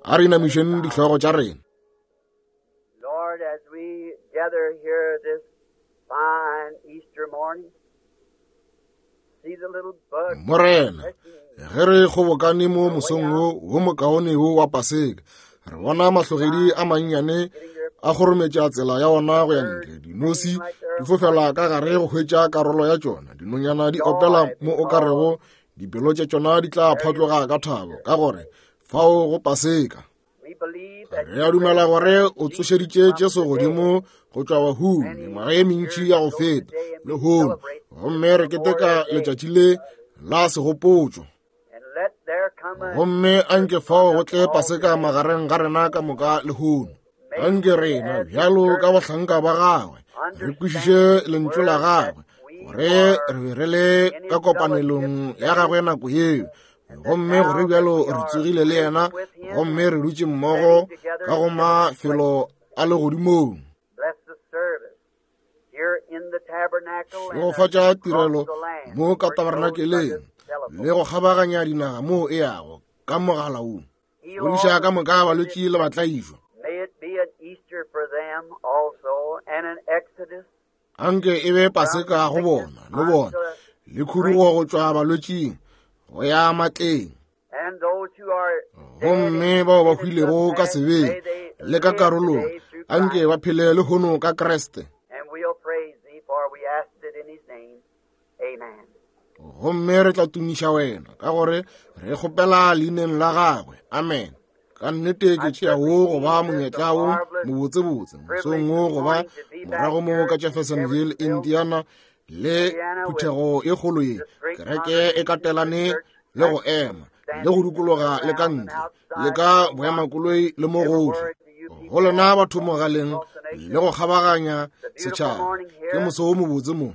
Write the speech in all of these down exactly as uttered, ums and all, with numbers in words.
A re inamišeng dihlogo tša rena. Lord, as we gather here this fine Easter morning, see the little bugs Morena, ge re kgobokane mo mosong wo wo mokaone wo wa Paseka, re bona mahlogedi a mannyane a kgorometša tsela ya ona go ya ntle. Dinosi di fofela ka gare go hwetša karolo ya tšona. Dinonyana di opela mo o ka rego dipelo tša tšona di tla phatloga ka thabo, ka gore fao go Paseka. We believe that Re a dumela gore o tsošeditše Jesu godimo go tšwa bahung mengwaga ye mentši ya go feta lehono, gomme re keteka letšatši le la segopotšo. and let there come a Gomme anke fao go tle Paseka magareng ga rena ka moka lehono. Anke rena bjalo ka bahlanka ba gagwe re kwešiše lentšu la gagwe, gore re be re le ka kopanelong ya gagwe nako yeo, gomme gore bjalo re tsogile le yena, gomme re dutše mmogo ka go mafelo a legodimong. bless the service here in the tabernacle and Šegofatša across tirelo the land mo ka where it goes by tabernakeleng the telephone. le go kgabaganya dinaga moo e yago ka mogala wo. Heal Fodiša all ka the moka balwetši le batlaišwa. May it be an Easter for them also and an Exodus Anke e be Paseka go bona le bona, le khudugo go tšwa balwetšing go ya matleng. and those who are dead Gomme in bao ba sins of hwilego ka past, sebeng may they le ka live karolong, today through anke Christ. ba phele lehono ka Kriste. And we'll praise thee, for we asked it in his name. Amen. Gomme re tla tumiša wena, ka gore re kgopela leineng la gagwe. Amen. Ka nnete ke tšea wo go ba monyetla wo mobotsebotse mosong wo go ba morago mo ka Jeffersonville, Indiana, le phuthego e kgolo ye. Kereke e katelane le go ema le go dikologa le ka ntle le ka boemakoloi le mo gohle. Go lena batho mogaleng le go kgabaganya setšhaba, ke moso wo mobotse mo.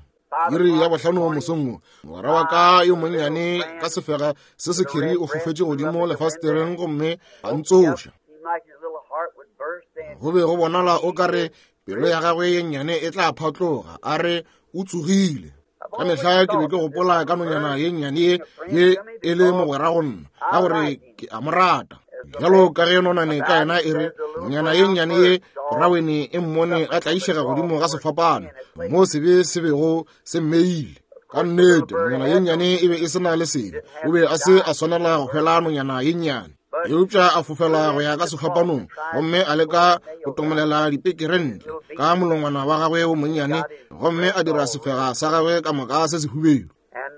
Iri ya bohlano mosong wo, mogwera wa ka yo monnyane ka sefega se sekhiri o fofetše godimo lefasetereng gomme a ntsoša. Seemed like his little heart would burst and Go be go bonala o ka re pelo ya gagwe ye nnyane e tla phatloga, a re o tsogile. Ka mehla ke be ke gopola ka nonyana ye nnyane ye ye e le mogwera go nna, ka gore ke a mo rata. Bjalo ka ge nonane ka yena e re, nonyana ye nnyane ye borawene e mmone a tlaišega godimo ga sefapano mo sebe se bego se mmeile. Ka nnete nonyana ye nnyane e be e se na le sebe, o be a se a swanela go hwela nonyana ye nnyane. Eupša a fofela go ya ka sefapanong, gomme a leka go tomolela dipekere ntle ka molongwana wa gagwe wo monnyane, gomme a dira sefega sa gagwe ka moka se sehubedu. and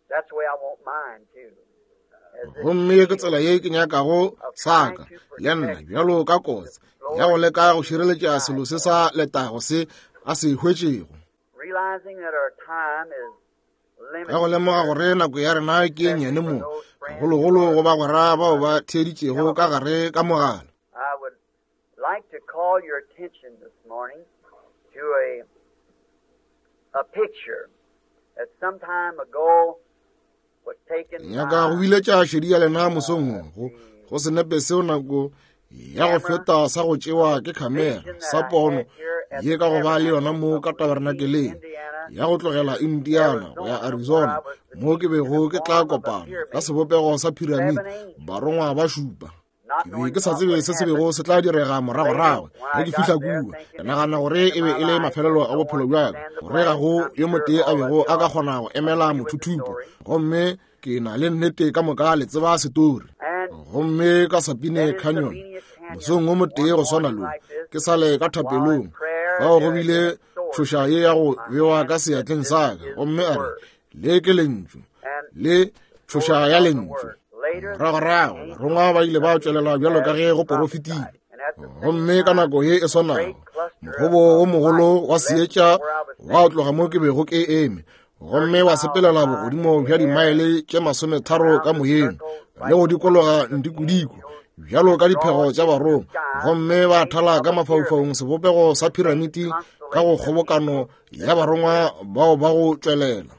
that's the way I want mine too. As this Gomme ke tsela ye ke nyakago sa ka le nna, bjalo ka kotse ya go leka go šireletša selo se sa letago se a se hwetšego. realizing that our time is Ka go limited. lemoga gore nako ya rena ke e nnyane mo, gagologolo go bagwera bao ba theeditšego ka gare ka mogala. I would like to call your attention this morning to a a picture that some time ago was taken Nyaka go by biletša šedi ya lena mosong wo go go senepe seo nako ya go feta sa go tšewa ke khamera sa pono ye ka go ba le yona mo ka tabernakeleng ya go tlogela Indiana go ya Arizona, mo ke bego ke tla kopana ka sebopego sa piramide barongwa ba šupa. not Ke be knowing ke sa what tsebe would se se happen. bego se tla direga moragorago ge ke fihla kua. Ke nagana gore e be e le mafelelo a bophelo bja ka, gore ga go yo motee a bego a ka kgona go emela mothuthupo. Gomme ke na le nnete ka moka le tseba setori. And Gomme ka Sabine Canyon mosong wo motee go swana lo, ke sale ka thapelong, fao go bile tšhoša ye ya go bewa ka seatleng sa ka, gomme a re, le ke lentšu, le tšhoša ya lentšu. Moragorago barongwa ba ile ba tšwelela bjalo ka ge go porofetile. Gomme ka nako ye e swanago, mogobo wo mogolo wa seetša wa tloga mo ke bego ke eme, gomme wa sepelela bogodimo bja dimaele tše masometharo ka moyeng le go dikologa ntikodiko bjalo ka diphego tša barongwa, gomme ba thala ka mafaufaung sebopego sa piramiti ka go kgobokano ya barongwa bao ba go tšwelela.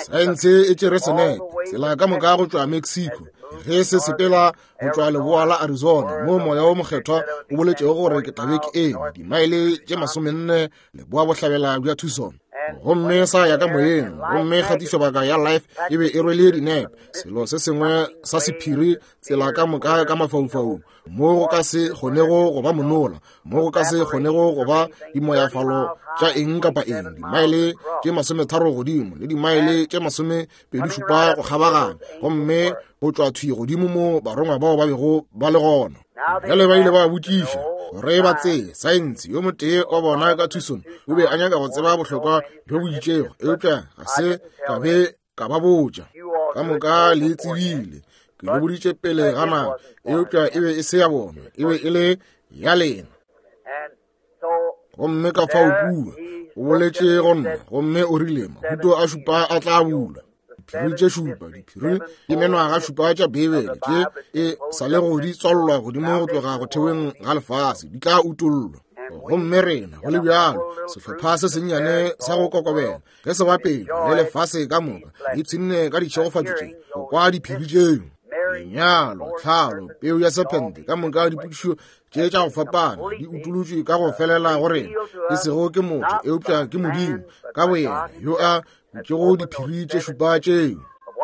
Saense e tšere senepe tsela ka moka go tšwa Mexico ge se sepela go tšwa leboa la Arizona, mo moya wo mokgethwa o boletšego gore ke tla be ke eme dimaele tše masomenne leboa bohlabela bja Tucson. Gomme sa ya ka moyeng, gomme kgatišobaka ya Life e be e rwele dinepe, selo se sengwe sa sephiri tsela ka moka ka mafaufaung, mo go ka se kgonego go ba monola, mo go ka se kgonego go ba dimoyafalo tša eng kapa eng, dimaele tše masometharo godimo le dimaele tše masomepedi šupa go kgabaganya, gomme go tšwa thwi godimo mo barongwa bao ba bego ba le gona. Bjale ba ile ba botšiša gore ba tsebe saense. Yo motee wa bona ka Tucson o be a nyaka go tseba bohlokwa bjo bo itšego, eupša ga se ka be ka ba botša. Ka moka le tsebile, ke le boditše pele ga nako, eupša e be e se ya bona, e be e le ya lena. Gomme ka fao kua o boletše go nna, gomme o rile mahuto a šupa a tla bulwa. Diphiri tše šupa, diphiri ke menwaga šupa tša Beibele tše e sa le go di tswallwa godimo go tloga go theweng ga lefase, di tla utollwa. Gomme rena go le bjalo sehlopha se sennyane sa go kokobela ge se bapetšwa le lefase ka moka, di ipshinne ka ditšhegofatšo tše go kwa diphiri tšeo. Lenyalo, tlhalo, peu ya sephente, ka moka dipotšišo tše tša go fapana di utolotšwe ka go felela go rena, e sego ke motho eupša ke Modimo ka boyena yo a butšego diphiri tše šupa tšeo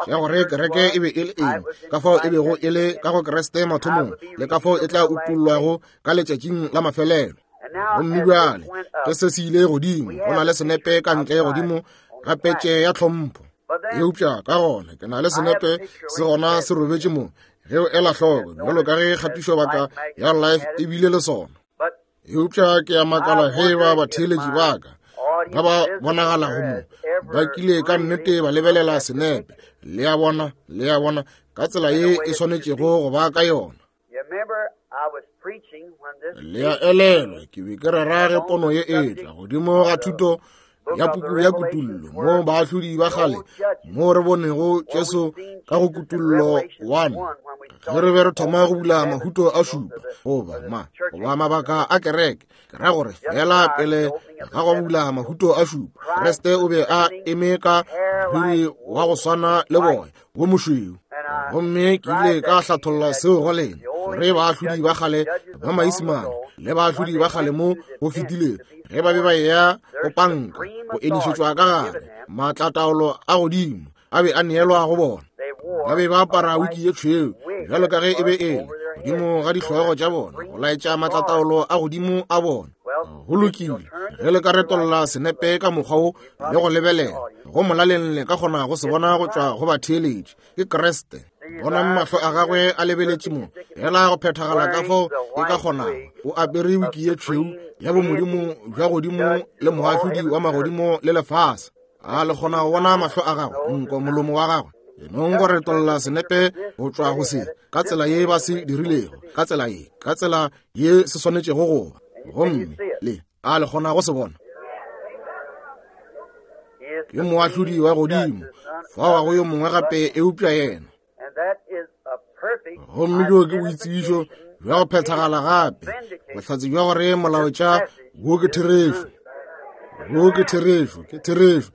tša gore kereke e be e le eng, ka fao e bego e le ka go Kriste mathomong, le ka fao e tla utollwago ka letšatšing la mafelelo. Gomme bjale ge se se ile godimo, go na le senepe ka ntle godimo ga petše ya tlhompho, eupša ka gona ke na le senepe se gona se robetše mo, ge o ela hloko, bjalo ka ge kgatišobaka ya Life e bile le sona. Eupša ke a makala ge ba batheeletši ba ka ba ba bonagalago mo ba kile ka nnete ba lebelela senepe. Le a bona, le a bona ka tsela ye e swanetšego go ba ka yona. Le a elelwa, ke be ke rera ge pono ye e tla godimo ga thuto ya puku ya Kutullo, mo baahlodi ba kgale, mo re bonego Jesu ka go Kutullo one, ge re be re thoma go bula mahuto a šupa goba ma goba mabaka a kereke. Ke ra gore fela pele ga go bula mahuto a šupa, Kriste o be a eme ka moriri wa go swana le boya wo mošweu. Gomme ke ile ka hlatholla seo go lena, gore baahlodi ba kgale ba Maisimane le baahlodi ba kgale mo go fetilego, ge ba be ba eya go panka go enišetšwa ka gare, maatlataolo a godimo a be a neelwa go bona. Ba be ba apara wiki ye tšhweu bjalo ka ge e be e le godimo ga dihlogo tša bona, go laetša maatlataolo a godimo a bona. Go lokile, ge le ka retolla senepe ka mokgwa wo le go lebelela go molaleng, le ka kgona go se bona go tšwa go batheeletši. Ke Kriste. Bonang mahlo a gagwe a lebeletše mo, fela go phethagala ka fao e ka kgonago. O apere wiki ye tšhweu ya bomodimo bja godimo le moahlodi wa magodimo le lefase. A le kgona go bona mahlo a gagwe, nko, molomo wa gagwe? Enong go retolla senepe go tšwa go se ka tsela ye ba se dirilego, ka tsela ye, ka tsela ye se swanetšego go ba. Gomme le a le kgona go se bona? Ke moahlodi wa godimo, fao ga go yo mongwe gape eupša yena. Gomme bjo ke boitsebišo bja go phethagala gape, bohlatse bja gore molaetša wo ke therešo, wo ke therešo, ke therešo.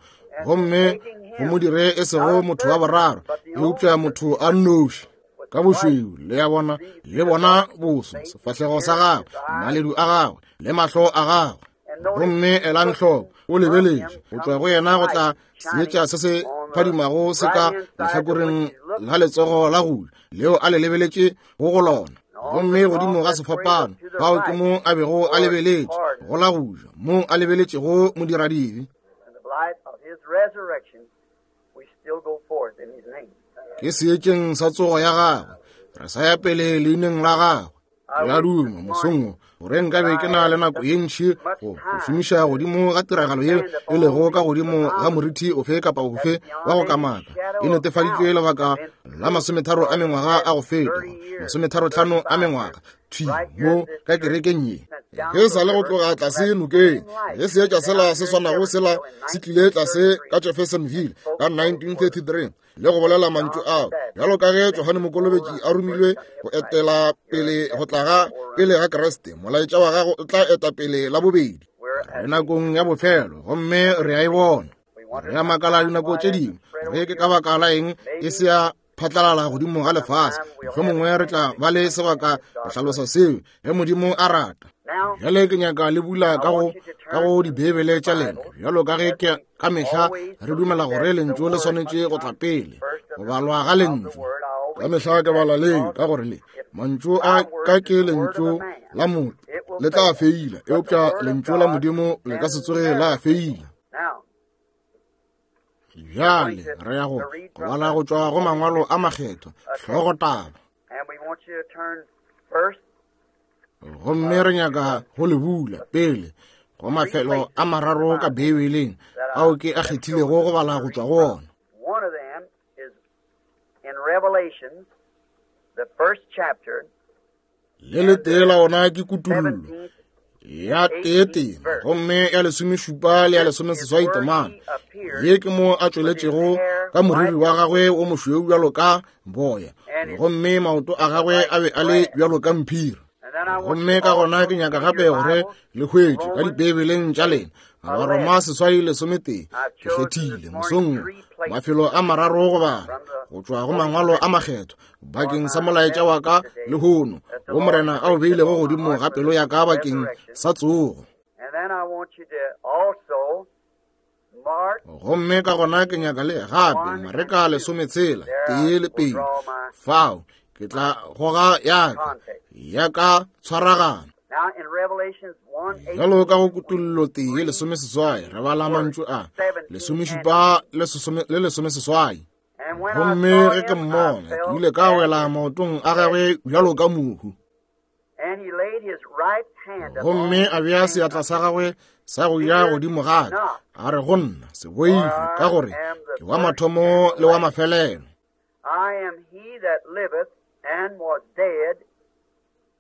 Gomme go mo dire e sego motho wa boraro, eupša motho a nnoši ka bošweu. Le a bona, le bona boso, sefahlego sa gagwe, maledu a gagwe le mahlo a gagwe. Gomme elang hloko, o lebeletše go tšwa go yena go tla seetša se se phadimago se ka lehlakoreng la letsogo la go ja leo a le lebeletše go go lona. Gomme godimo ga sefapano, fao ke mo a bego a lebeletše go la go ja, mo a lebeletšego modiradibe. Ke seetšeng sa tsogo ya gagwe, re sa ya pele leineng la gagwe. Ke a duma mosong wo gore nkabe ke na le nako ye ntši go go šomiša godimo ga tiragalo ye e lego ka godimo ga moriti ofe kapa ofe wa go kamaka. E netefaditšwe lebaka la masometharo a mengwaga a go feta, masometharo-hlano a mengwaga, thwi mo ka kerekeng ye. Ge sa le go tloga tlase nokeng, ge seetša sela se swanago sela se tlile tlase ka Jeffersonville ka nineteen thirty-three, le go bolela mantšu ao, bjalo ka ge Johane Mokolobetši a romilwe go etela pele go tla ga pele ga Kriste, molaetša wa gago o tla eta pele la bobedi. Re nakong ya bofelo, gomme re a e bona. Re a makala dinako tše dingwe gore ke ka baka la eng e se ya phatlalala godimo ga lefase. Mohlomongwe re tla ba le sebaka go hlalosa seo ge Modimo a rata. Bjale ke nyaka le bula ka go ka go diBeibele tša lena, bjalo ka ge ke ka mehla re dumela gore lentšu le swanetše go tla pele, go balwa ga lentšu. Ka mehla ke bala le ka gore le mantšu a ka ke lentšu la motho le tla feila, eupša lentšu la Modimo le ka se tsoge la feila. Bjale re ya go go bala go tšwa go mangwalo a makgethwa, hlogotaba. Gomme re nyaka go le bula pele go mafelo a mararo ka Beibeleng ao ke a kgethilego go bala go tšwa go ona. Le letee la ona ke Kutullo ya tee tema, gomme ya lesomešupa le ya lesomeseswai temana. Ye ke mo a tšweletšego ka moriri wa gagwe o mošweu bjalo ka boya, gomme maoto a gagwe a be a le bjalo ka mphiri. Gomme ka gona ke nyaka gape gore le hwetše ka diBeibeleng tša lena Baroma seswai lesometee. Ke kgethile mosong mafelo a mararo go bala go tšwa go mangwalo a makgethwa bakeng sa molaetša wa ka lehono, wo Morena a o beilego godimo ga pelo ya ka bakeng sa tsogo. Gomme ka gona ke nyaka le gape Mareka lesometshela tee le pedi, fao ke tla goga ya ka ya ka tshwaragano. Bjalo ka go Kutullo tee lesomeseswai re bala mantšu a lesomešupa le lesomeseswai. Gomme ge ke mmona, ke ile ka wela maotong a gagwe bjalo ka mohu. Gomme a bea seatla sa gagwe sa go ya godimo ga ka, a re go nna, se boife, ka gore ke wa mathomo le wa mafelelo.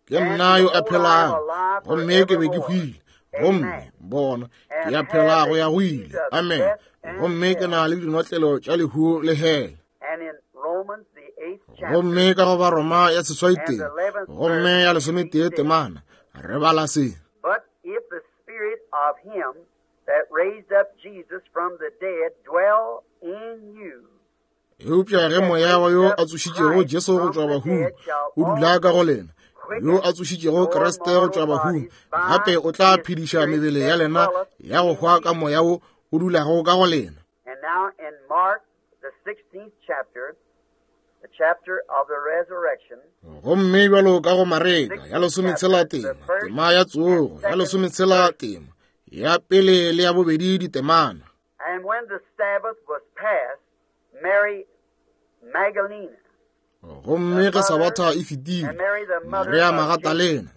Ke nna yo a phelago, gomme ke be ke hwile, gomme bona ke ya phela go ya go ile. Amen. Gomme ke na le dinotlelo tša lehu le hele. Gomme ka go Baroma ya seswai tee, gomme ya lesometee temana, re bala se. But if the spirit of him that raised up Jesus from the dead dwell in you, Eupša ge moya wa yo a tsošitšego Jesu go tšwa bahung o dula ka go lena, yo a tsošitšego Kriste go tšwa bahung gape o tla phediša mebele ya lena ya go hwa ka moya wo o dulago ka go lena. And now in Mark, the sixteenth chapter, the chapter of the resurrection, Gomme bjalo ka go Mareka ya lesometshela tema, tema ya tsogo ya lesometshela tema, ya pele le ya bobedi ditemana. And when the Sabbath was past, Mary Magdalene, Gomme ge Sabatha e fetile, Maria Magatalena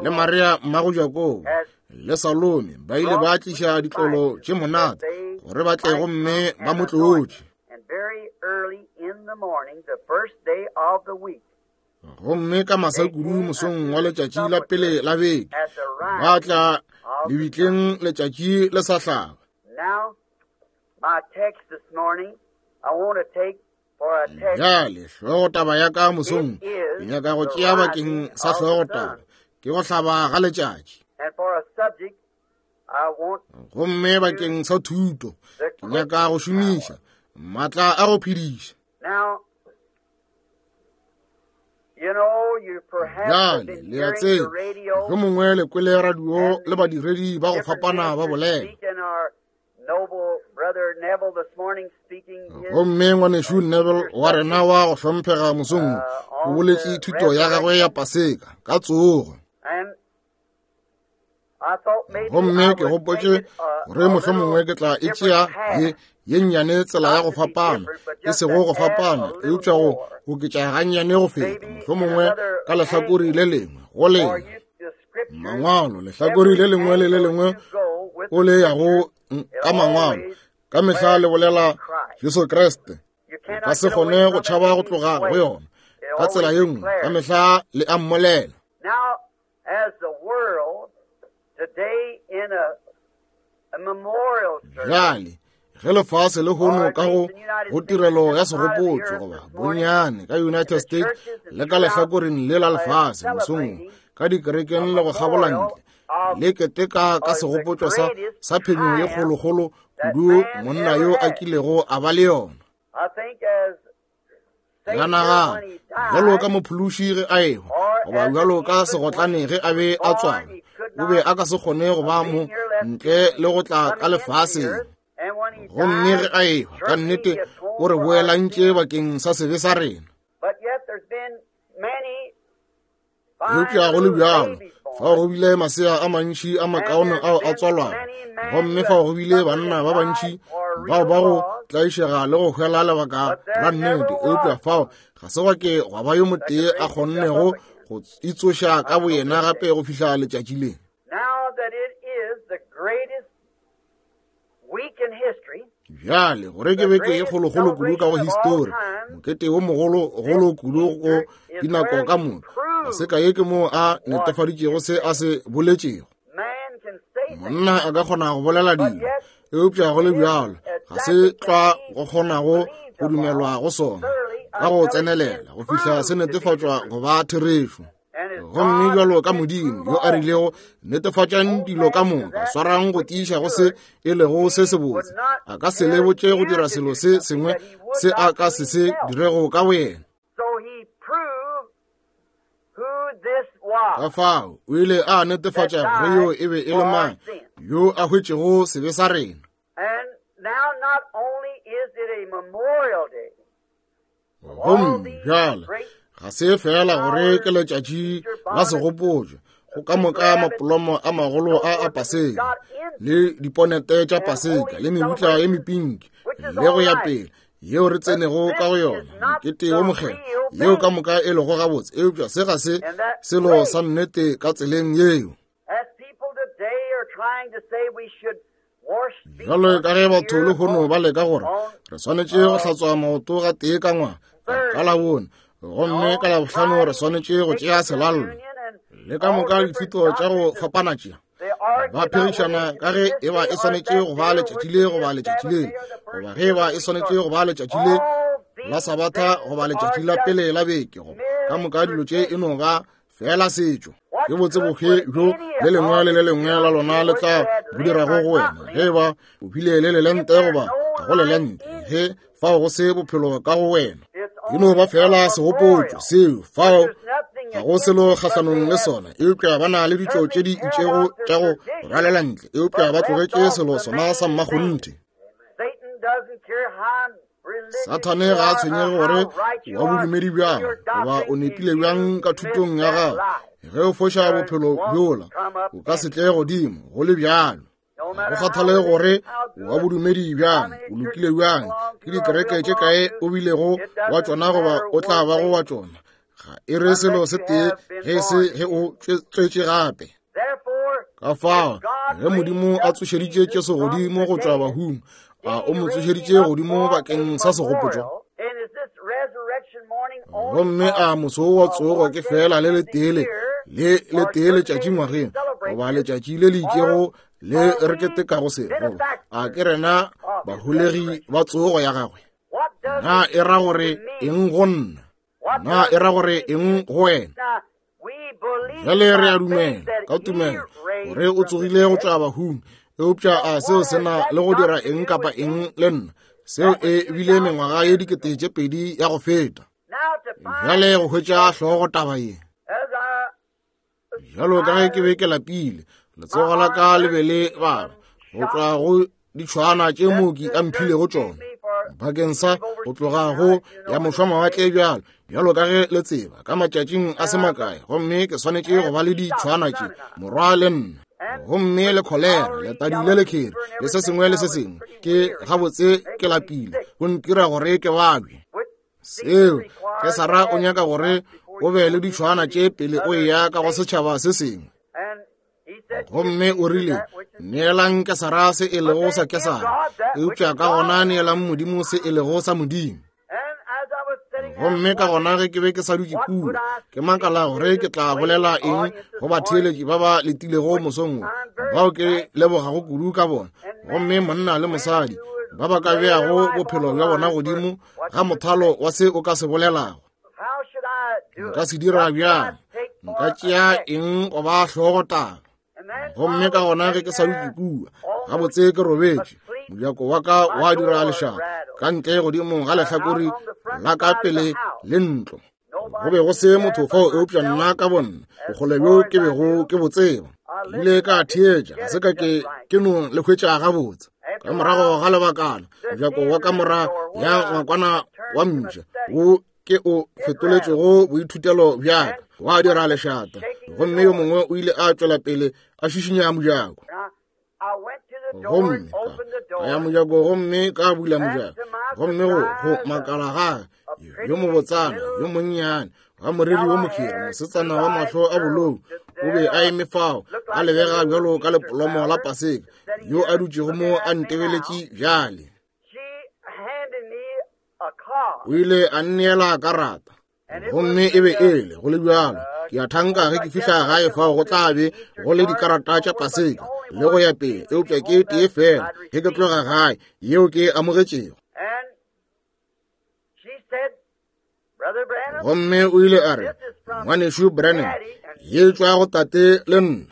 le Maria mmago Jakobo le Salome ba ile ba tliša ditlolo tše monate gore ba tle gomme ba mo tlotše. And very early in the morning, the first day of the week, Gomme ka masa kudu mosong wa letšatši la pele la beke, ba tla lebitleng letšatši le sa hlaba. Now, my text this morning, I want to take for a text. Bjale hlogotaba ya ka mosong ke nyaka go tšea bakeng sa hlogotaba ke go hlaba ga letšatši. And for a subject, I want Gomme bakeng sa thuto ke nyaka go šomiša maatla a go phediša. Now, you know, you perhaps have Bjale been le a hearing the tseba, radio mohlomongwe le kwele radio le badiredi ba go different fapana ba ministers bolela. speaking, our noble brother Neville this morning speaking his Gomme ngwanešu Neville wa rena wa go hlomphega mosong o boletše thuto ya gagwe ya Paseka ka tsogo. And I thought maybe I Gomme ke would gopotše take it a, gore a mohlomongwe little ke tla e different tšea ye path. ye nnyane tsela ya Not go to be fapana, different, but e just sego to go add a fapana, little eupša go more. oketša gannyane go feta, Maybe in mohlomongwe another ka lehlakore le angle. lengwe go For lena. you, the scriptures, Mangwalo, lehlakore every le lengwe le le angle lengwe you go with o the le yago scripture, ka it mangwalo, always ka mehla le declares bolela Christ. Jesu Kriste. You O ka cannot se get away kgone go from it tšhaba go any tloga go way. yona It ka tsela always ye nngwe, ka declares. mehla le a mmolela. Now, as the world today in a, a memorial service, Bjale ge lefase le or hono at ka least go in the United go States tirelo and ya this side of the segopotšo earth goba this morning, bonnyane ka in the United States churches and le ka throughout lehlakoreng le la uh, lefase mosong wo, celebrating ka dikerekeng a le go kgabola memorial ntle of le keteka ka of the segopotšo sa greatest sa phenyo ye triumph kgolokgolo that kudu man monna ever yo a had. kilego a ba le yona. I think as Ka Savior nagana when he bjalo ka died, mophološi ge a ehwa, or goba as an bjalo ka infant when segotlane he ge a was be a born, tswalwa, he O be a ka se kgone go ba mo ntle le go tla ka lefaseng. Gomme ge a ehwa, ka nnete o re boelantše bakeng sa sebe sa rena. Eupša go le bjalo, fao go bile masea a mantši a makaone ao a tswalwago, gomme fao go bile banna ba bantši bao ba go tlaišega le go hwela lebaka la nnete, eupša fao ga se gwa ke gwa ba yo motee a kgonnego go itsoša ka boyena gape go fihla letšatši le. Bjale gore ke beke e kgolokgolo kudu ka go histori, mokete wo mogologolo kudu go dinako ka moka, Paseka ye ke moo a netefaditšego se a se boletšego. Monna a ka kgona go bolela dilo, eupša go le bjalo ga se tlwa go kgonago go dumelwa go sona ka go tsenelela go fihla se netefatšwa go ba therešo. Gomme bjalo ka Modimo yo a rilego, netefatšang dilo ka moka, swarang go tiiša go se e lego se sebotse, a ka se le botše go dira selo se sengwe se a ka se se dirego ka boyena. Ka fao o ile a netefatša gore yo e be e le mang yo a hwetšego sebe sa rena. Gomme bjale ga se fela gore ke letšatši la segopotšo go ka moka mapolomo a magolo a a Paseka le diponete tša Paseka le mebutla ye mepinki le go ya pele yeo re tsenego ka go yona, mokete wo mokgethwa, yeo ka moka e lego gabotse, eupša se ga se selo sa nnete ka tseleng yeo. Bjalo ka ge batho lehono ba leka gore re swanetše go hlatswa maoto ga tee ka ngwaga ka Labone, gomme ka Labohlano re swanetše go tšea selallo, le ka moka dithuto tša go fapana tšea, ba phegišana ka ge e ba e swanetše go ba letšatši le goba letšatši le, goba ge e ba e swanetše go ba letšatši le la Sabatha goba letšatši la pele la beke, goba ka moka dilo tše e no ba fela setšo. Ke botse bofe bjo le lengwe le le lengwe la lona le tla bo dirago go wena ge e ba o bile le lelente goba ga go lelente, ge fao go se bophelo ka go wena. E no ba fela segopotšo seo, fao ga go selo kgahlanong le sona, eupša ba na le ditšo tše di itšego tša go rwalela ntle, eupša ba tlogetše selo sona sa mmakgonthe. Sathane ga a tshwenyege gore wa bodumedi bjang goba o nepile bjang ka thutong ya gago, ge o foša bophelo bjola o ka se tle godimo go le bjalo. Go kgathale gore wa bodumedi bjang, o lokile bjang, ke dikereke tše kae o bilego wa tšona goba o tla bago wa tšona, ga e re selo se tee ge se ge o tswetše gape. Ka fao ge Modimo a tsošeditše Jesu godimo go tšwa bahung, a o mo tsošeditše godimo bakeng sa segopotšo? Gomme a moso wa tsogo ke fela le letee le le letee letšatši ngwageng, goba letšatši le le itšego le re ketekago se, goba a ke rena baholegi ba tsogo ya gagwe? Na e ra gore eng go nna? Na e ra gore eng go wena? Bjale re a dumela ka tumelo gore o tsogile go tšwa bahung, eupša a seo se na le go dira eng kapa eng le nna? Seo e bile mengwaga ye dikete tše pedi ya go feta. Bjale go hwetša hlogo taba ye, bjalo ka ge ke be ke lapile, letsogo la ka le be le baba go tšwa go ditšhwana tše mooki a mphilego tšona bakeng sa go tloga go ya mošwamawatle bjalo bjalo ka ge le tseba ka matšatšing a se makae, gomme ke swanetše go ba le ditšhwana tše morwa le nna, gomme le kholera, letadi le lekhere le se sengwe le se sengwe. Ke gabotse ke lapile, go ntira gore ke babje. Seo Kesara o nyaka gore o be le ditšhwana tše pele o eya ka go setšhaba se sengwe. Gomme o rile, neelang Kesara se e lego sa Kesara, eupša ka gona neelang Modimo se e lego sa Modimo. Gomme ka gona ge ke be ke sa dutše kua, ke makala gore ke tla bolela eng go batheeletši ba ba letilego mosong wo, bao ke lebogago kudu ka bona, gomme monna le mosadi ba ba ka beago bophelo bja bona godimo ga mothalo wa se o ka se bolelago. Nka se dira bjang? Nka tšea eng go ba hlogo taba? Gomme ka gona ge ke sa dutše kua, gabotse ke robetše, mojako wa ka wa dira lešata ka ntle godimo ga lehlakore la ka pele le ntlo. Go be go se motho fao eupša nna ka bonna, bokgole bjo ke bego ke bo tseba. Ke ile ka theetša, ga se ka ke ke no le hwetša gabotse. Ka morago ga lebakana, mojako wa kamora ya ngwakwana wa mpša wo ke o fetoletšego boithutelo bjaka wa dira lešata, gomme yo mongwe o ile a tšwela pele a šišinya mojako. Gomme ka ya mojako gomme ka bula mojako, gomme go go makala gage yo mobotsana yo monnyane wa moriri wo mokhiri, mosetsana wa mahlo a bolou, o be a eme fao a lebega bjalo ka lepolomo la Paseka, yo a dutšego mo a ntebeletše bjale. O ile a nneela karata, gomme e be e le go le bjalo. Ke a thanka ge ke fihla gae fao go tla be go le dikarata tša Paseka le go ya pele, eupša ke tee fela ge ke tloga gae yeo ke amogetšego. Gomme o ile a re, Ngwanešu Branham, ye tšwa go tate le nna.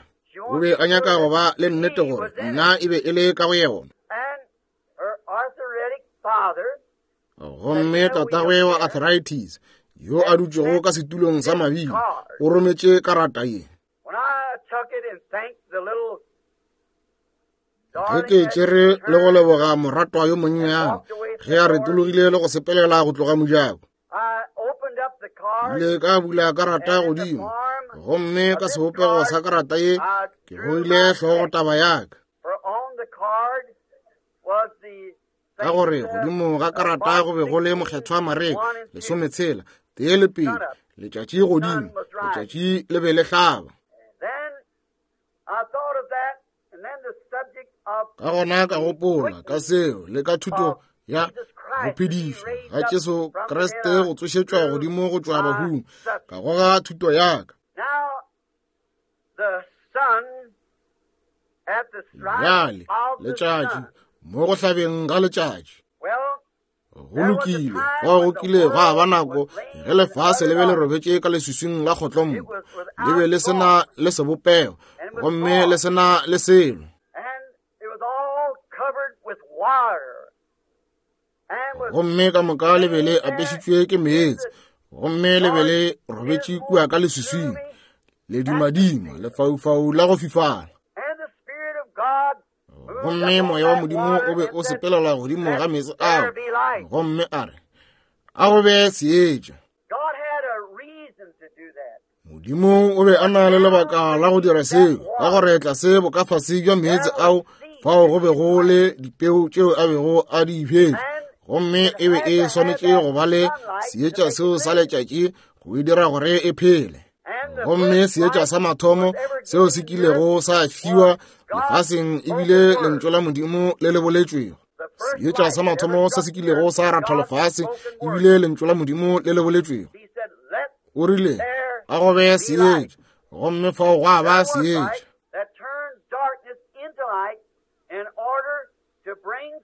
O be a nyaka go ba le nnete gore nna e be e le ka go yona. Gomme tatagwe wa arthritis yo a dutšego ka setulong sa mabili o rometše karata ye. Ge ke tšere le go leboga moratwa yo monnyane ge a retologile le go sepelela go tloga mojako, ile ka bula karata godimo, gomme ka sebopego sa karata ye ke goile hlogo taba yaka, ka gore godimo ga karata go be go le mokgethwa Mareka lesometshela tee le pedi, letšatši godimo, letšatši le be le hlaba. Ka gona ka gopola ka seo le ka thuto ya go phedišwa ga Jesu Kriste go tsošetšwa godimo go tšwa bahung, ka goga thuto yaka. Bjale letšatši mo go hlabeng ga letšatši go lokile, fao go kile gwa ba nako ge lefase le be le robetše ka leswiswing la kgotlompo, le be le sena le sebopego gomme le sena le selo. Gomme ka moka le be le apešitšwe ke meetse, gomme le be le robetše kua ka leswiswing ledimadima lefaufau la go fifala. Gomme moya wa Modimo o be o sepelela godimo ga meetse ao, gomme a re, a go be seetša. Modimo o be a na le lebaka la go dira seo, ka gore tlase bokafase bja meetse ao fao go be go le dipeu tšeo a bego a di bjetše, gomme e be e swanetše go ba le seetša seo sa letšatši go e dira gore e phele. Gomme seetša sa mathomo seo se kilego sa fiwa lefaseng ebile lentšu la Modimo le le boletšwego. Seetša sa mathomo se se kilego sa ratha lefase ebile lentšu la Modimo le le boletšwego. O rile, a go be seetša, gomme fao gwa ba seetša.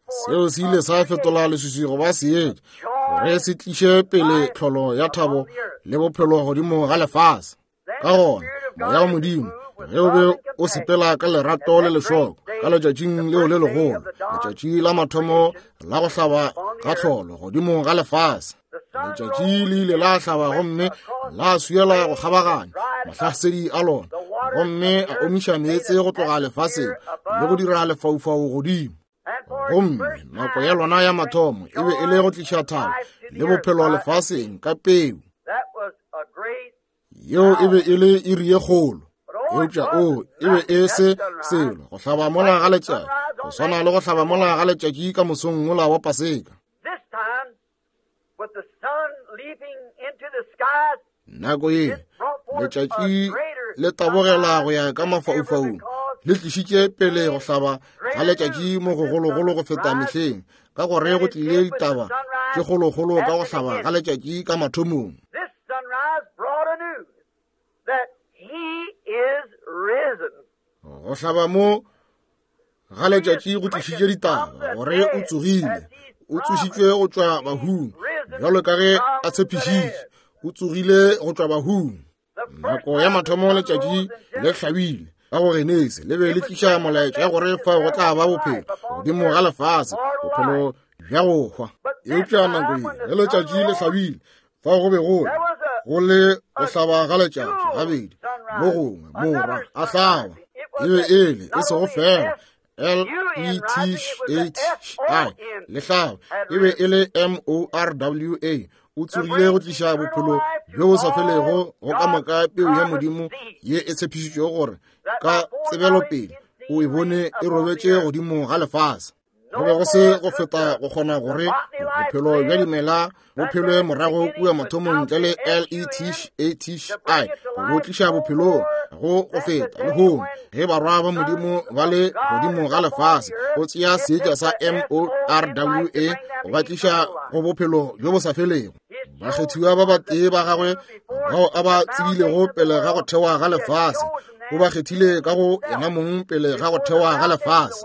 Seo se ile sa fetola leswiswi go ba seetša gore se tliše pele tlholo ya thabo le bophelo godimo ga lefase. Ka gona moya wa Modimo ge o be o sepela ka lerato le lešoko ka letšatšing leo le legolo, letšatši la mathomo la go hlaba ga tlholo godimo ga lefase, letšatši le ile la hlaba gomme la swiela go kgabaganya mahlasedi a lona, gomme a omiša meetse go tloga lefaseng le go dira lefaufau godimo. Gomme nako ya lona ya mathomo e be e le go tliša thabo le bophelo lefaseng ka peu. Yeo e be e le iri ye kgolo, eupša o e be e se selo go hlaba mola ga letšatši, go swana le go hlaba mola ga letšatši ka mosong mola wa Paseka. Nako ye letšatši le tabogela go ya ka mafaufaung, le tlišitše pele go hlaba ga letšatši mo gogologolo go feta mehleng, ka gore go tlile ditaba tše kgolokgolo ka go hlaba ga letšatši ka mathomong. Go hlaba mo ga letšatši go tlišitše ditaba gore o tsogile, o tsošitšwe go tšwa bahung bjalo ka ge a tshepišitše, o tsogile go tšwa bahung. Nako ya mathomo letšatši le hlabile ka go Genesi, le be le tliša molaetša ya gore fao go tla ba bophelo godimo ga lefase, bophelo bja go hwa. Eupša nako ye ge letšatši le hlabile, fao go be go le go le go hlaba ga letšatši gabedi, mo gongwe morwa a hlaba. E be e le e sego fela L E T H I lehlaba, e be e le M O R W A. O tsogile go tliša bophelo bjo bo sa felego go ka moka peu ya Modimo ye e tshepišitšwego gore ka tsebelopele o e bone e robetše godimo ga lefase. Go be go se go feta go kgona gore bophelo bja dimela bo phelwe morago kua mathomong ntle le L E T H I go tliša bophelong go go feta lehono ge barwa ba Modimo ba le godimo ga lefase go tšea seetša sa M O R W A go ba tliša go bophelo bjo bo sa felego. Bakgethiwa ba batee ba gagwe bao a ba tsebilego pele ga go thewa ga lefase o ba kgethile ka go yena mong pele ga go thewa ga lefase.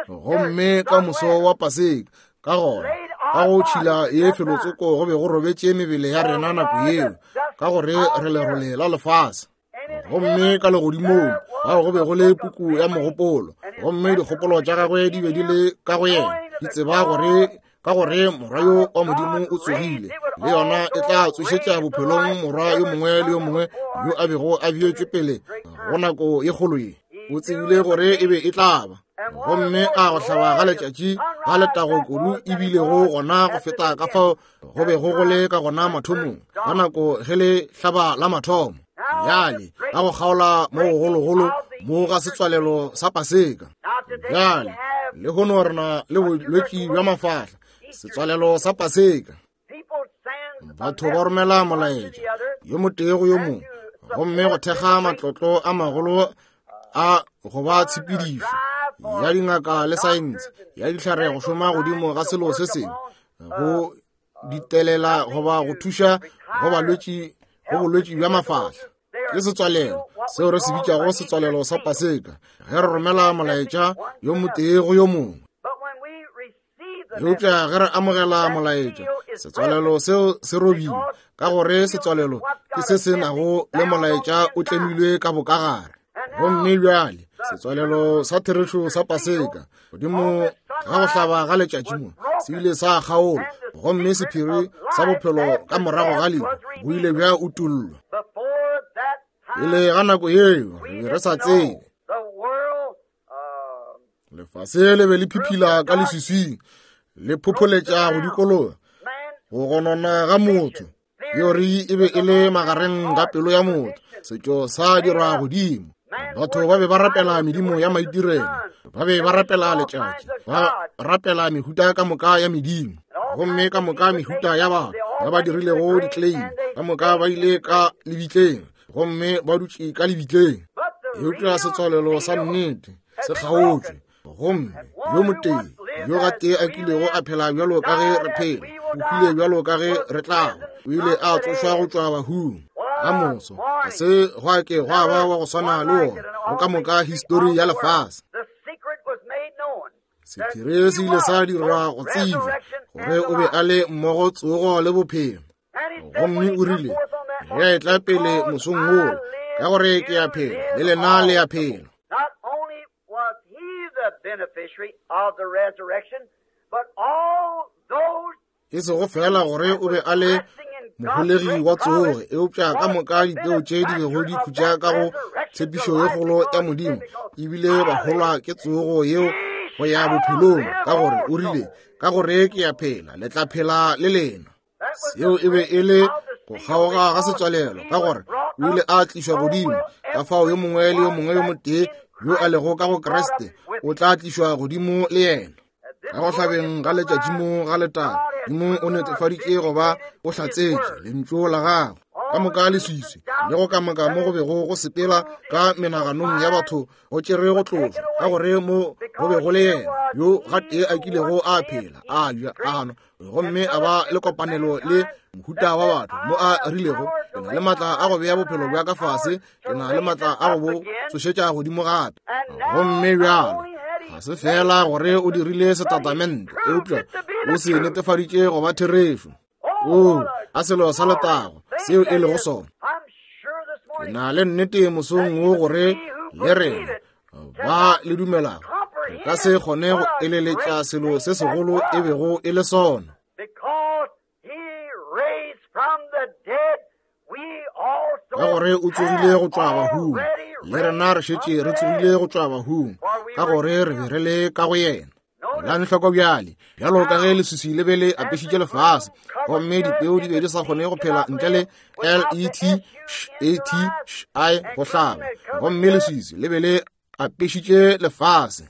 Gomme ka moso wa Paseka ka gona ka go tšhila ye felotsoko go be go robetše mebele ya rena nako yeo ka gore re lerole la lefase. Gomme ka legodimong bao go be go le puku ya mogopolo, gomme dikgopolo tša gagwe di be di le ka go yena, di tseba gore ka gore morwa yo wa Modimo o tsogile, le yona e tla tsošetša bophelong morwa yo mongwe le yo mongwe yo a bego a beetšwe pele go nako ye kgolo ye. O tsebile gore e be e tla ba. Gomme a go hlaba ga letšatši ga letago kudu ebilego gona go feta ka fao go bego go le ka gona mathomong ka nako ge le hlaba la mathomo. Bjale ka go kgaola mo gogologolo mo ga setswalelo sa Paseka. Bjale lehono re na le bolwetši bja mafahla, setswalelo sa Paseka. Batho ba romela molaetša yo motee go yo mongwe, gomme go thekga matlotlo a magolo a go ba tshepedišo ya dingaka le saense ya dihlare go šoma godimo ga selo se sengwe go ditelela goba go thuša go balwetši go bolwetši bja mafahla. Ke setswalelo seo re se bitšago setswalelo sa Paseka ge re romela molaetša yo motee go yo mongwe. Eupša ge re amogela molaetša, setswalelo seo se robilwe ka gore setswalelo ke se se nago le molaetša o tlemilwe ka bokagare. Gomme bjale setswalelo sa therešo sa Paseka godimo ga go hlaba ga letšatši mo se ile sa kgaolwa, gomme sephiri sa bophelo ka morago ga lehu bo ile bja utollwa. Pele ga nako yeo re be re sa tsebe. Lefase le be le phiphila ka leswiswing, le phopholetša go dikologa go gonona ga motho. Teori e be e le magareng ga pelo ya motho, setšo sa dirwa godimo. Batho ba be ba rapela medimo ya maitirelo, ba be ba rapela letšatši, ba rapela mehuta ka moka ya medimo, gomme ka moka mehuta ya batho ba ba dirilego di-claim ka moka ba ile ka lebitleng, gomme ba dutše ka lebitleng. Eupša setswalelo sa nnete se kgaotšwe, gomme yo motee yo gatee a kilego a phela bjalo ka ge re phela, o hwile bjalo ka ge re tlago, o ile a tsošwa go tšwa bahung. Ka moso ga se gwa ke gwa ba wa go swana le wona go ka moka histori ya lefase. Sephiri se ile sa dirwa go tsebja gore o be a le mmogo tsogo le bophelo. Gomme o rile ge a etla pele mosong wola, ka gore ke a phela le lena le a phela. E sego fela gore o be a le moholegi wa tsoge, eupša ka moka dipeo tše di bego di khutša ka go tshepišo ye kgolo ya Modimo ebile ba holwa ke tsogo yeo go ya bophelong, ka gore o rile ka gore ke a phela le tla phela le lena. Seo e be e le go kgaoga ga setswalelo, ka gore o ile a tlišwa godimo. Ka fao yo mongwe le yo mongwe yo motee yo a lego ka go Kriste o tla tlišwa godimo le yena. Ka go hlabeng ga letšatši mo ga letago, Modimo o netefaditše goba o hlatsetše lentšu la gagwe. Ka moka leswiswi le go kamoka mo go bego go sepela ka menaganong ya batho go tšere go tlošwa, ka gore mo go be go le yena yo gatee a kilego a phela, a ja, a nwa, gomme a ba le kopanelo le mohuta wa batho mo a rilego, ke na le maatla a go bea bophelo bja ka fase, ke na le maatla a go bo tsošetša godimo gape. Gomme bjalo ga se fela gore o dirile setatamente, eupša o se netefaditše go ba therešo. O a selo sa letago seo e lego sona. Ke na le nnete mosong wo gore le rena ba le dumelago re ka se kgone go eleletša selo se segolo e bego e le sona. Ka gore o tsogile go tšwa bahung, le rena re šetše re tsogile go tšwa bahung, ka gore re be re le ka go yena. Elang hloko bjale, bjalo ka ge leswiswi le be le apešitše lefase, gomme dipeo di be di sa kgone go phela ntle le L E T H A T I go hlaba, gomme leswiswi le be le apešitše lefase.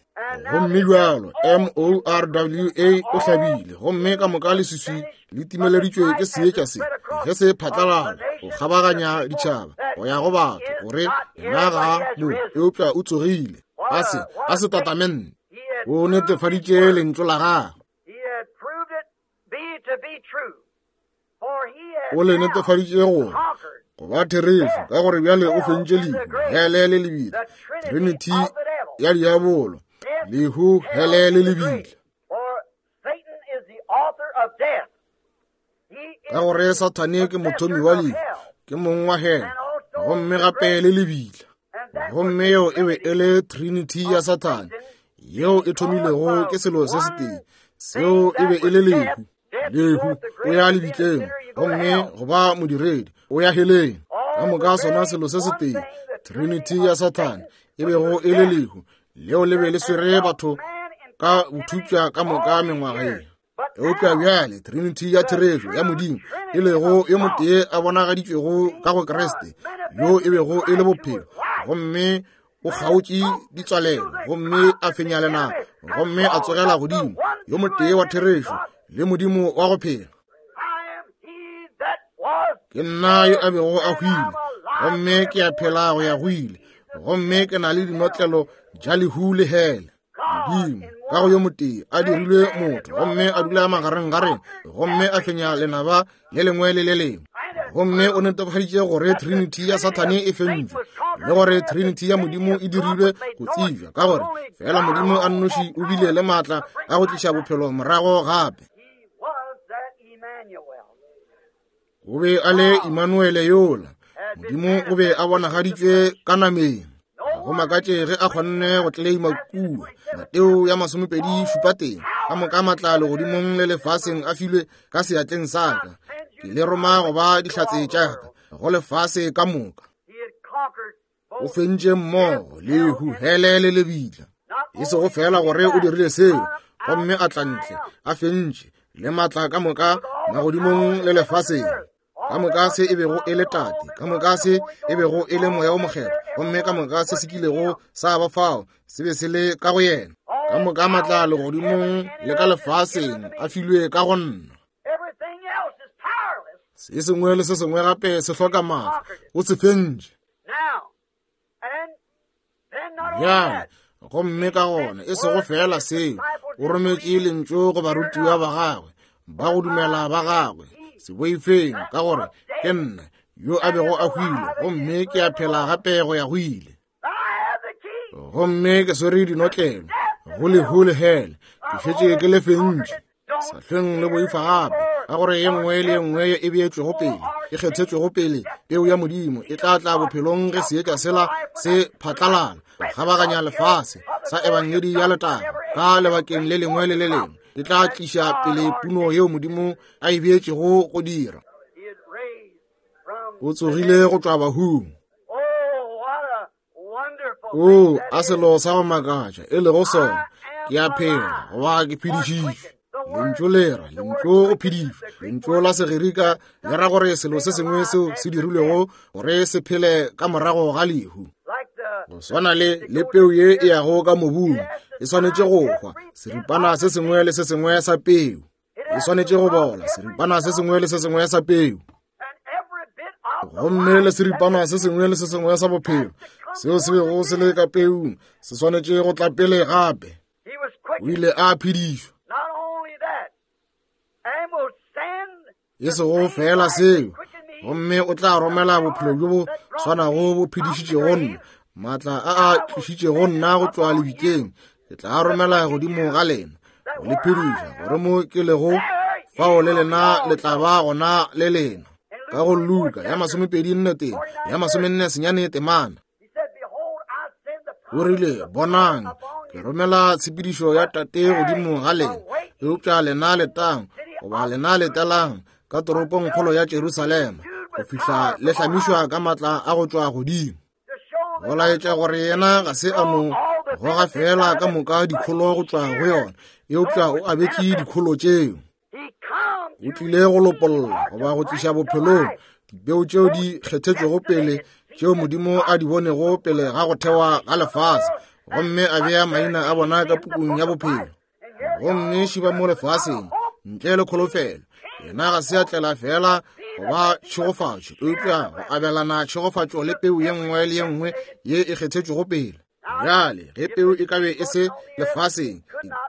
Gomme bjalo M O R W A o hlabile, gomme ka moka leswiswi le timeleditšwe ke seetša se ge se phatlalala go kgabaganya ditšhaba go ya go batho gore yena ga mo, eupša o tsogile. A se a se tatamente, o netefaditše lentšu la gagwe, o le netefaditše gore go ba therešo, ka gore bjale o fentše lehu, hele le lebitla, trinity ya diabolo, lehu, hele le lebitla. Ka gore Sathane ke mothomi wa lehu, ke mong wa hele, gomme gape le lebitla. Gomme yeo e be e le trinity ya Sathane, yeo e thomilego ke selo se setee, seo e be e le lehu. Lehu, o ya lebitleng, gomme go ba modiredi, o ya heleng. Ka moka sona selo se setee, trinity ya Sathane, e bego e le lehu, leo le be le swere batho ka bothutša ka moka mengwaga ye. Eupša bjale trinity ya therešo ya Modimo, e lego yo motee a bonagaditšwego ka go Kriste, yo e bego e le bophelo, gomme o kgaotše ditswalelo, gomme a fenya lenaba, gomme a tsogela godimo, yo motee wa therešo le Modimo wa go phela. Ke nna yo a bego a hwile, gomme ke a phela go ya go ile, gomme ke na le dinotlelo tša lehu le hele. Modimo ka go yo motee a dirilwe motho, gomme a dula magareng ga rena, gomme a fenya lenaba le lengwe le le lengwe. Gomme o netefaditše gore trinity ya Sathane e fentšwe, le gore trinity ya Modimo e dirilwe go tsebja, ka gore fela Modimo a nnoši o bile le maatla a go tliša bophelo morago gape. O be a le Immanuele yola, Modimo o be a bonagaditšwe ka nameng. Go makatše ge a kgonne go tleleima kua Mateo ya masomepedi šupa teng, ka moka maatla legodimong le lefaseng a filwe ka seatleng sa ka, ke le roma go ba dihlatse tša ka go lefase ka moka. O fentše mmogo lehu, hele le lebitla. E sego fela gore o dirile seo, gomme a tla ntle a fentše le maatla ka moka magodimong le lefaseng. Ka moka se e bego e le Tate, ka moka se e bego e le Moya o Mokgethwa, gomme ka moka se se kilego sa ba fao se be se le ka go yena. Ka moka maatla legodimong le ka lefaseng a filwe ka go nna. Se sengwe le se sengwe gape se hloka maatla, o se fentše. Bjale, gomme ka gona e sego fela seo, o rometše lentšu go barutiwa ba gagwe, ba go dumela ba gagwe, se boifeng, ka gore ke nna yo a bego a hwile, gomme ke a phela gape go ya go ile. Gomme ke swere dinotlelo go lehu le hele, ke šetše ke le fentše. Sa hlweng le boifa gape, ka gore ye nngwe le ye nngwe e beetšwego pele, e kgethetšwego pele peu ya Modimo e tla tla bophelong ge seetša sela se phatlalala go kgabaganya lefase sa ebangedi ya letago ka lebakeng le lengwe le le lengwe, e tla tliša pele puno yeo Modimo a e beetšego go dira. O tsogile go tšwa bahung. O a selo sa go makatša e lego sona, ke a phela goba ke phedišitšwe. Lentšu le ra lentšu go phedišwa. Lentšu la Segerika le ra gore selo se sengwe seo se dirilwego gore se phele ka morago ga lehu. Go swana le le peu ye e yago ka mobung, e swanetše go hwa, seripana se sengwe le se sengwe sa peu e swanetše go bola, seripana se sengwe le se sengwe sa peu, gomme le seripana se sengwe le se sengwe sa bophelo seo se bego se le ka peung se swanetše go tla pele gape. O ile a phedišwa. E sego fela seo, gomme o tla romela bophelo bjo bo swanago bo phedišitšego nna, maatla a a tlišitšego nna go tšwa lebitleng, ke tla romela godimo ga lena go le phediša, gore mo ke lego fao le lena le tla ba gona le lena. Ka go Luka ya masomepedi nne teng ya masomenne senyane temana, o rile, bonang, ke romela tshepedišo ya Tate godimo ga lena, eupša lena letang, goba lena letelang ka toropongkgolo ya Jerusalema, go fihla le hlamišwa ka maatla a go tšwa godimo. Go laetša gore yena ga se a mo goga fela ka moka dikholo go tšwa go yona, eupša o abetše dikholo tšeo. O tlile go lopolla goba go tliša bophelong dipeo tšeo di kgethetšwego pele tšeo Modimo a di bonego pele ga go thewa ga lefase, gomme a bea maina a bona ka pukung ya bophelo. Gomme šiba mo lefaseng ntle le kholofelo. Yena ga se a tlela fela go ba tšhegofatšo, eupša go abelana tšhegofatšo le peu ye nngwe le ye nngwe ye e kgethetšwego pele. Bjale ge peu e ka be e se lefaseng,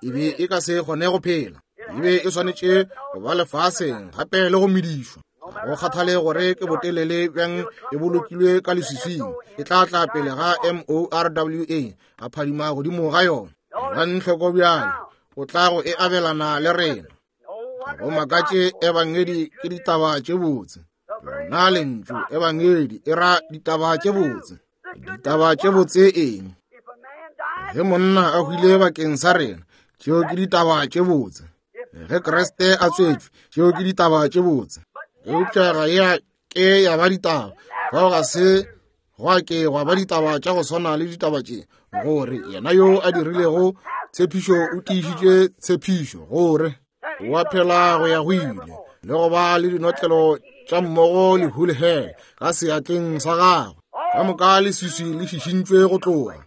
e be e ka se kgone go phela. E be e swanetše go ba lefaseng gape le go medišwa. Go kgathale gore ke botelele bjang e bolokilwe ka leswiswing, e tla tla pele ga M O R W A a phadima godimo ga yona. Elang hloko bjale, o tla go e abelana le rena. Go makatše ebangedi ke ditaba tše botse. Lona lentšu ebangedi e ra ditaba tše botse. Ditaba tše botse eng? Ge monna a hwile bakeng sa rena, tšeo ke ditaba tše botse. Ge Kriste a tswetšwe, tšeo ke ditaba tše botse. Eupša ga ya ke ya ba ditaba. Fao ga se gwa ke gwa ba ditaba tša go swana le ditaba tše, gore yena yo a dirilego tshepišo o tiišitše tshepišo, gore o a phela go ya go ile, le go ba le dinotlelo tša mmogo lehu le hele ka seatleng sa gagwe. Ka moka leswiswi le šišintšwe go tloga.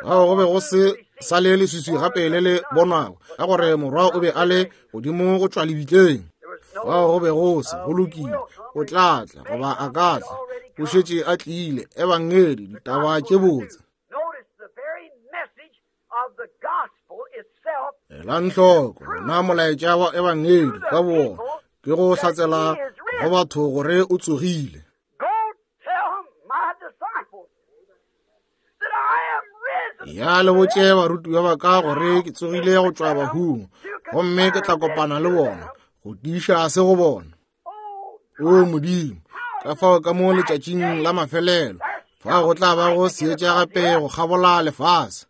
Gao go be go se sa le leswiswi gape le le bonwago, ka gore morwa o be a le godimo go tšwa lebitleng. Fao go be go se go lokile, o tla tla goba a ka tla, o šetše a tlile. Ebangedi, ditaba tše botse. Elang hloko, na molaetša wa ebangedi ka bowona ke go hlatsela go batho gore o tsogile. Ya le botše barutiwa ba ka gore ke tsogile go tšwa bahung, gomme ke tla kopana le bona go tiiša se go bona. O Modimo, ka fao ka mo letšatšing la mafelelo fa go tla ba go seetša gape go kgabola lefase.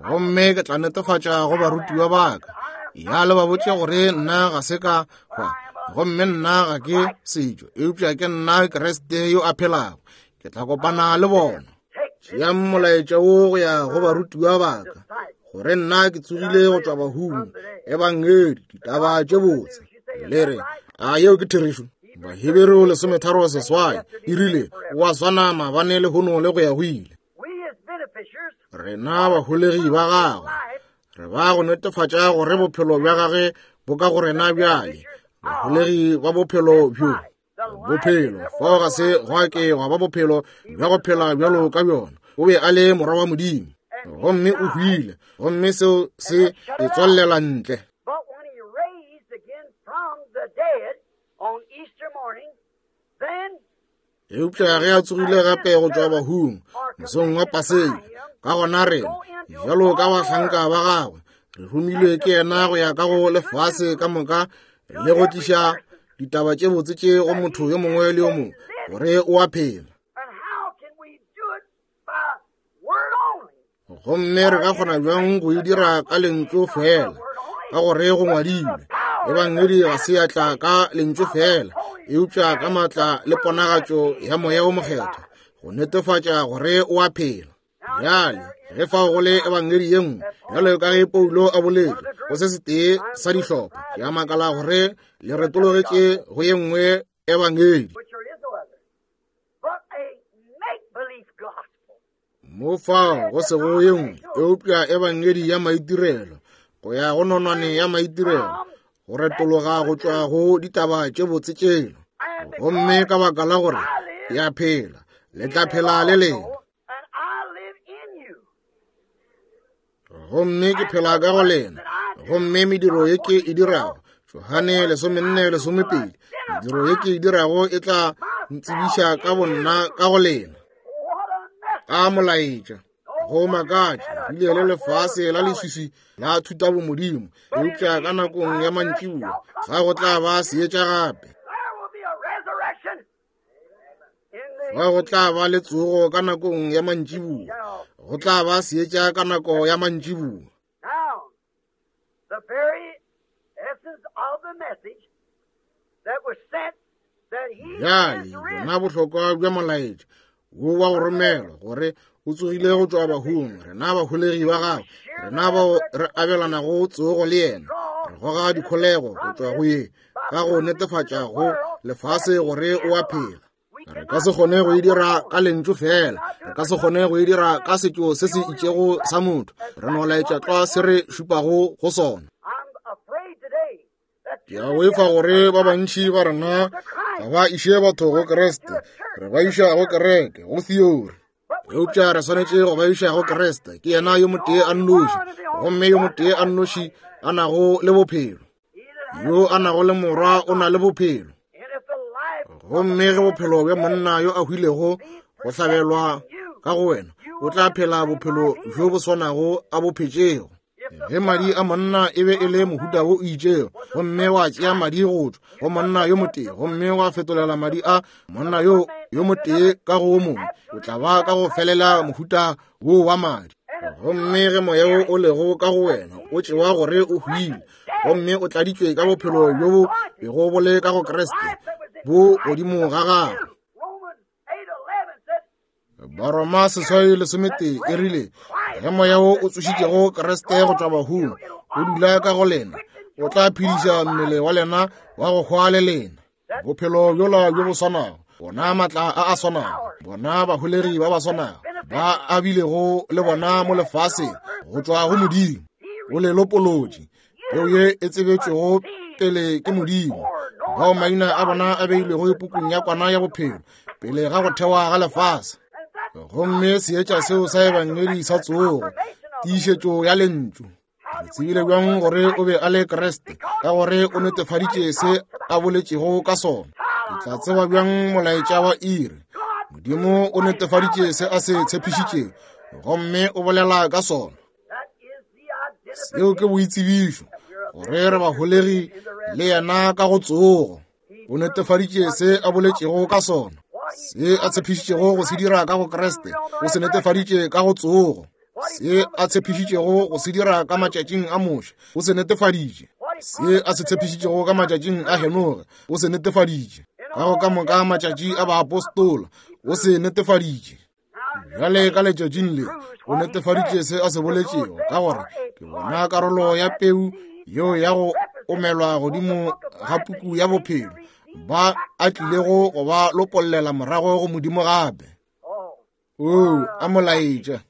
Gomme ke tla netefatša go barutiwa ba ka, ya le ba botše gore nna ga se ka hwa, gomme nna ga ke setšo, eupša ke nna Kriste yo a phelago. Ke tla kopana le bona. Tšeang molaetša wo go ya go barutiwa ba ka, gore nna ke tsogile go tšwa bahung. Ebangedi, ditaba tše botse. Le re, a yeo ke therešo? Baheberu lesometharo seswai e rile, o a swana maabane lehono le go ya go ile. Rena baholegi ba gagwe re ba go netefatša gore bophelo bja gagwe bo ka go rena bjale, baholegi ba bophelo bjo. Bophelo fao ga se gwa ke gwa ba bophelo bja go phela bjalo ka bjona. O be a le morwa wa Modimo, gomme o hwile, gomme seo se e tswallela ntle. Eupša ge a tsogile gape go tšwa bahung mosong wa Paseka, ka gona rena bjalo ka bahlanka ba gagwe re romilwe ke yena go ya ka go lefase ka moka le go tliša ditaba tše botse tše go motho yo mongwe le yo mongwe gore o a phela. Gomme re ka kgona bjang go e dira ka lentšu fela, ka gore go ngwadilwe, ebangedi ga se ya tla ka lentšu fela, eupša ka maatla le ponagatšo ya Moya o Mokgethwa go netefatša gore o a phela. Bjale ge fao go le ebangedi ye nngwe, bjalo ka ge Paulo a boletše go se setee sa dihlopha, ke a makala gore le retologetše go ye nngwe ebangedi. Mo fao go sego ye nngwe eupša ebangedi ya maitirelo, go ya go nonwane ya maitirelo, go retologa go tšwa go ditaba tše botse tšelo. Gomme ka baka la gore ke a phela, le tla phela le lena. Gomme ke phela ka go lena, gomme mediro ye ke e dirago, Johane lesomenne lesomepedi, mediro ye ke e dirago e tla ntsebiša ka bonna ka go lena. A molaetša go makatša rile le lefase la leswiswi la thutabomodimo, eupša ka nakong ya mantšiboa fa go tla ba seetša gape. Fa go tla ba le tsogo ka nakong ya mantšiboa, go tla ba seetša ka nako ya mantšiboa. The very essence of the message that was sent Bjale bona bohlokwa bja molaetša wo wa go romelwa gore o tsogile go tšwa bahung, rena baholegi ba gagwe, rena bao re abelanago tsogo le yena, re goga dikholego go tšwa go ye ka go netefatša go lefase gore o a phela. Re ka se kgone go e dira ka lentšu fela, re ka se kgone go e dira ka setšo se se itšego sa motho, re no laetša tlwa se re šupago go sona. Ke a boifa gore ba bantši ba rena ga ba iše batho go Kriste, re ba iša go kereke, go theory. Eupša re swanetše go ba iša go Kriste, ke yena yo motee a nnoši, gomme yo motee a nnoši a nago le bophelo. Yo a nago le morwa o na le bophelo. Gomme ge bophelo bja monna yo a hwilego go hlabelwa ka go wena, o tla phela bophelo bjo bo swanago a bo phetšego. Ge madi a monna e be e le mohuta wo o itšego, gomme wa tšea madi go tšwa go monna yo motee, gomme wa fetolela madi a monna yo yo motee ka go o mongwe, o tla ba ka go felela mohuta wo wa madi. Gomme ge moya wo o lego ka go wena o tšewa gore o hwile, gomme o tladitšwe ka bophelo bjo bo bego bo le ka go Kriste, bo godimo ga gago. Baroma seswai lesometee e rile, ge moya wo o tsošitšego Kriste go tšwa bahung o dula ka go lena, o tla phediša mmele wa lena wa go hwa le lena. Bophelo bjola bjo bo swanago, bona maatla a a swanago, bona baholegi ba ba swanago ba a bilego le bona mo lefaseng go tšwa go Modimo, o le lopolotše, peo ye e tsebetšwego pele ke Modimo, bao maina a bona a beilwego pukung ya kwana ya bophelo pele ga go thewa ga lefase. Gomme seetša seo sa ebangedi sa tsogo, tiišetšo ya lentšu. Re tsebile bjang gore o be a le Kriste? Ka gore o netefaditše se a boletšego ka sona. Ke tla tseba bjang molaetša wa iri? Modimo o netefaditše se a se tshepišitšego, gomme o bolela ka sona. Seo ke boitsebišo gore re baholegi le yena ka go tsogo. O netefaditše se a boletšego ka sona, se a tshepišitšego go se dira ka go Kriste, o se netefaditše ka go tsogo. Se a tshepišitšego go se dira ka matšatšing a Moshe, o se netefaditše. Se a se tshepišitšego ka matšatšing a Henoge, o se netefaditše. Ka go ka moka matšatši a baapostola, o se netefaditše. Bjale ka letšatšing le, o netefaditše se a se boletšego, ka gore ke bona karolo ya peu yeo ya go omelwa godimo ga puku ya bophelo, ba a tlilego go ba lopollela morago go Modimo gape. Oo, a molaetša.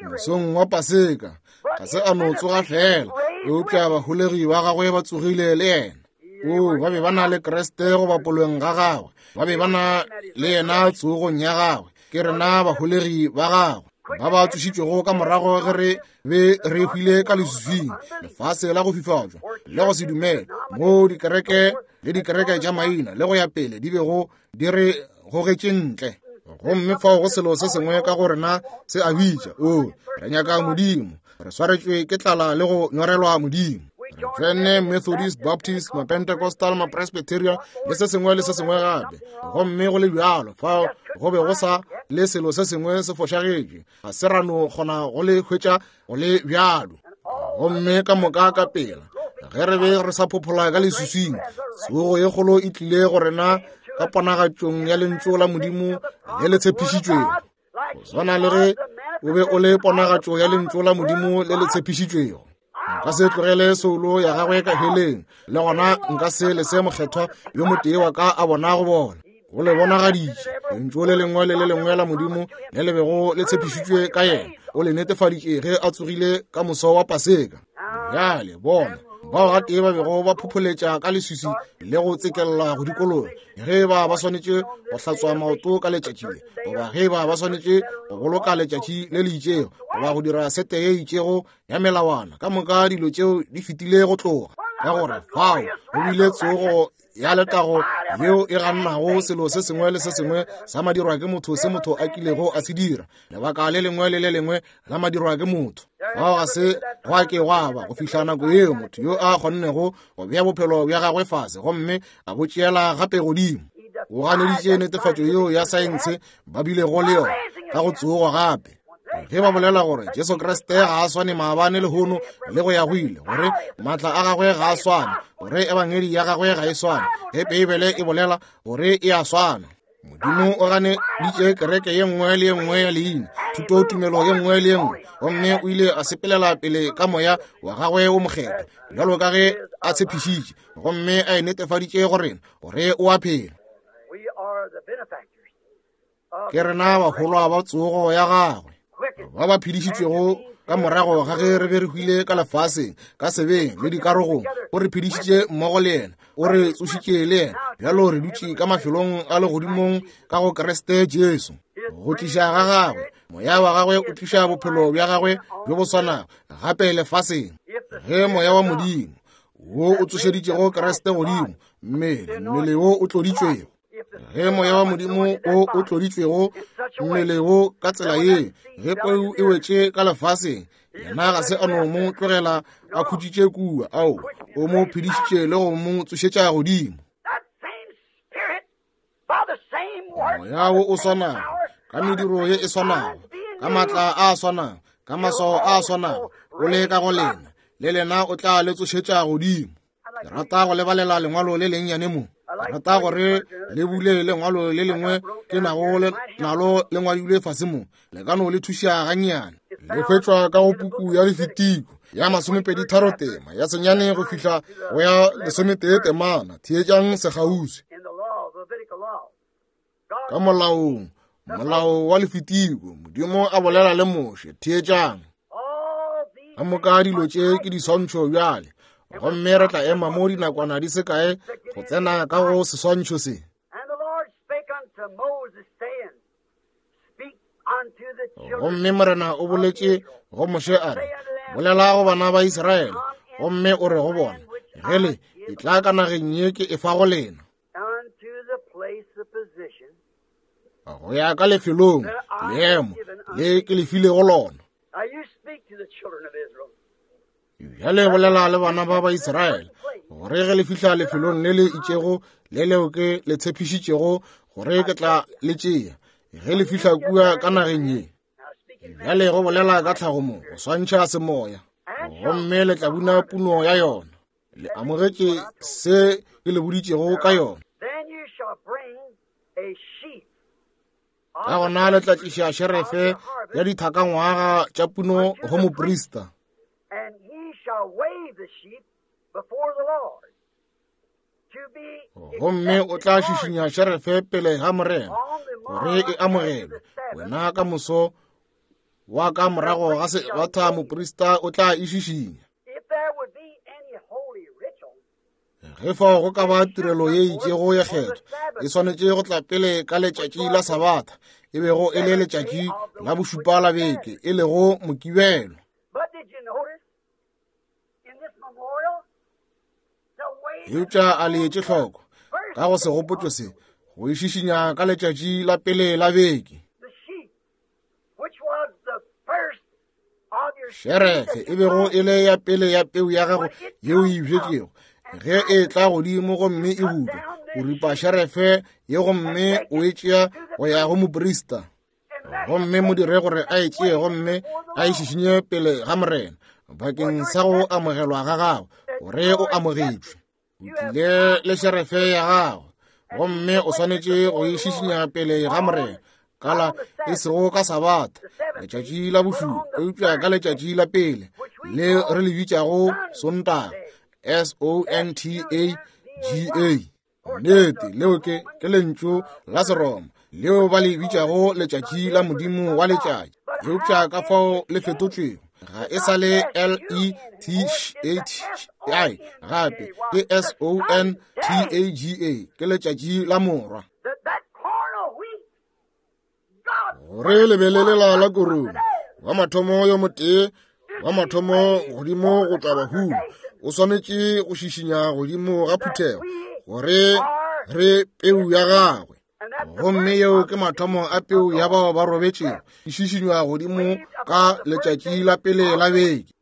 Mosong wa Paseka ga se a no tsoga fela, eupša baholegi ba gagwe ba tsogile le yena. Oo, ba be ba na le Kriste go bapolweng ga gagwe, ba be ba na le yena tsogong ya gagwe. Ke rena baholegi ba gagwe ba ba tsošitšwego ka morago ge re be re hwile ka leswiswing, lefase la go fifatšwa le go se dumele, moo dikereke le dikereke tša maina le go ya pele di bego di re gogetše ntle. Gomme fao go selo se sengwe ka go rena se a bitša, oo, re nyaka Modimo, re swaretšwe ke tlala le go nyorelwa Modimo. Re tsene Methodist, Baptist, Mapentecostal, Mapresbyterian le se sengwe le se sengwe gape, gomme go le bjalo fao go be go sa le selo se sengwe se fošagetše, ga se ra no kgona go le hwetša go le bjalo. Gomme ka moka ka pela ge re be re sa phophola ka leswiswing, tsogo ye kgolo e tlile go rena ka ponagatšong ya lentšu la Modimo le le tshepišitšwego. Go swana le ge o be o le ponagatšo ya lentšu la Modimo le le tshepišitšwego. Nka se tlogele soulo ya gagwe ka heleng, le gona nka se lese mokgethwa yo motee wa ka a bona go bona. O le bonagaditše lentšu le lengwe le le lengwe la Modimo le le bego le tshepišitšwe ka yena, o le netefaditše ge a tsogile ka moso wa Paseka. Bjale bona bao gatee ba bego ba phopholetša ka leswiswi le go tsekella go dikologa, ge ba ba swanetše go hlatswa maoto ka letšatši le, goba ge ba ba swanetše go boloka letšatši le le itšego, goba go dira sete ye itšego ya melawana, ka moka dilo tšeo di fetile go tloga, ka gore fao go bile tsogo ya letago yeo e gannago selo se sengwe le se sengwe sa madirwa ke motho se motho a kilego a se dira, lebaka le lengwe le le lengwe la madirwa ke motho. Fao ga se gwa ke gwa ba go fihla nako yeo motho yo a kgonnego go bea bophelo bja gagwe fase gomme a bo tšeela gape godimo. O ganeditše netefatšo yeo ya saense ba bilego le yona ka go tsogo gape. Ge ba bolela gore Jesu Kriste ga a swane maabane lehono le go ya go ile, gore maatla a gagwe ga a swane, gore ebangedi ya gagwe ga e swane, ge Beibele e bolela gore e a swana. Modimo o ganeditše kereke ye nngwe le ye nngwe ya leina, thutotumelo ye nngwe le ye nngwe, gomme o ile a sepelela pele ka moya wa gagwe wo mokgethwa, bjalo ka ge a tshepišitše, gomme a e netefaditše go rena gore o a phela. Ke rena baholwa ba tsogo ya gagwe, ba ba phedišitšwego ka morago ga ge re be re hwile ka lefaseng, ka sebeng le dikarogong. O re phedišitše mmogo le yena, o re tsošitše le yena, bjalo re dutše ka mafelong a legodimong ka go Kriste Jesu. Go tliša ga gagwe moya wa gagwe o tliša bophelo bja gagwe bjo bo swanago gape lefaseng. Ge moya wa Modimo wo o tsošeditšego Kriste godimo, mmele mmele wo o tloditšwego, ge moya wa Modimo wo o tloditšwego mmele wo ka tsela ye, ge peu e wetše ka lefaseng, yena ga se a no mo tlogela a khutšitše kua, ao o mo phedišitše le go mo tsošetša godimo. Moya wo o swanago, ka mediro ye e swanago, ka maatla a swanago, ka maswao a swanago, o le ka go lena, le lena o tla le tsošetša godimo. Ke rata go lebalela lengwalo le lennyane mo. Ke rata gore le bule lengwalo le lengwe ke nago le nalo le ngwadilwe fase mo, le ka no le thuša gannyane. Le hwetšwa ka go puku ya Lefitiko ya masomepedi tharo tema ya senyane go fihla go ya lesometee temana. Theetšang sekgauswi. Ka molaong, molao wa Lefitiko, Modimo a bolela le Moshe. Theetšang. Ka moka dilo tše ke diswantšho bjale, gomme re tla ema mo dinakwana di se kae go tsena ka go seswantšho se. Gomme Morena o boletše go Moshe a re, bolela go bana ba Israele, gomme o re go bona, ge le etla ka nageng ye ke e fa go lena, go ya ka lefelong leemo le ke le filego lona. Bjale bolela le bana ba ba Israele gore ge le fihla lefelong le le itšego le leo ke le tshepišitšego gore ke tla le tšea, ge le fihla kua ka nageng ye. Bjale go bolela ka tlhago mo go swantšha semoya, gomme le tla buna puno ya yona. Le amogetše se ke le boditšego ka yona. Ka gona le tla tliša šerefe ya dithakangwaga tša puno go moprista. Gomme o tla šišinya šerefe pele ga Morena gore e amogelwe. Wena ka moso wa ka morago ga sebatha moprista o tla e šišinya. Ge fao go ka ba tirelo ye itšego ya kgetho, e swanetše go tla pele ka letšatši la Sabatha, e bego e le letšatši la bošupa la beke, e lego Mokibelo. Eupša a le etše hloko ka go segopotšo se, go e šišinya ka letšatši la pele la beke. Šerefe e bego e le ya pele ya peu ya gago yeo e bjetšego, ge e tla godimo gomme e butwa, o ripa šerefe ye gomme o e tšea go ya go moprista, gomme mo dire gore a e tšee gomme a e šišinye pele ga Morena bakeng sa go amogelwa ga gago, gore o amogetšwe. O tlile le šerefe ya gago, gomme o swanetše go e šišinya pele ga Morena kala e sego ka Sabatha, letšatši la bošupa, eupša ka letšatši la pele le re le bitšago Sontaga, S O N T A G A. Nnete, leo ke ke lentšu la Seroma leo ba le bitšago letšatši la Modimo wa letšatši, eupša ka fao le fetotšwego ga e sa le L E T H I, gape ke S O N T A G A, ke letšatši la Morwa. Gore lebelelela la korong wa mathomo yo motee wa mathomo godimo go tšwa bahung o swanetše go šišinya godimo ga phuthego gore re peu ya gagwe, gomme yeo ke mathomo a peu ya bao ba robetšego, e šišinywa godimo ka letšatši la pele la beke.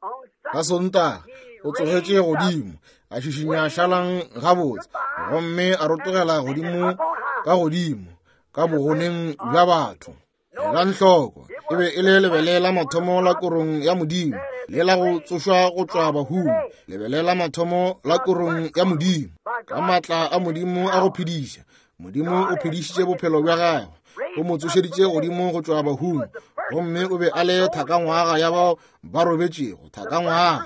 Ka Sontaga o tsogetše godimo, a šišinya šalang gabotse, gomme a rotogela godimo ka godimo ka bogoneng bja batho. Elang hloko, E be e le lebele la mathomo la korong ya Modimo, le la go tsošwa go tšwa bahung, lebele la mathomo la korong ya Modimo. Ka maatla a Modimo a go phediša, Modimo o phedišitše bophelo bja gagwe, o mo tsošeditše godimo go tšwa bahung, gomme o be a le thakangwaga ya bao ba robetšego, thakangwaga.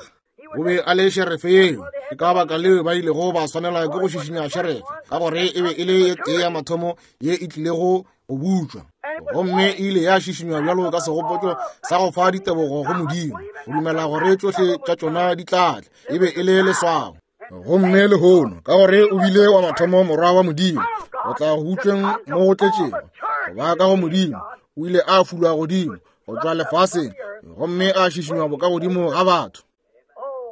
O be a le šerefe yeo. Ke ka baka leo ba ilego ba swanela ke go šišinya šerefe, ka gore e be e le ye tee ya mathomo ye e tlilego go butšwa, gomme e ile ya šišinywa bjalo ka segopotšo sa go fa ditebogo go Modimo, go dumela gore tšohle tša tšona di tla tla. E be e le leswao. Gomme lehono, ka gore o bile wa mathomo morwa wa Modimo, go tla go butšweng mo go tletšego, go ba ka go Modimo, o ile a fulwa godimo go tšwa lefaseng, gomme a šišinywa boka godimo ga batho.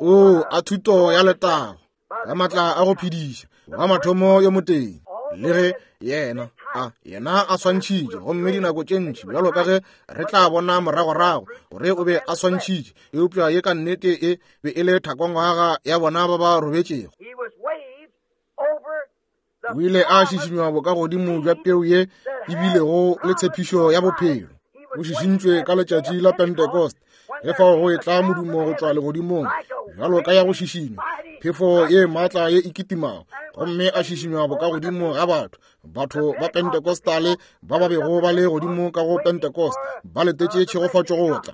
O a thuto ya letago, ka maatla a go phediša, wa mathomo yo motee. Le ge yena a yena a swantšhitše, gomme dinako tše ntši bjalo ka ge re tla bona moragorago gore o be a swantšhitše, eupša ye ka nnete e be e le thakongwaga ya bona ba ba robetšego. O ile a šišinywa boka godimo bja peu ye e bilego le tshepišo ya bophelo. O šišintšwe ka letšatši la Pentecost, ge fao go etla modumo go tšwa legodimong bjalo ka ya go šišinywa, phefo ye maatla ye e kitimago, gomme a šišinywa boka godimo ga batho. Batho ba Pentecostale ba ba bego ba le godimo ka go Pentecost ba letetše tšhegofatšo go tla.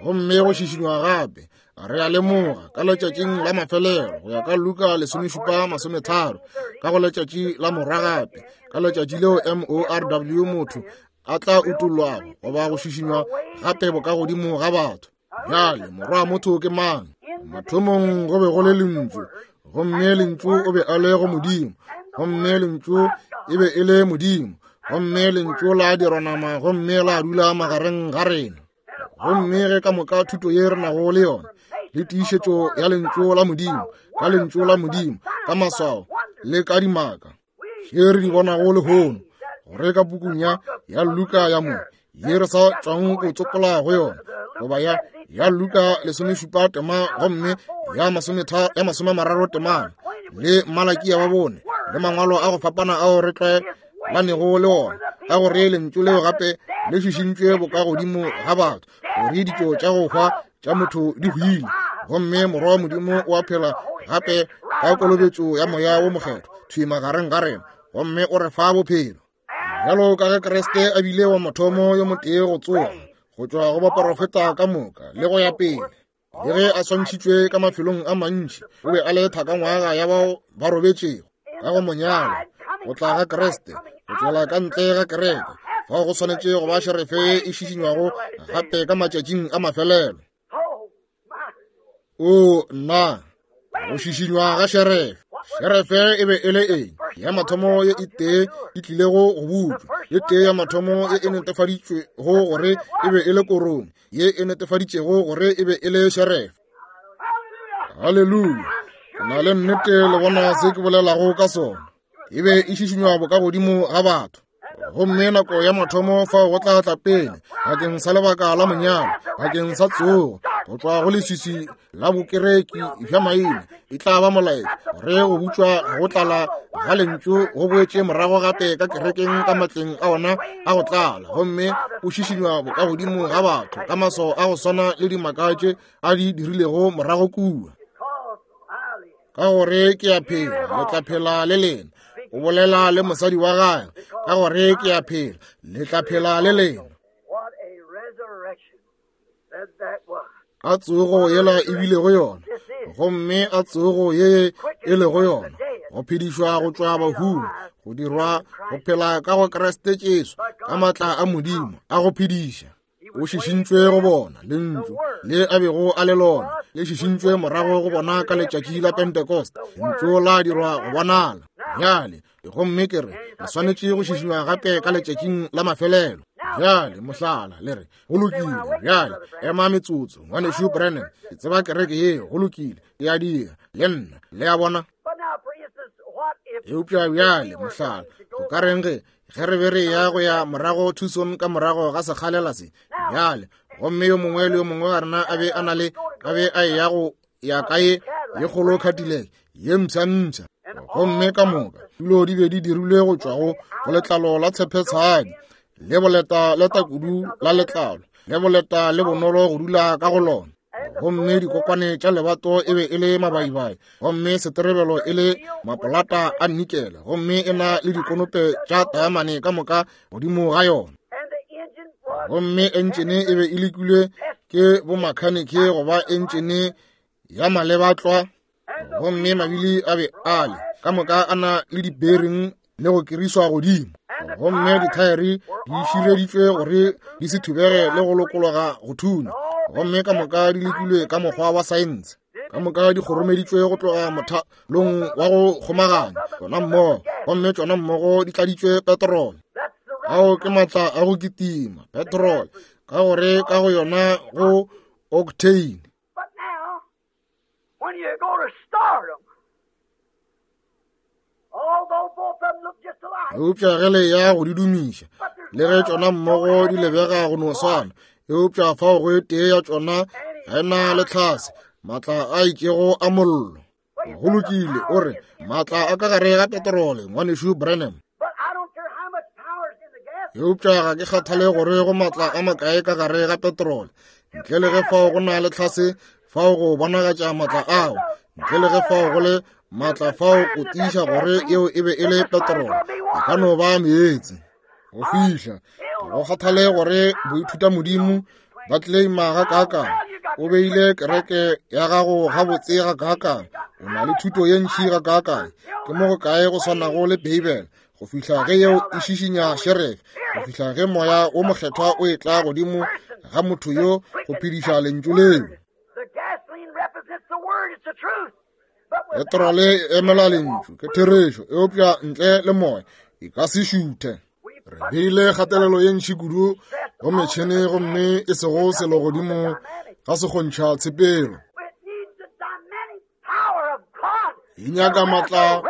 Gomme go šišinywa gape, re a lemoga ka letšatšing la mafelelo, go ya ka Luka lesomešupa masometharo, ka go letšatši la morwa gape, ka letšatši leo M O R W motho a tla utollwago goba go šišinywa gape boka godimo ga batho. Bjale morwa motho ke mang? Mathomong go be go le lentšu, gomme lentšu o be a le go Modimo, gomme lentšu e be e le Modimo, gomme lentšu la dirwa nama gomme la dula magareng ga rena. Gomme ge ka moka thuto ye re nago le yona, le tiišetšo ya lentšu la Modimo, ka lentšu la Modimo, ka maswao le ka dimaka tše re di bonago lehono, gore ka pukung ya ya Luka ya mo ye re sa tšwang go tsopola go yona, goba ya ya Luka lesomešupa tema gomme ya masometha ya masomemararo temana, le Malakia wa bone, le mangwalo a go fapana ao re tlwaelanego le ona, ka gore lentšu leo gape le šišintšwe boka godimo ga batho, gore ditšo tša go hwa tša motho di hwile, gomme morwa wa Modimo o a phela gape ka kolobetšo ya moya wo mokgethwa thwi magareng ga rena, gomme o re fa bophelo. Bjalo ka ge Kriste a bile wa mathomo yo motee go tsoga go tšwa go baporofeta ka moka le go ya pele, le ge a swantšhitšwe ka mafelong a mantši, o be a le thakangwaga ya bao ba robetšego ka go monyalo. Go tla ga Kriste, go tšwela ka ntle ga kereke, fao go swanetše go ba šerefe e šišinywago gape ka matšatšing a mafelelo. O nna, go šišinywa ga šerefe. Šerefe e be e le eng? Ya mathomo ye e tee e tlilego go butšwa, ye tee ya mathomo ye e netefaditšwego gore e be e le korong, ye e netefaditšego gore e be e le šerefe. Haleluya! Ke na le nnete le bona se ke bolelago ka sona. E be e šišinywa boka godimo ga batho. Gomme nako ya mathomo fao go tla tla pele bakeng sa lebaka la monyalo, bakeng sa tsogo go tšwa go leswiswi la bokereki bja maina, e tla ba molaetša gore go butšwa go tlala ga lentšu go boetše morago gape ka kerekeng ka matleng a ona a go tlala, gomme o šišinywa boka godimo ga batho ka maswao a go swana le dimaka tše a di dirilego morago kua. Ka gore ke a phela, le tla phela le lena. O bolela le mosadi wa gagwe, ka gore ke a phela, le tla phela le lena. A tsogo yela e bilego yona, gomme a tsogo ye e lego yona, go phedišwa go tšwa bahung, go dirwa go phela ka go Kriste Jesu, ka maatla a Modimo a go phediša. O šišintšwe go bona lentšu le a bego a le lona, le šišintšwe morago go bona ka letšatši la Pentecost, lentšu la dirwa go bonala. Bjale gomme ke re le swanetše go šišinywa gape ka letšatšing la mafelelo. Bjale mohlala le re go lokile, bjale ema metsotso, ngwanešu Branham, ke tseba kereke yeo, go lokile, ke a dira le nna, le a bona. Eupša bjale mohlala, go ka reng ge ge re be re ya go ya morago Tucson ka morago ga sekgalela se bjale, gomme yo mongwe le yo mongwe wa rena a be a na le a be a ya go ya kae ye kgolo Cadillac ye mpsha-mpsha, gomme ka moka dilo di be di dirilwe go tšwa go go letlalo la tshepetshadi le boleta le takudu la letlalo le boleta le bonolo go dula ka go lona. Gomme dikokwane tša lebato e be e le mabaibai, gomme seterebelo e le mapolata a nikele, gomme e na le dikonope tša taamane ka moka godimo ga yona. Gomme entšene e be e lekilwe ke bomakhaniki go ba entšene ya malebatlwa, gomme mabili a be a le ka moka a na le di-bearing le go kiriswa godimo, gomme dithaere di šireditšwe gore di se thubege le go lokologa go thunya, gomme ka moka di lekilwe ka mokgwa wa saense, ka moka di kgoromeditšwe go tloga mothalong wa go kgomaganya tšona mmogo, gomme tšona mmogo di tladitšwe petrole. Ao ke maatla a go kitima, petrole, ka gore ka go yona go octane. But now, when you go to start them, although both of them look just alike, Eupša ge le ya go di dumiša, le ge tšona mmogo di lebega go no swana, eupša fao go e tee ya tšona ga e na le tlhase, maatla a itšego a mollo. Go lokile, o re, maatla a ka gare ga petrole, ngwanešu Branham. but I don't care how much power is in the gas. Eupša ga ke kgathale gore go maatla a makae ka gare ga petrole, ntle le ge fao go na le tlhase fao go bonagatša maatla ao, ntle le ge fao go le maatla fao go tiiša gore yeo e be e le petrole, e ka no ba meetse. Go fihla, ga go kgathale gore boithutamodimo ba claima gakaakang, o beile kereke ya gago gabotse gakaakang, o na le thuto ye ntši gakaakang, ke mo go kae go swanago le Beibele, go fihla ge yeo e šišinya sheriff, go fihla ge moya wo mokgethwa o etla godimo ga motho yo go phediša lentšu leo. The gasoline represents the word, it's the truth. But without Petrole e emela lentšu, ke therešo, eupša ntle le moya e ka se šuthe. Re beile kgatelelo ye ntši kudu go metšhene gomme e sego selo godimo ga se kgontšha tshepelo. it needs the dynamic power of God. E nyaka maatla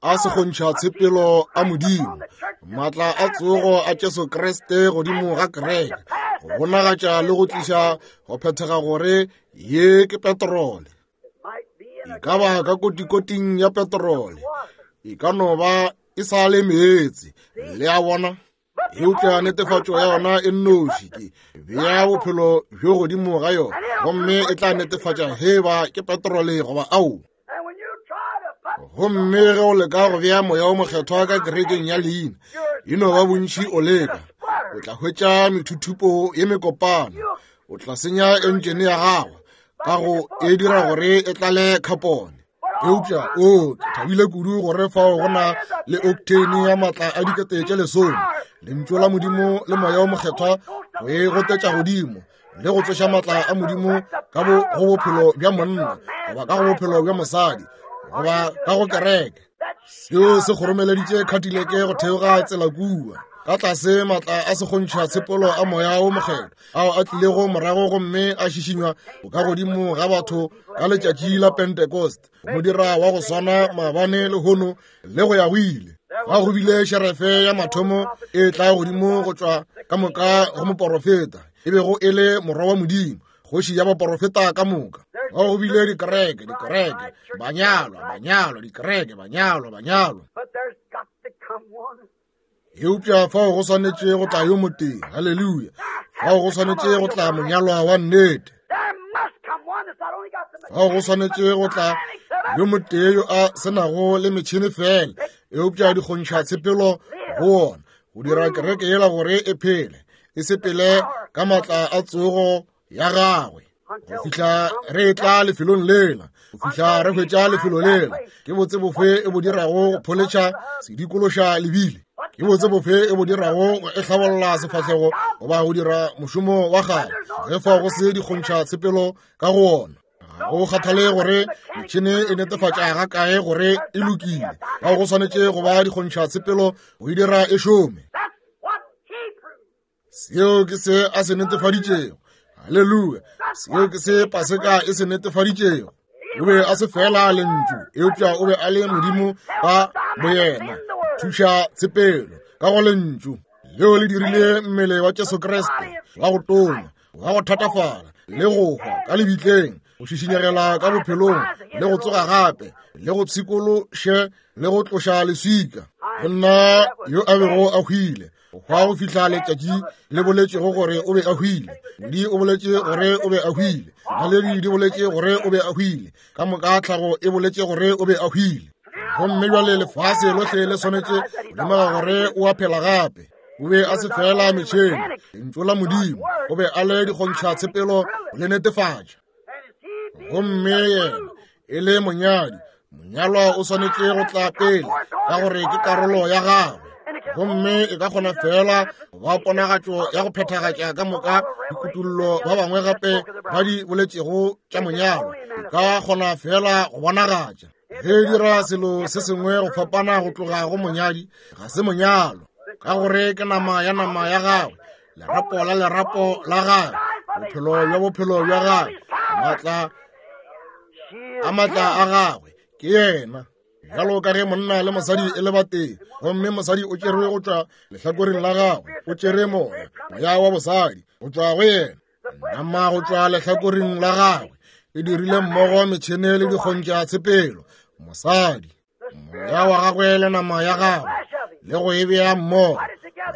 a sekgontšha tshepelo a Modimo, maatla a tsogo a Jesu Kriste godimo ga kereke, go bonagatša le go tliša go phethega gore ye ke petrole. Might be in E a ka ba ka kotikoting ya petrole, e ka no ba e sa le meetse, le a bona. Eupša netefatšo ya yona e nnoši ke bea bophelo bjo godimo ga yona, gomme e tla netefatša ge ba ke petrole goba ao. And when you try to put Gomme ge o leka go bea moya o mokgethwa ka kerekeng ya leina, e no ba bontši o leka, o tla hwetša methuthupo ye mekopana, o tla senya entšene ya gago ka go e dira gore e tlale khapone. Eupša o ke thabile kudu gore fao go na le octane ya maatla a dikete tše lesome, lentšu la Modimo le moya o mokgethwa go e gotetša godimo le go tsoša maatla a Modimo ka bo go bophelo bja monna goba ka go bophelo bja mosadi goba ka go kereke. Seo se kgoromeleditše Cadillac go theoga tsela kua ka tlase maatla a sekgontšha tshepolo a moya wo mokgethwa ao a tlilego morago gomme a šišinywa ka godimo ga batho ka letšatši la Pentecost, go dira wa go swana maabane lehono le go ya go ile. Fa go bile šerefe ya mathomo e tla godimo go tšwa ka moka go moporofeta, e bego e le morwa wa Modimo, kgoši ya baporofeta ka moka. Fa go bile dikereke, dikereke, banyalwa, banyalwa, dikereke, banyalwa, banyalwa. But there's got to come one. Eupša fao go swanetše go tla yo motee, haleluya, fao go swanetše go tla monyalwa wa nnete. There must come one that's not only got the Fao go swanetše go tla yo motee yo a senago le metšhene fela, eupša di kgontšha tshepelo go ona, go dira kereke yela gore e phele, e sepele ka maatla a tsogo ya gagwe. Go fihla re etla lefelong lela, go fihla re hwetša lefelo lela, ke botse bofe e bo dirago go pholetšha sedikološa lebile, ke botse bofe e bo dirago go e hlabolla sefahlego goba go dira mošomo wa gagwe, ge fao go se dikgontšha tshepelo ka go ona. Ga go kgathale gore metšhene e netefatša ga kae gore e lokile, fao go swanetše go ba dikgontšha tshepelo go e dira e šome. That's what he proved. Seo ke se a se netefaditšego. Haleluya. Seo ke se Paseka e se netefaditšego. O be a se fela lentšu, eupša o be a le Modimo ka boyena. Thuša tshepelo ka go lentšu leo le dirile mmele wa Jesu Kriste wa go tonya, wa go thatafala le go hwa ka lebitleng, go šišinyegela ka bophelong le go tsoga gape, le go pshikološe le go tloša leswika. Monna yo a bego a hwile Go hwa go fihla letšatši le boletšego gore o be a hwile. Modi o boletše gore o be a hwile. Naledi di boletše gore o be a hwile. Ka moka tlhago e boletše gore o be a hwile. Gomme bjale lefase lohle le swanetše go lemoga gore o a phela gape. O be a se fela metšhene, lentšu la Modimo, o be a le dikgontšha tshepelo le netefatša. Gomme yena e le monyadi, monyalwa o swanetše go tla pele ka gore ke karolo ya gagwe. Gomme e ka kgona fela go ba ponagatšo ya go phethagatša ka moka dikutullo ba bangwe gape ba di boletšego tša monyalwa. E ka kgona fela go bonagatša. Ge e dira selo se sengwe go fapana go tloga go monyadi, ga se monyalo, ka gore ke nama ya nama ya gagwe, lerapo la lerapo la gagwe, bophelo bja bophelo bja gagwe, maatla a maatla a gagwe ke yena. Bjalo ka ge monna le mosadi e le batee, gomme mosadi o tšerwe go tšwa lehlakoreng la gagwe, o tšere moya, moya wa bosadi go tšwa go yena, nama go tšwa lehlakoreng la gagwe, e dirile mmogo metšhene le dikgontša tshepelo, mosadi, moya wa gagwe le nama ya gagwe, le go e bea mmogo,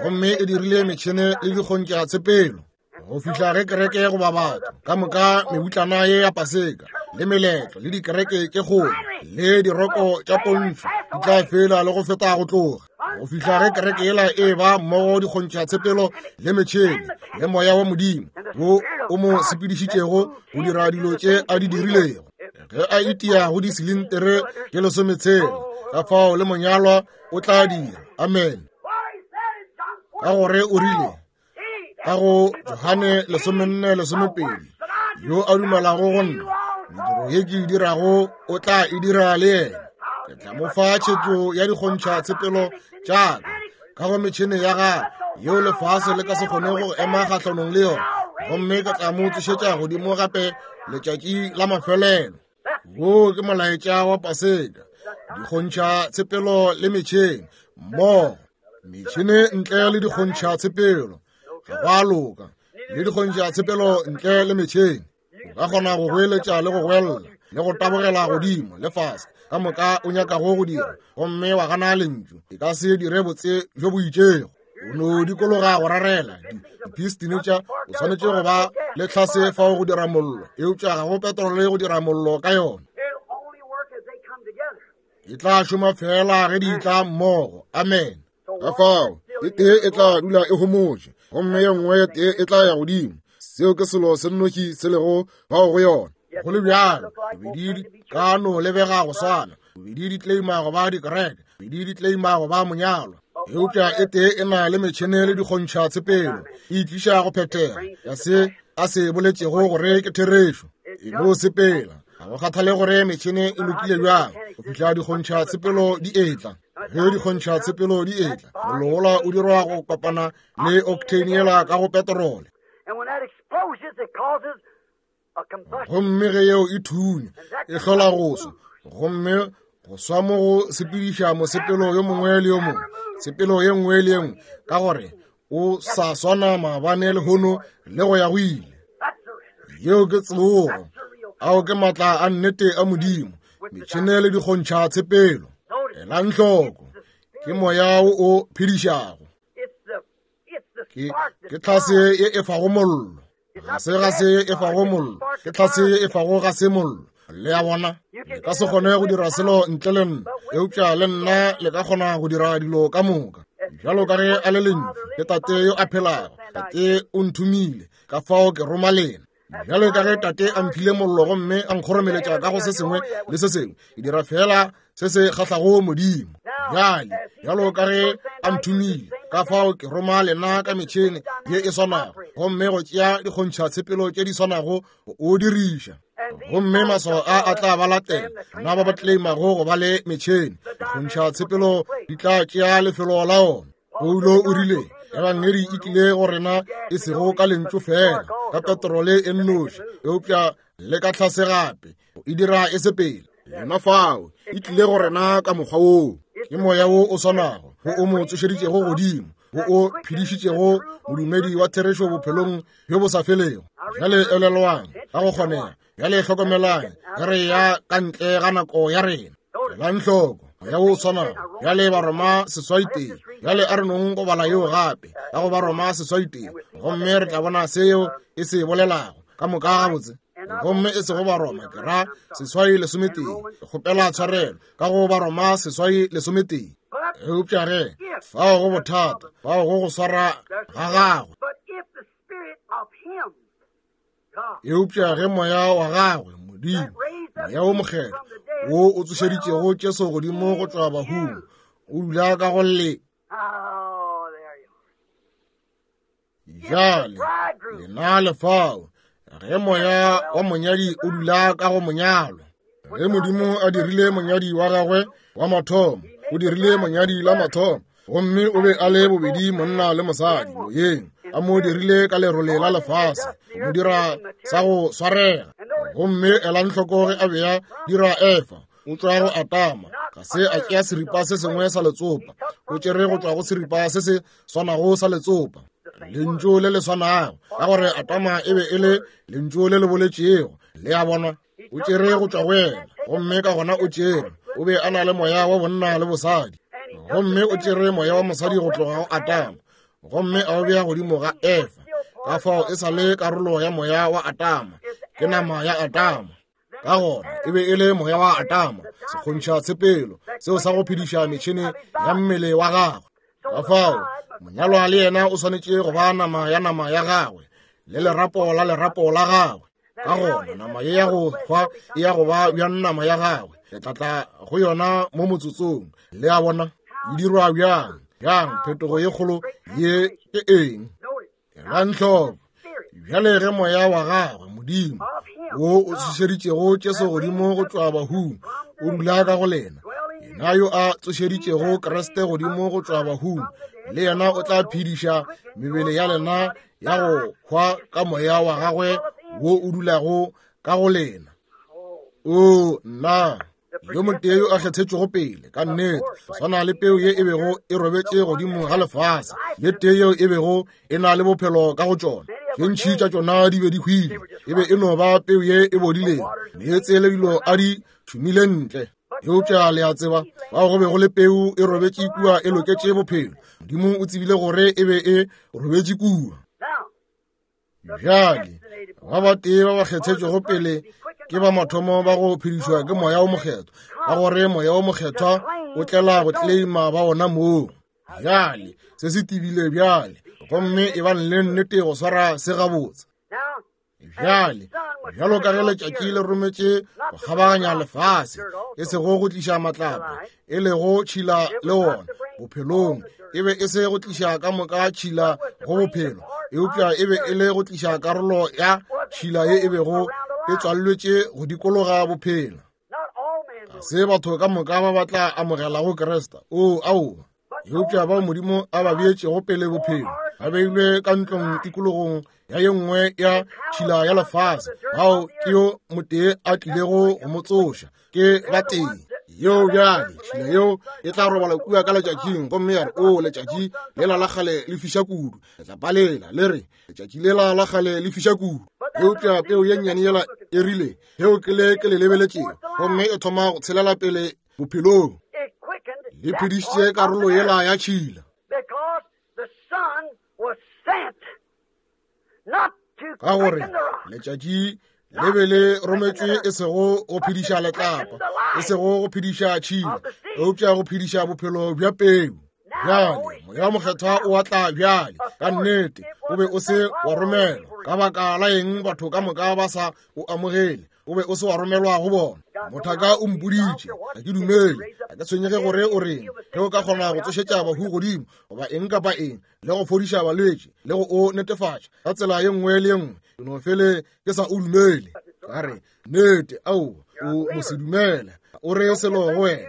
gomme e dirile metšhene le dikgontša tshepelo. Go fihla ge kereke goba batho ka moka mebutlana ye ya Paseka le meletlo le dikereke tše kgolo le diroko tša pontšho di tla fela le go feta go tloga. Go fihla ge kereke yela e ba mmogo dikgontšha tshepelo le metšhene le moya wa Modimo wo o mo sepedišitšego go dira dilo tše a di dirilego. Ge a itia go disilintere tše lesometshela, ka fao le monyalwa o tla dira. Amen. Ka gore o rile ka go Johane lesomenne lesomepedi, yo a dumelago go nna, mediro ye ke e dirago o tla e dira le yena. Ke tla mo fa tšhetšo ya dikgontšha tshepelo tša ka ka go metšhene ya gagwe yeo lefase le ka se kgone go ema kgahlanong le yona, gomme ke tla mo tsošetša godimo gape letšatši la mafelelo. Wo ke molaetša wa Paseka, dikgontšha tshepelo le metšhene mmogo, metšhene ntle le dikgontšha tshepelo ga go a loka, le dikgontšha tshepelo ntle le metšhene. O ka kgona go goeletša le go goelela le go tabogela godimo le fase ka moka o nyakago go dira, gomme wa gana lentšu, e ka se dire botse bjo bo itšego. O no dikologa go rarela dipistine tša, o swanetše go ba le tlhase fao go dira mollo, eupša ga go petrole go dira mollo ka yona. E tla šoma fela ge di tla mmogo. Amen. Ka fao e tee e tla dula e homotše, gomme ye nngwe ye tee e tla ya godimo. Seo ke selo se nnoši se lego bao go yona. Go le bjalo, bobedi di ka no lebega go swana, bobedi di claima go ba dikereke, bobedi di claima go ba monyalwa, eupša e tee e na le metšhene le dikgontšha tshepelo, e itliša go phethega ya se a se boletšego gore ke therešo. E no sepela, ga go kgathale gore metšhene e lokile bjang, go fihla dikgontšha tshepelo di etla. Ge dikgontšha tshepelo di etla, mollo wola o dirwa go kopana le octane yela ka go petrole. Gomme ge yeo e thunya, e hlola go swa, gomme go swa mo go sepediša mosepelo yo mongwe le yo mongwe, tshepelo ye nngwe le ye nngwe, ka gore o sa swana maabane lehono le go ya go ile. Yeo ke tsogo. Ao ke maatla a nnete a Modimo, metšhene le dikgontšha tshepelo. Elang hloko, ke moya wo o phedišago, ke ke tlhase ye e fago mollo, ga se ga se ye e fago mollo, ke tlhase ye e fago ga se mollo. Le a bona, le ka se kgone go dira selo ntle le nna, eupša le nna le ka kgona go dira dilo ka moka. Bjalo ka ge a le lentšu, ke tate yo a phelago, tate o nthomile, ka fao ke roma lena. Bjalo ka ge tate a mphile mollo gomme a nkgoromeletša ka go se sengwe le se sengwe, ke dira fela se se kgahlago Modimo. Bjale, bjalo ka ge a nthomile, ka fao ke roma lena ka metšhene ye e swanago, gomme go tšea dikgontšha tshepelo tše di swanago go o diriša. Gomme maswao a a tla ba latela na ba ba claimago go ba le metšhene. Dikgontšha tshepelo di tla tšea lefelo la ona. Paulo o rile, Ebangedi e tlile go rena e sego ka lentšu fela, ka petrole e nnoši, eupša le ka tlhase gape, e dira e sepele. Yona fao e tlile go rena ka mokgwa woo. Ke moya wo o swanago wo o mo tsošeditšego godimo, wo o phedišitšego modumedi wa therešo bophelong bjo bo sa felego. Bjale elelwang ka go kgonega, bjale hlokomelang ge re ya ka ntle ga nako ya rena. Elang hloko, Moya wo o swanago. Bjale Baroma seswai tee. Bjale a re nong go bala yeo gape, ka go Baroma seswai tee, gomme re tla bona seo e se bolelago ka moka gabotse. Gomme e sego Baroma, ke ra seswai lesometee. Ke kgopela tshwarelo, ka go Baroma seswai lesometee. Eupša ge fao go bothata, fao go go swara ga gagwe. Eupša ge moya wa gagwe, Modimo, moya wo mokgethwa, wo o tsošeditšego Jesu godimo go tšwa bahung, o dula ka go le. Bjale lena le fao, ge moya wa monyadi o dula ka go monyalwa. Ge Modimo a dirile monyadi wa gagwe wa mathomo, o dirile monyadi la mathomo, gomme o be a le bobedi monna le mosadi moyeng, a mo dirile ka lerole la lefase, go mo dira sa go swarega. Gomme elang hloko ge a be a dira Efa, o tšwa go Atama, ga se a tšea seripa se sengwe sa letsopa, o tšere go tšwa go seripa se se swanago sa letsopa, lentšu le le swanago, ka gore Atama e be e le lentšu le le boletšego. Le a bona, o tšere go tšwa go yena, gomme ka gona o tšere, o be a na le moya wa bonna le bosadi, gomme o tšere moya wa mosadi go tloga go Atama, gomme a o bea godimo ga Efa. Ka fao e sa le karolo ya moya wa Atama, ke nama ya Atama. Ka gona e be e le moya wa Atama, sekgontšha tshepelo seo sa go phediša metšhene ya mmele wa gagwe. Ka fao monyalwa le yena o swanetše go ba nama ya nama ya gagwe le lerapo la lerapo la gagwe. Ka gona nama ye ya go hwa e ya go ba bjang nama ya gagwe? Le tla tla go yona mo motsotsong. Le a bona e dirwa bjang? Bjang phetogo ye kgolo ye ke eng? Elang hloko. Bjale ge moya wa gagwe, Modimo, wo o tsošeditšego Jesu godimo go tšwa bahung, o dula ka go lena, yena yo a tsošeditšego Kriste godimo go tšwa bahung, le yena o tla phediša mebele ya lena ya go hwa ka moya wa gagwe wo o dulago ka go lena. O nna yo motee yo a kgethetšwego pele ka nnete, go swana le peu ye e bego e robetše godimo ga lefase, le tee yeo e bego e na le bophelo ka go tšona. Tše ntši tša tšona di be di hwile, e be e no ba peu ye e bodilego, meetse le dilo a di šomile ntle. Eupša le a tseba, bao go be go le peu e robetše kua e loketše bophelo. Modimo o tsebile gore e be e robetše kua. Bjale ba batee ba ba kgethetšwego pele ke ba mathomo ba go phedišwa ke moya o mokgethwa, ka gore moya o mokgethwa o tlela go claima ba ona moo. Bjale se se tebile bjale, gomme e bang le nnete go swara se gabotse. Bjale bjalo ka ge letšatši le rometše go kgabaganya lefase, e sego go tliša matlapa, e lego tšhila le wona bophelong, e be e se go tliša ka moka tšhila go bophelo, eupša e be e le go tliša karolo ya tšhila ye e bego e tswalletše go dikologa bophelo. Ga se batho ka moka ba ba tla amogelago Kriste, o aowa, eupša bao Modimo a ba beetšego pele bophelo, ba beilwe ka ntlong tikologong ya ye nngwe ya tšhila ya lefase, bao ke yo motee a tlilego go mo tsoša, ke batee. Yeo bjale tšhila yeo e tla robala kua ka letšatšing, gomme ya re, o letšatši lela la kgale le fiša kudu. Letlapa lela le re, letšatši lela la kgale le fiša kudu. Eupša peu ye nnyane yela e rile, yeo ke le ke le lebeletšego, gomme e thoma go tshelela pele bophelong, le phedišitše karolo yela ya tšhila. Ka gore letšatši le be le rometšwe e sego go phediša letlapa, e sego go phediša tšhila, eupša go phediša bophelo bja peu. Bjale moya mokgethwa o atla bjale ka nnete, o be o se wa romelwa. Ka baka la eng batho ka moka ba sa o amogele? O be o se wa romelwa go bona. Mothaka o mpoditše, ga ke dumele, ga ke tshwenyege gore o reng. Ge o ka kgona go tsošetša bahu godimo, goba eng kapa eng, le go fodiša balwetši, le go o netefatša ka tsela ye nngwe le ye nngwe, ke no fele ke sa o dumele. Ka re, nnete, aowa, o mo se dumele. O re selo go wena,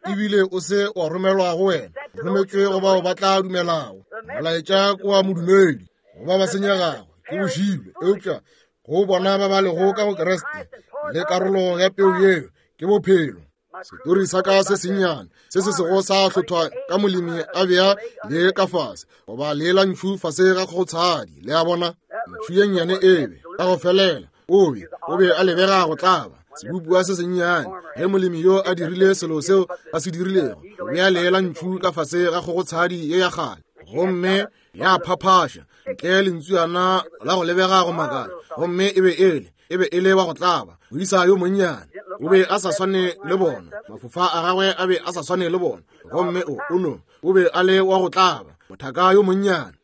ebile o se wa romelwa go wena, rometšwe go bao ba tla dumelago. Molaetša ke wa modumedi, go ba ba senyegago ke bošilo, eupša go bona ba ba lego ka go Kriste le karolo ya peu yeo ke bophelo. Setori sa ka se sennyane se se sego sa hlothwa ka molemi a bea le ka fase, goba le la ntšhu fase ga kgotshadi. Le a bona, ntšhu ye nnyane e be ka go felela, o be o be a lebega go tlaba. sebopiwa se sennyane, ge molemi yo a dirile selo seo a se dirilego, o bea lee la ntšhu ka fase ga kgogotshadi ye ya kgale, gomme ya phaphaša ntle lentšuyana la go lebega go makala, gomme e be ele e be e le wa go tlaba, moisa yo monnyane. O be a sa swane le bona, mafofa a gagwe a be a sa swane le bona, gomme o o no o be a le wa go tlaba, mothaka yo monnyane.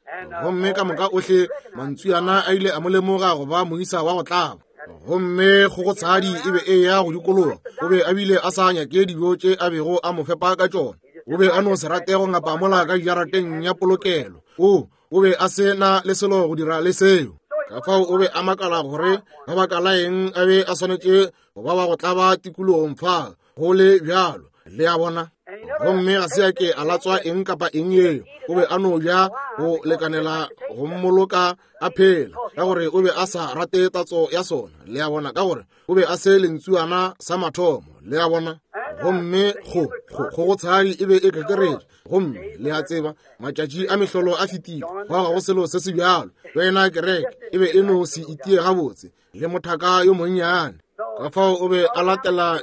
Gomme ka moka ohle mantsuyana a ile a mo lemoga go ba moisa wa go tlaba. Gomme kgogotshadi e be e ya go dikologa, o be a bile a sa nyake dijo tše a bego a mo fepa ka tšona. O be a no se rate go ngapa mola ka jarateng ya polokelo. O o be a se na le selo go dira le seo. Ka fao o be a makala gore ka baka la eng a be a swanetše go ba wa go tlaba tikologong fa go le bjalo, le a bona. Gomme ga se a ke a latswa eng kapa eng yeo, o be a no ja go lekanela go mmoloka a phela, ka gore o be a sa rate tatso ya sona, le a bona, ka gore o be a se lentsuana sa mathomo, le a bona. Gomme go go kgogotshadi e be e kekeretše, gomme le a tseba matšatši a mehlolo a fetile, gwa ga go selo se se bjalo. Wena kereke e be e no se itie gabotse le mothaka yo monnyane. Ka fao o be a latela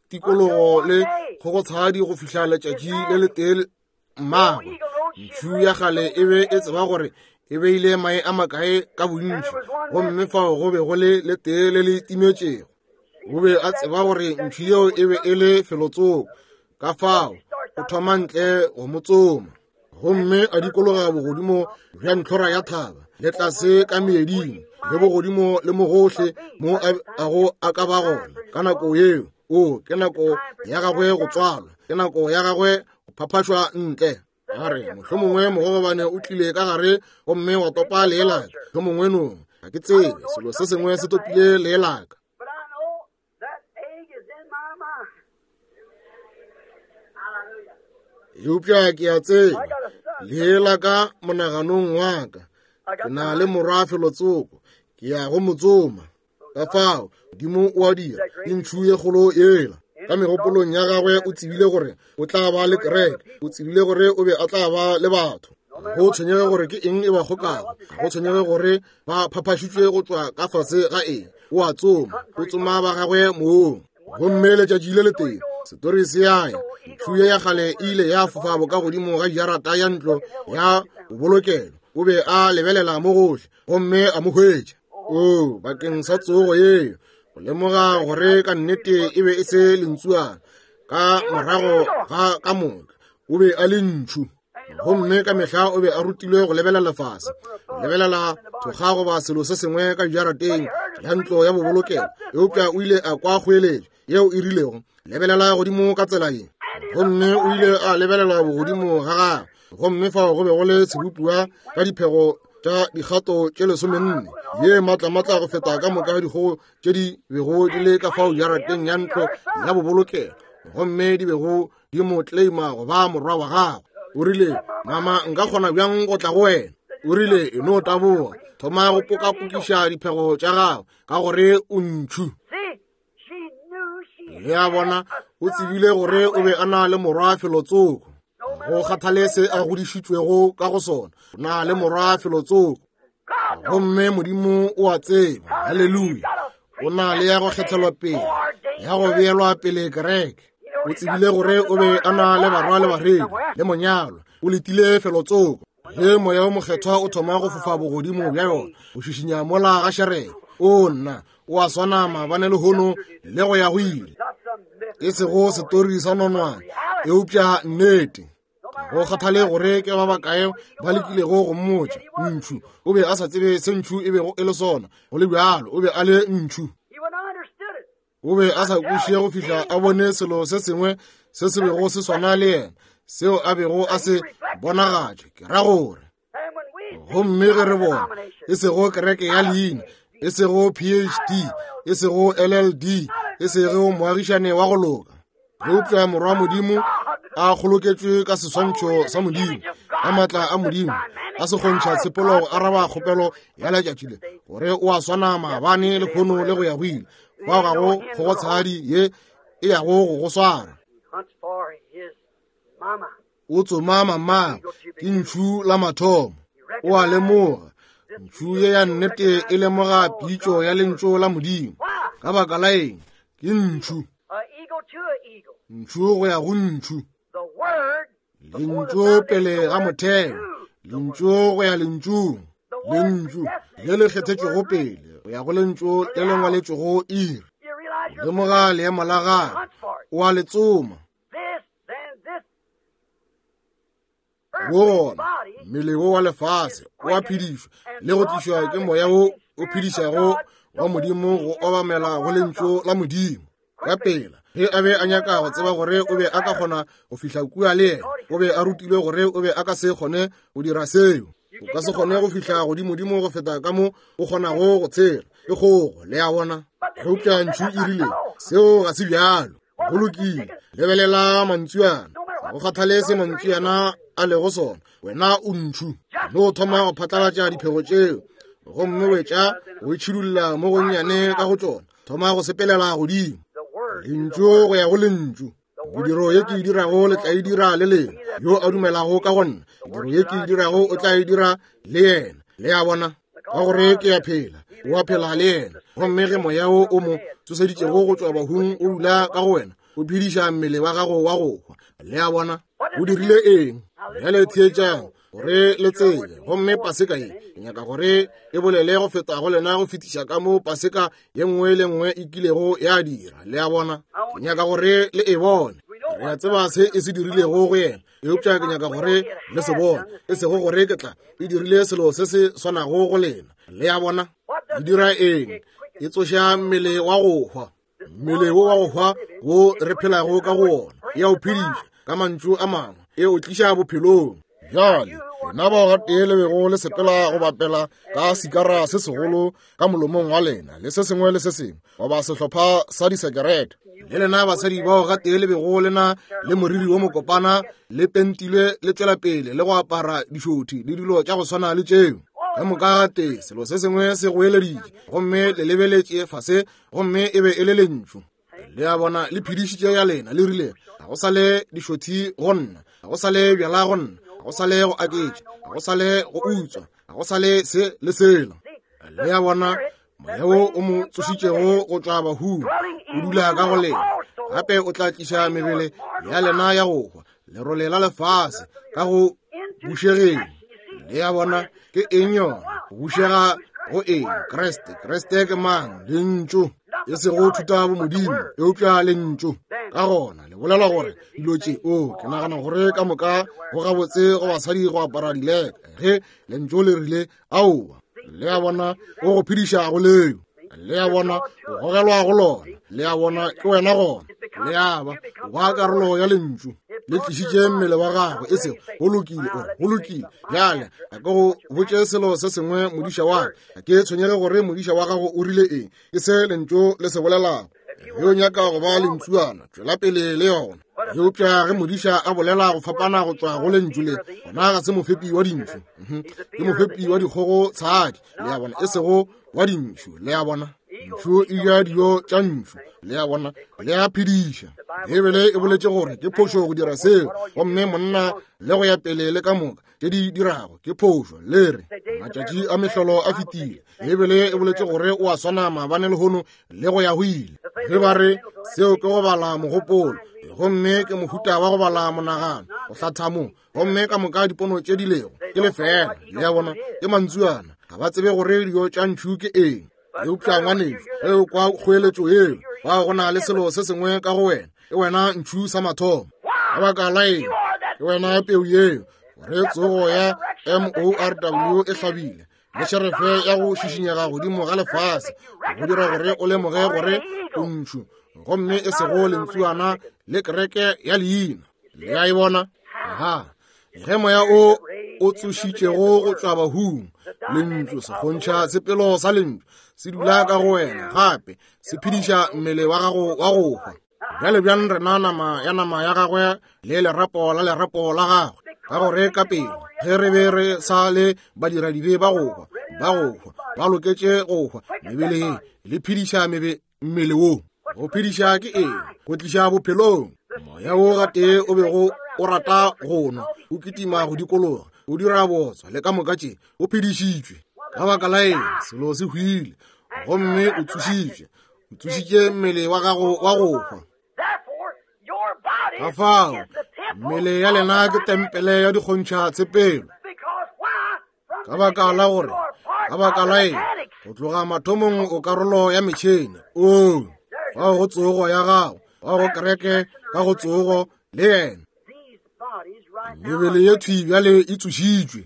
tikologo le kgogotshadi go fihla letšatši le letee mmagwe. Ntšhu ya kgale e be e tseba gore e beile mae a makae ka bontši, gomme fao go be go le letee le le timetšego. O be a tseba gore ntšhu yeo e be e le felotsoko, ka fao o thoma ntle go mo tsoma. Gomme a dikologa bogodimo bja ntlhora ya thaba, le tlase ka meeding, le bogodimo le mogohle mo a go a ka ba gona ka nako yeo. O ke nako ya gagwe go tswalwa, ke nako ya gagwe go phaphašwa ntle. A re mohlomongwe mogogobane o tlile ka gare gomme wa topa lee laka, mohlomongwe nong, ga ke tsebe, selo se sengwe se topile lee laka. Eupša ke a tseba lee la ka monaganong wa ka, ke na le morwa felotsoko, ke ya go mo tsoma. Ka fao Modimo o a dira, ke ntšhu ye kgolo yela. Ka megopolong ya gagwe o tsebile gore o tla ba le kereke, o tsebile gore o be a tla ba le batho. Go tshwenyege gore ke eng e ba kgokago, go tshwenyege gore ba phaphašitšwe go tšwa ka fase ga eng, o a tsoma, o tsoma ba gagwe moong. Gomme letšatši le letee setori se ya ya, ntšhu ye ya kgale e ile ya fofa bokagodimo ga jarata ya ntlo ya bobolokelo. O be a lebelela mo gohle gomme a mo hwetša. O bakeng sa tsogo yeo, go lemoga gore ka nnete e be e se lentsuana, ka morago ga ka moka o be a le ntšhu. Gomme ka mehla o be a rutilwe go lebelela lefase, go lebelela thokga goba selo se sengwe ka jarateng ya ntlo ya bobolokelo. Eupša o ile a kwa kgoeletšo yeo e rilego, lebelela godimo ka tsela ye. Gomme o ile a lebelela bogodimo ga gagwe, gomme fao go be go le sebopiwa ka diphego tša dikgato tše lesomenne, ye matlamatla go feta ka moka dikgogo tše di bego di le ka fao jarateng ya ntlo ya bobolokelo, gomme di bego di mo claima go ba morwa wa gagwe. O rile, mama, nka kgona bjang go tla go wena? O rile, e no taboga, thoma go pokapokiša diphego tša gago, ka gore o ntšhu. Le a bona, o tsebile gore o be a na le morwa felotsoko. Go kgathale se a godišitšwego ka go sona, o na le morwa felotsoko. Gomme Modimo o a tseba, haleluya, o na le ya go kgethelwa pele, ya go beelwa pele kereke. O tsebile gore o be a na le barwa le barwedi le monyalwa, o letile felotsoko. Ge moya o mokgethwa o thoma go fofa bogodimo bja yona, o šišinya mola ga šereke, o nna o a swana maabane lehono le go ya go ile. E sego setori sa nonwane, eupša nnete. Go kgathale gore ke ba bakae ba lekilego go mmotša ntšhu, o be a sa tsebe se ntšhu e bego e le sona. Go le bjalo, o be a le ntšhu. O be a sa kwešiše go fihla a bone selo se sengwe se se bego se swana le yena, seo a bego a se bonagatše. Ke ra gore, gomme ge re bona e sego kereke ya leina, e sego P H D, e sego L L D, e sego moagišane wa go loka, eupša morwa Modimo a kgoloketšwe ka seswantšho sa Modimo, ka maatla a Modimo, a se kgontšha tshepolo go araba kgopelo ya letšatši le, gore o a swana maabane lehono le go ya go ile. Fao ga go kgogotshadi ye e yago go go swara. O tsoma mama, ke ntšhu la mathomo. O a lemoga, ntšhu ye ya nnete e lemoga pitšo ya lentšu la Modimo. Ka baka la eng? Ke ntšhu. Ntšhu go ya go ntšhu. Lentšu pele ga motheo, lentšu go ya lentšung, lentšu le le kgethetšwego pele go ya go lentšu le le ngwaletšwego iri. Lemoga leemo la gagwe, o a le tsoma. Wo gona mmele wo wa lefase o a phedišwa le go tlišwa ke moya wo o phedišago wa Modimo go obamela go lentšu la Modimo. Ka pela ge a be a nyaka go tseba gore o be a ka kgona go fihla kua le yena, o be a rutilwe gore o be a ka se kgone go dira seo. O ka se kgone go fihla godimodimo go feta ka mo o kgonago go tshela ke kgogo, le a bona. Eupša ntšhu e rile seo ga se bjalo. Go lokile, lebelela mantsuana, go kgathale se mantsuana a lego sona, wena o ntšhu. No thoma go phatlalatša diphego tšeo gomme wetša go itšhidulla mo gonnyane ka go tšona, thoma go sepelela godimo. Lentšu go ya go lentšu. Mediro ye ke e dirago le tla e dira le lena. Yo a dumelago ka go nna, mediro ye ke e dirago o tla e dira le yena. Le a bona, ka gore ke a phela, o a phela le yena. Gomme ge moya wo o mo tsoseditšego go tšwa bahung o dula ka go wena, o phediša mmele wa gago wa go hwa. Le a bona, o dirile eng? Bjale theetšang gore le tsebe. Gomme paseka ye ke nyaka gore e bolele go feta go lena go fetiša ka mo paseka ye nngwe le nngwe e kilego ya dira. Le a bona, ke nyaka gore le e bone. Re a tseba se e se dirilego go yena, eupša ke nyaka gore le se bone, e sego gore ke tla e dirile selo se se swanago go lena. Le a bona, e dira eng? E tsoša mmele wa go hwa, mmele wo wa go hwa wo re phelago ka go wona. E a o phediša ka mantšu a mangwe, e o tliša bophelong. Bjale lena bao gatee le bego le sepela go bapela ka sikara se segolo ka molomong wa lena le se sengwe le se sengwe, goba sehlopha sa disekerete, le lena basadi bao gatee le bego lena le moriri wo mokopana le pentilwe le tšwela pele le go apara dišothi le dilo tša go swana le tšeo, ka moka gatee selo se sengwe se goeleditše gomme le lebeletše fase, gomme e be e le lentšu. Le a bona, le phedišitše ya lena, le rile ga go sa le dišothi go nna, ga go sa le bjala go nna, ga go sa le go aketša, ga go sa le go utswa, ga go sa le se le sela. Le a bona, moya wo o mo tsošitšego go tšwa bahung o dula ka go lena. Gape o tla tliša mebele ya lena ya go hwa, lerole la lefase ka go bušegeng. Le a bona, ke eng yona? Go bušega go eng? Kreste. Kreste ke mang? Lentšu. E sego thuta bomodimo, eupša lentšu. Ka gona le bolela gore dilo tše, o ke nagana gore ka moka go gabotse go basadi go apara dileka, ge lentšu le rile aowa. Le a bona, o go phediša go leo. Le a bona, o gogelwa go lona. Le a bona, ke wena gona. Le a ba, o ba karolo ya lentšu. Le tlišitše mmele wa gagwe, e sego go lokile, o go lokile. Bjale a ke go botše selo se sengwe, modiša wa ka. Ke tshwenyege gore modiša wa gago o rile eng, ke se lentšu le se bolelago. Ge o nyaka go ba lentšuana, tšwela pele le yona. Eupša ge modiša a bolela go fapana go tšwa go lentšu le, gona ga se mofepi wa dintšhu, ke mofepi wa dikgogo tshadi. Le a bona, e sego wa dintšhu. Le a bona, ntšhu e ja dijo tša ntšhu. Le a bona, le a phediša. Bibele e boletše gore ke phošo go dira seo, gomme monna le go ya pele le ka moka tše di dirago ke phošo. Le re matšatši a mehlolo a fetile. Bibele e boletše gore o a swana maabane lehono le go ya go ile. Ge ba re seo ke go bala mogopolo, gomme ke mohuta wa go bala monagano, go hlatha mo, gomme ka moka dipono tše di lego ke lefela. Le a bona, ke mantsuana, ga ba tsebe gore dijo tša ntšhu ke eng. Eupša ngwanešu, ge o kwa kgoeletšo yeo, bao go na le selo se sengwe ka go wena, ke wena ntšhu sa mathomo. Ka baka la eng? Ke wena peu yeo, gore tsogo ya M O R W e hlabile le šerefe ya go šišinyega godimo ga lefase, go dira gore o lemoge gore o ntšhu, gomme e sego lentsuana le kereke ya leina. Le a e bona? Aha. Ge moya o o tsošitšego go tšwa bahung, lentšu se kgontšha sepelo sa lentšu se dula ka go wena, gape se phediša mmele wa gago wa go hwa. Bjale bjang rena nama ya nama ya gagwe le lerapo la lerapo la gagwe, ka gore ka pele ge re be re sa le badiradibe ba go hwa, ba go hwa, ba loketše go hwa, mebele ye le phediša mebe mmele wo. Go phediša ke eng? Go tliša bophelong. Moya wo gatee o bego o rata go nwa, o kitima go dikologa, o dira botswa le ka moka tše, o phedišitšwe. Ka baka la eng? Selo se hwile, gomme o tsošitšwe, O tsošitše mmele wa gago wa go hwa. Ka fao mmele ya lena ke tempele ya dikgontšha tshepelo. Ka baka la gore, ka baka la eng, go tloga mathomong o karolo ya metšhene. Oo, fao go tsogo ya gago, fao go kereke ka go tsogo le yena. Mebele ye thwi bjale e tsošitšwe.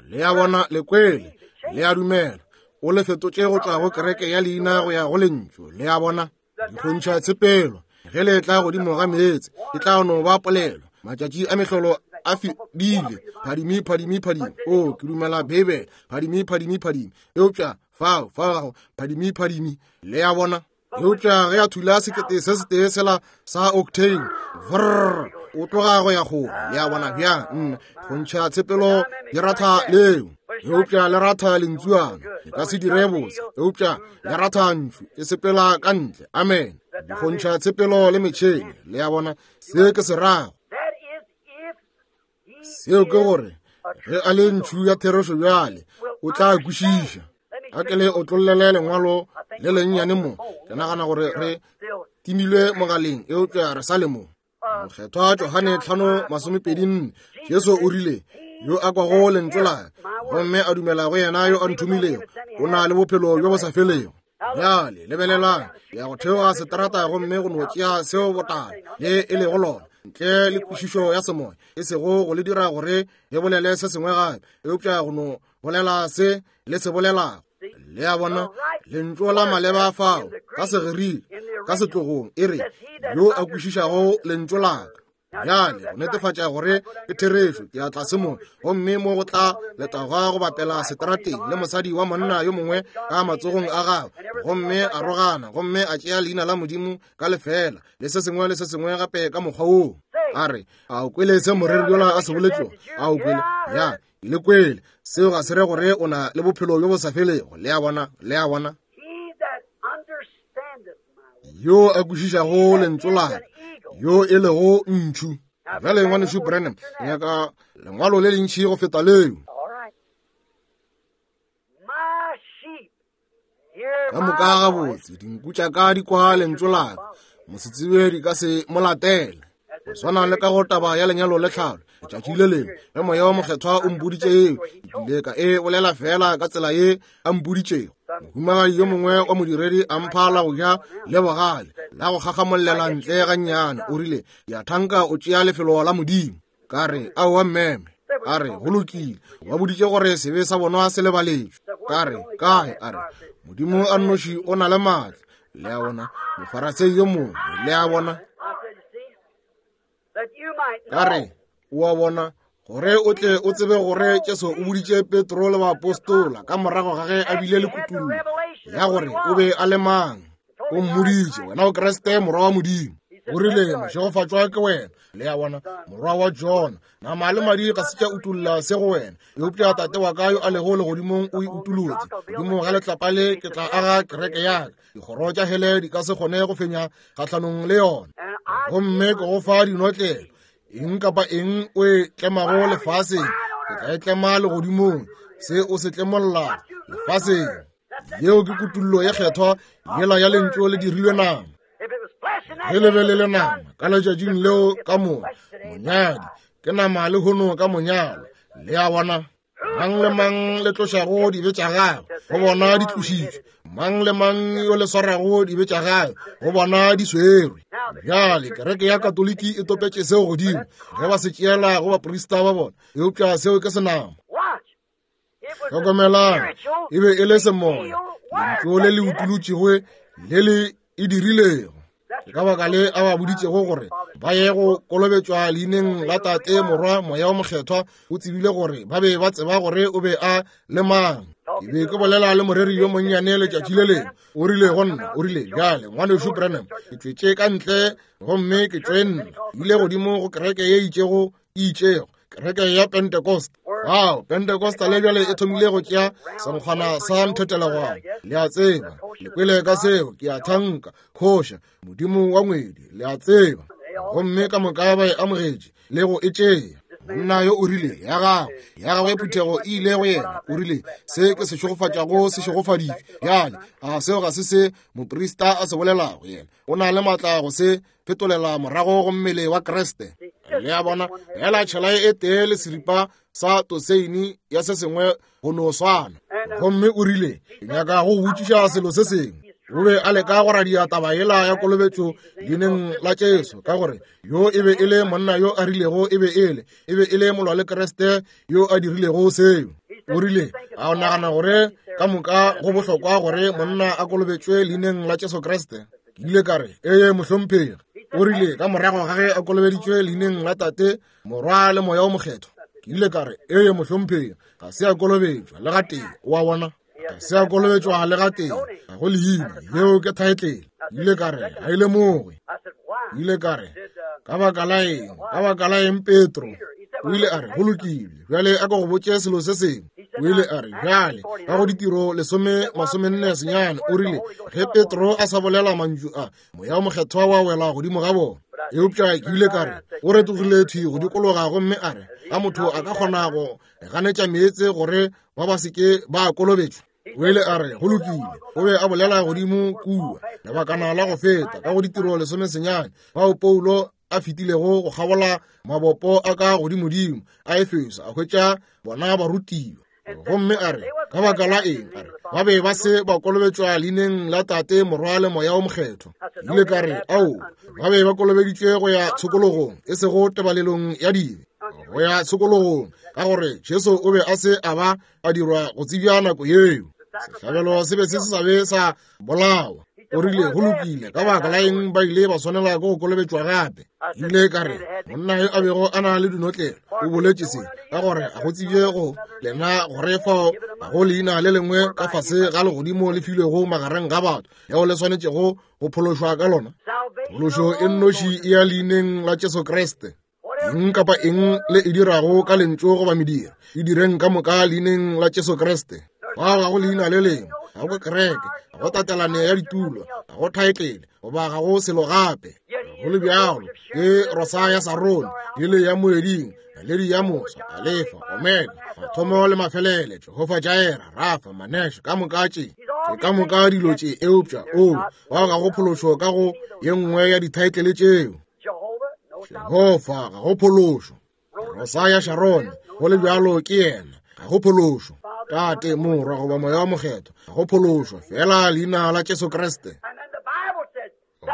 Le a bona, le kwele, le a dumela. O le fetotše go tšwa go kereke ya leina go ya go lentšu. Le a bona, dikgontšha tshepelo ge le tla godimo ga meetse e tla no ba polelo. Matšatši a mehlolo a fedile. Phadimi, phadimi, phadimi. O, ke dumela Beibele. Phadimi, phadimi, phadimi. Eupša fao, fao gago, phadimi, phadimi. Le a bona. Eupša ge a thula sekete se setee sela sa octane, vrr, o tloga go ya kgole. Le a bona bjang? Nna, go ntšha tshepelo di ratha leo. Eupša le ratha lentsuana, le ka se dire botse. Eupša le ratha ntšu, e sepela ka ntle. Amen. Go ntšha tshepelo le metšhene. Le a bona se ke se rago. Seo ke gore ge a le ntšhu ya therešo bjale, o tla kwešiša. A ke le otlollele lengwalo le lennyane mo. Ke nagana gore re timilwe mogaleng, eupša re sa le mo. Mokgethwa Johane tlhano masomepedi nne, Jesu o rile, yo a kwago lentšu la ka gomme a dumela go yena yo a nthomilego, o na le bophelo bjo bo sa felego. Bjale lebelelang, ya go theoga seterata gomme go no tšea seo botala le e lego lona, ntle le kwešišo ya semoya, e sego go le dira gore le bolele se sengwe gape, eupša go no bolela se le se bolelago. Le a bona, lentšu la maleba fao ka Segerike, ka setlogong, e re, yo a kwešišago lentšu la ka. Bjale go netefatša gore ke therešo, ke ya tlase mo, gomme mo go tla letagwa go bapela seterateng le mosadi wa monna yo mongwe ka matsogong a gagwe, gomme a rogana, gomme a tšea leina la Modimo ka lefela, le se sengwe le se sengwe gape ka mokgwa woo. A re, a o kwele se moreri yola a se boletšego? A o kwele? Ya, le kwele. Seo ga se re gore o na le bophelo bjo bo sa felego. Le a bona, le a bona. Yo a kwešišago lentšu la ka, yo e lego ntšhu. Bjale ngwanešu Branham, nyaka lengwalo le lentši go feta leo. Ka moka gabotse, dinku tša ka di kwa lentšu la ka, mosetsebje di ka se mo latele. Go swana le ka go taba ya lenyalo le tlhalo, letšatši le lengwe ge moya wa mokgethwa o mpoditše eo, ke ile ka e bolela fela ka tsela ye a mpoditšego. Mohumagadi yo mongwe wa modiredi a mpha la go ja le bogale la go kgakgamollela ntle gannyane. O rile, ya thanka o tšea lefelo la Modimo. Ka re, aowa mmeme. A re, go lokile, ba boditše gore sebe sa bona se lebaletšwe. Ka re, kae? A re, Modimo a nnoši o na le maatla. Le a bona, mofarasei yo mongwe. Le a bona. Ka re, o a bona, gore o tle o tsebe gore Jesu o boditše Petro le baapostola ka morago ga ge a bile le kutullo ya gore o be a le mang. O mmoditše, wena o Kriste morwa wa Modimo. O rile, mošegofatšwa ke wena. Le a bona, morwa wa Jona, nama le madi ga se tša utolla se go wena, eupša Tate wa ka yo a lego legodimong o e utolotše. Godimo ga letlapa le ke tla aga kereke ya ka, dikgoro tša hele di ka se kgone go fenya kgahlanong le yona. Gomme ke go fa dinotlelo, eng kapa eng o e tlemago lefaseng, ke tla e tlema legodimong, se o se tlemollago lefaseng. Yeo ke kutullo ye kgethwa yela ya lentšu le dirilwe nama. Ge le be le le nama ka letšatšing leo ka moka, monyadi ke nama le hono ka monyalo. Le a bona, mang le mang le tlošago dibe tša gagwe, go bona di tlošitšwe. Mang le mang yo le swarago dibe tša gagwe, go bona di swerwe. Bjale kereke ya Katoliki e topetše seo godimo ge ba se tšeela go baprista ba bona, eupša seo ke senama. Hlokomelang, e be e le semoya, lentšu le le utolotšego le le e dirilego. Ke ka baka le a ba boditšego gore ba ye go kolobetšwa leineng la Tate, Morwa, Moya o Mokgethwa. O tsebile gore ba be ba tseba gore o be a le mang. Ke be ke bolela le moreri yo monnyane letšatši le lengwe. O rile go nna, o rile, bjale ngwanešu Branham, ke tšwetše ka ntle gomme ke tšwe nna, ile godimo go kereke ye itšego e itšego, kereke ya Pentecost. Wow, Pentecost le bjale e thomile go tšea senkgwana sa nthetelegwana. Le a tseba, le kwele ka seo, ke a thanka, khoša, modimo wa ngwedi, le a tseba. Gomme ka moka ba e amogetše le go e tšea. Monna yo o rile, ya gagwe, ya gagwe phuthego e ile go yena. O rile, se ke se šegofatšago se šegofaditšwe. Bjale, a seo ga se se moprista a se bolelago yena. O na le maatla go se fetolela morago go mmele wa Kriste. Le a bona, fela tšhelae e tee le seripa sa toseini ya se sengwe go no swana. Gomme o rile, ke nyaka go botšiša selo se sengwe. O be a leka go radia taba yela ya kolobetšo leineng la Jesu, ka gore yo e be e le monna yo a rilego e be e le e be e le molwa le Kriste yo a dirilego seo. O rile, a o nagana gore ka moka go bohlokwa gore monna a kolobetšwe leineng la Jesu Kriste? Ke ile ka re, ee mohlomphegi. O rile, ka morago ga ge a kolobeditšwe leineng la Tate, Morwa le Moya o Mokgethwa. Ke ile ka re, ee mohlomphegi, ga se a kolobetšwa le gatee. O a bona, ga se a kolobetšwa le gatee, ga go leina, yeo ke thaetlele. Ke ile ka re, ga e lemoge. Ke ile ka re, ka baka la eng, ka baka la eng Petro? O ile a re, go lokile, bjale a ka go botše selo se sengwe. O ile a re, bjale, ka go ditiro lesome masomenne senyane, o rile, ge Petro a sa bolela mantšu a, Moya o Mokgethwa wa wela godimo ga bona. Eupša ke ile ka re, o retogile thwi go dikologa gomme a re, a motho a ka kgona go ganetša meetse gore ba ba se ke ba kolobetšwa? O ile a re, go lokile. O be a bolela godimo kua lebakana la go feta ka go ditiro lesome senyane, bao Paulo a fetilego go kgabola mabopo a ka godimodimo a Efeso, a hwetša bona barutiwa. Gomme a re, ka baka la eng? A re, ba be ba se ba kolobetšwa leineng la Tate, Morwa le Moya o Mokgethwa. Ke ile ka re, ao, ba be ba kolobeditšwe go ya tshokologong, e sego tebalelong ya dibe, go ya tshokologong, ka gore Jesu o be a se a ba a dirwa go tsebja nako yeo. Sehlabelo se be se se sa be sa bolawa. O rile, go lokile, ka baka la eng ba ile ba swanela ke go kolobetšwa gape? Ke ile ka re, monna yo a bego a na le dinotlelo o boletše se, ka gore a go tsebje go lena gore fao ga go leina le lengwe ka fase ga legodimo le filwego magareng ga batho leo le swanetšego go phološwa ka lona. Phološo e nnoši e ya leineng la Jesu Kriste. Eng kapa eng le e dirago ka lentšu goba mediro, e direng ka moka leineng la Jesu Kriste. Fao ga go leina le lengwe, ga go kereke, ga go tatelano ya ditulo, ga go thaetlele, goba ga go selo gape. Go le bjalo, ke rosa ya Sarone, lili ya moeding, naledi ya mosa, Alefa, Omega, mathomo le mafelele, Jehofa Jaira, Rafa, Manesha, ka moka tše, ke ka moka dilo tše. Eupša o, bao ga go phološo ka go ye nngwe ya dithaetlele tšeo. Jehofa, ga go phološo. Rosa ya Sharone, go le bjalo ke yena, ga go phološo. Tate, Morwa goba Moya o Mokgethwa, ga go phološo, fela leina la Jesu Kriste.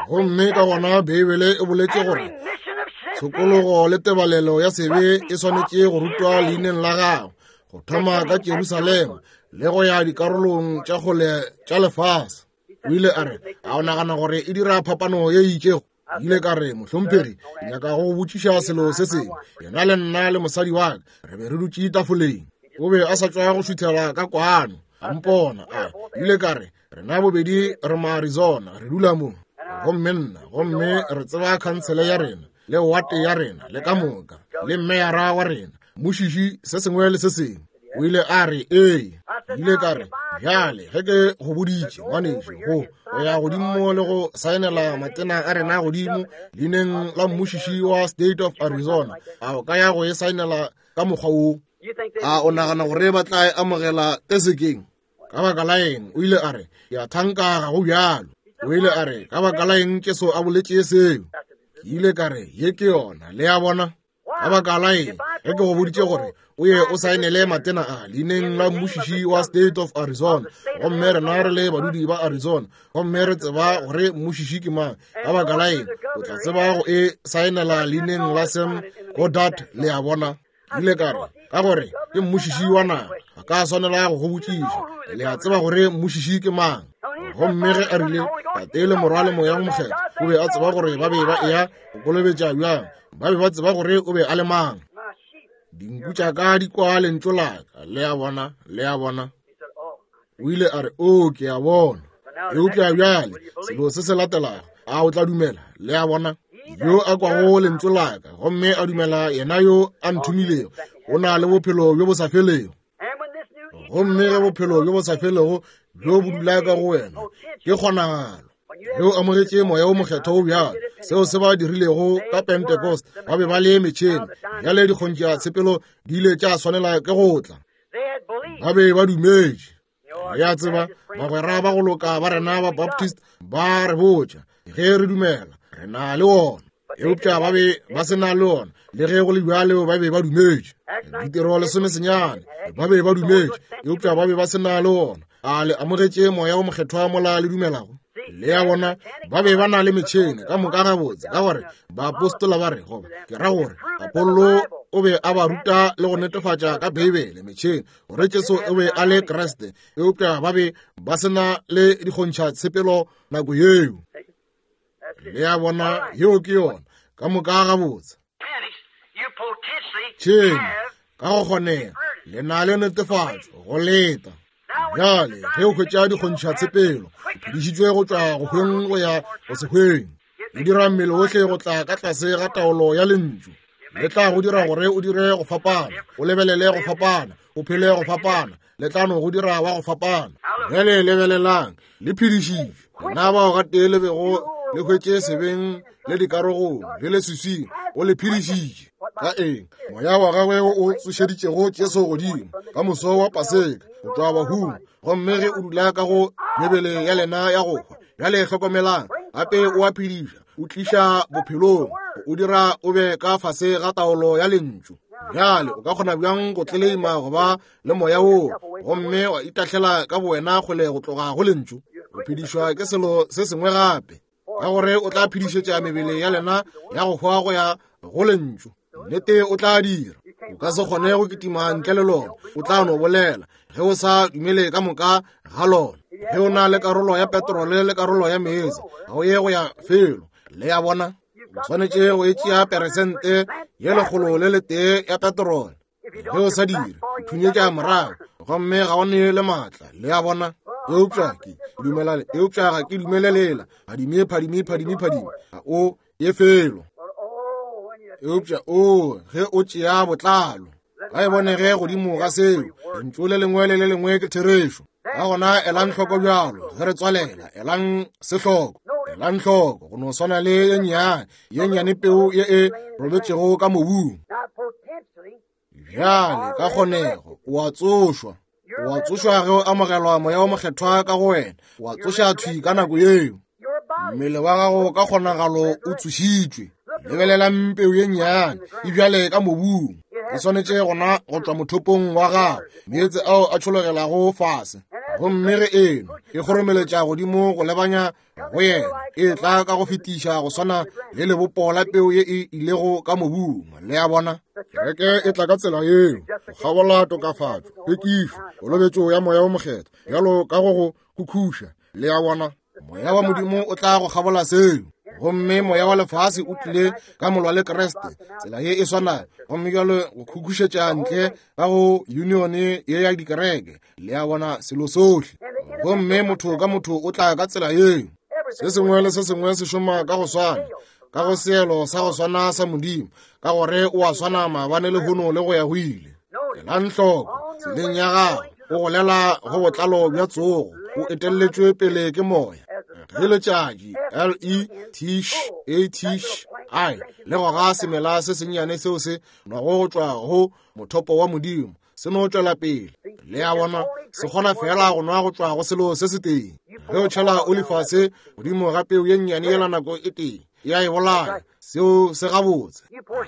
Gomme ka gona Beibele e boletše gore tshokologo le tebalelo ya sebe e swanetše go rutwa leineng la gagwe, go thoma ka Jerusalema le go ya dikarolong tša kgole tša lefase. O ile a re, a o nagana gore e dira phapano ye itšego? Ke ile ka re, mohlomphegi, ke nyaka go botšiša selo se sengwe. Yena le nna le mosadi wa ka re be re dutše tafoleng. O be a sa tšwa go šuthela ka kwano, a mpona. A ile ka re, rena bobedi re ma Arizona, re dula mo. Gomme nna, gomme re tseba khansele ya rena, le wate ya rena, le ka moka, le meyara wa rena, mmušiši, se sengwe le se sengwe. O ile a re, ee. Ke ile ka re, bjale, ge ke go boditše, ngwanešu, go go ya godimo le go saenela matena a rena godimo leineng la mmušiši wa State of Arizona, a o ka ya go e saenela ka mokgwa wo? A o nagana gore ba tla e amogela tesekeng? Ka baka la eng? O ile a re, ke a thanka ga go bjalo. O ile a re, ka baka la eng Jesu a boletše seo? Ke ile ka re, ye ke yona, le a bona. Ka baka la eng ge ke go boditše gore o ye o saenele matena a leineng la mmušiši wa State of Arizona, gomme rena re le badudi ba Arizona, gomme re tseba gore mmušiši ke mang, ka baka la eng o tla tseba go e saenela leineng la Sam Goddard, le a bona. Ke ile ka re, ka gore ke mmušiši wa naga, ga ka swanela go go botšiša, le a tseba gore mmušiši ke mang. Gomme ge a rile, Tate le Morwa le Moya o Mokgethwa, o be a tseba gore ba be ba eya go kolobetša bjang, ba be ba tseba gore o be a le mang. Dinku tša ka di kwa lentšu la ka, le a bona, le a bona. O ile a re, o, ke a bona. Eupša bjale, selo se se latelago, a o tla dumela, le a bona. Yo a kwago lentšu la ka, gomme a dumela yena yo a nthomilego, o na le bophelo bjo bo sa felego. Gomme ge bophelo bjo bo sa felego bjo bo dula ka go wena, ke kgonagalo. Ge o amogetše Moya wo Mokgethwa o bjalo, seo se ba dirilego ka Pentecost, ba be ba le metšhene. Bjale dikgontšha tshepelo di ile tša swanela ke go tla. Ba be ba dumetše. Le a tseba, bagwera ba go loka ba rena ba Baptist ba re botša, ge re dumela, re na le ona. Eupša ba be ba se na le ona, le ge go le bjalo ba be ba dumetše. Ditiro lesome senyane, ba be ba dumetše, eupša ba be ba se na le ona. A le amogetše Moya wo Mokgethwa mola le dumelago? Le a bona, ba be ba na le metšhene ka moka gabotse, ka gore baapostola ba re, goba ke ra gore Apollo o be a ba ruta le go netefatša ka Beibele metšhene gore Jesu o be a le Kriste, eupša ba be ba se na le dikgontšha tshepelo nako yeo. Le a bona, yeo ke yona ka moka gabotse. Tšhene ka go kgonega le na le netefatšo go leta. Bjale ge o hwetša dikgontšha tshepelo, o phedišitšwe go tšwa go hweng go ya go se hweng. E dira mmele ohle go tla ka tlase ga taolo ya lentšu. Le tla go dira gore o dire go fapana, o lebelele go fapana, o phele go fapana, le tla no go dira wa go fapana. Bjale lebelelang, le phedišitšwe. Lena bao gatee le bego le hwetše sebeng le dikarogong le leswiswing, o le phedišitše. Ka eng? Moya wa gagwe o tsošeditšego Jesu godimo ka moso wa Paseka go tšwa bahung, gomme ge o dula ka go mebele ya lena ya go hwa. Bjale hlokomelang, gape o a phediša, o tliša bophelong, o dira o be ka fase ga taolo ya lentšu. Bjale o ka kgona bjang go tleleima go ba le moya woo gomme wa itahlela ka bowena kgole go tloga go lentšu? O phedišwa ke selo se sengwe gape, ka gore o tla phedišetša mebele ya lena ya go hwa go ya go lentšu. Nnete o tla dira. O ka se kgone go kitima ntle le lona. O tla no bolela ge o sa dumele ka moka ga lona. Ge o na le karolo ya petrole le karolo ya meetse, ga o ye go ya felo. Le a bona, o swanetše go e tšea peresente ye lekgolo le letee ya petrole. Ge o sa dire, o thunyetša morago, gomme ga o ne le maatla. Le a bona? Eupša ke dumela, eupša ga ke dumelelela. Phadime, phadime, phadime, phadime, ga o ye felo. Eupša o ge o tšea botlalo, ga e bonege godimo ga seo. Lentšu le lengwe le le lengwe ke therešo. Ka gona elang hloko bjalo ge re tswalela, elang se hloko, elang hloko go no swana le ye nnyane, ye nnyane peu ye e robetšego ka mobung. Bjale ka kgonego o a tsošwa, o a tsošwa ge o amogelwa Moya wo Mokgethwa ka go wena, o a tsoša thwi ka nako yeo. Mmele wa gago ka kgonagalo o tsošitšwe. Lebelelang peu ye nnyane e bjale ka mobung, e swanetše gona go tšwa mothopong wa gago, meetse ao a tšhologelago fase. Gomme ge eno e kgoromeletša godimo go lebanya go yena, e tla ka go fetiša go swana le lebopo la peu ye e ilego ka mobung. Le a bona, kereke e tla ka tsela yeo, go kgabola tokafatšo, hlwekišo, kolobetšo ya Moya wo Mokgethwa, bjalo ka go go khukhuša. Le a bona, Moya wa Modimo o tla go kgabola seo. Gomme moya wa lefase o tlile ka molwa le Kriste tsela ye e swanago, gomme bjalo go khukhušetša ntle ka go unione ye ya dikereke. Le a bona, selo sohle. Gomme motho ka motho o tla ka tsela yeo. Se sengwe le se sengwe se šoma ka go swana, ka go seelo sa go swana sa Modimo, ka gore o a swana maabane lehono le go ya go ile. Elang hloko tseleng ya gago, o golela go botlalo bja tsogo, o etelletšwe pele ke moya. Ge letšatši L E T A T I le goga semela se sennyane seo se nwago go tšwa go mothopo wa Modimo, se no tšwela pele. Le a bona, se kgona fela go nwa go tšwa go selo se setee. Ge o tšhela oli fase godimo ga peu ye nnyane yela nako e tee, ya e bolaya. Seo se gabotse.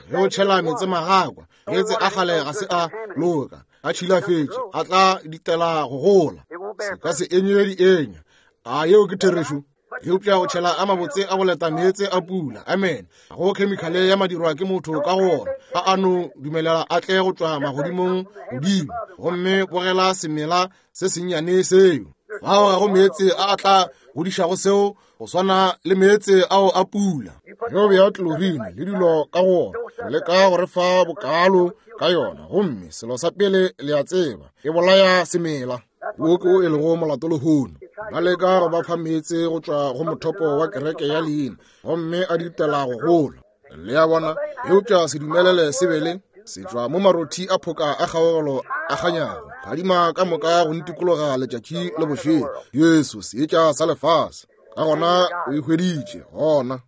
Ge o tšhela meetse magakwa, meetse a kgale ga se a loka, a tšhilafetše, a tla ditela go gola, se ka se enywe dienya. A yeo ke therešo? Eupša o tšhela a mabotse a boleta meetse a pula. Amen. Ga go khemikhale ya madirwa ke motho ka go ona, a a no dumelela a tle go tšwa magodimong godimo, gomme bogela semela se sennyane seo. Fao ga go meetse a a tla godišago seo go swana le meetse ao a pula. Ge o bea chlorine le dilo ka go ona, o leka go re fa bokalo ka yona, gomme selo sa pele le a tseba, e bolaya semela. Wo ke o e lego molato lehono. Ba leka go ba fa meetse go tšwa go mothopo wa kereke ya leina, gomme a ditela go gola. Le a bona, eupša se dumelele se be le se tšwa mo marothi a phoka a kgaogelo a kganyago, phadima ka moka go ntikologa letšatši le bošego. Jesu seetša sa lefase. Ka gona o e hweditše gona.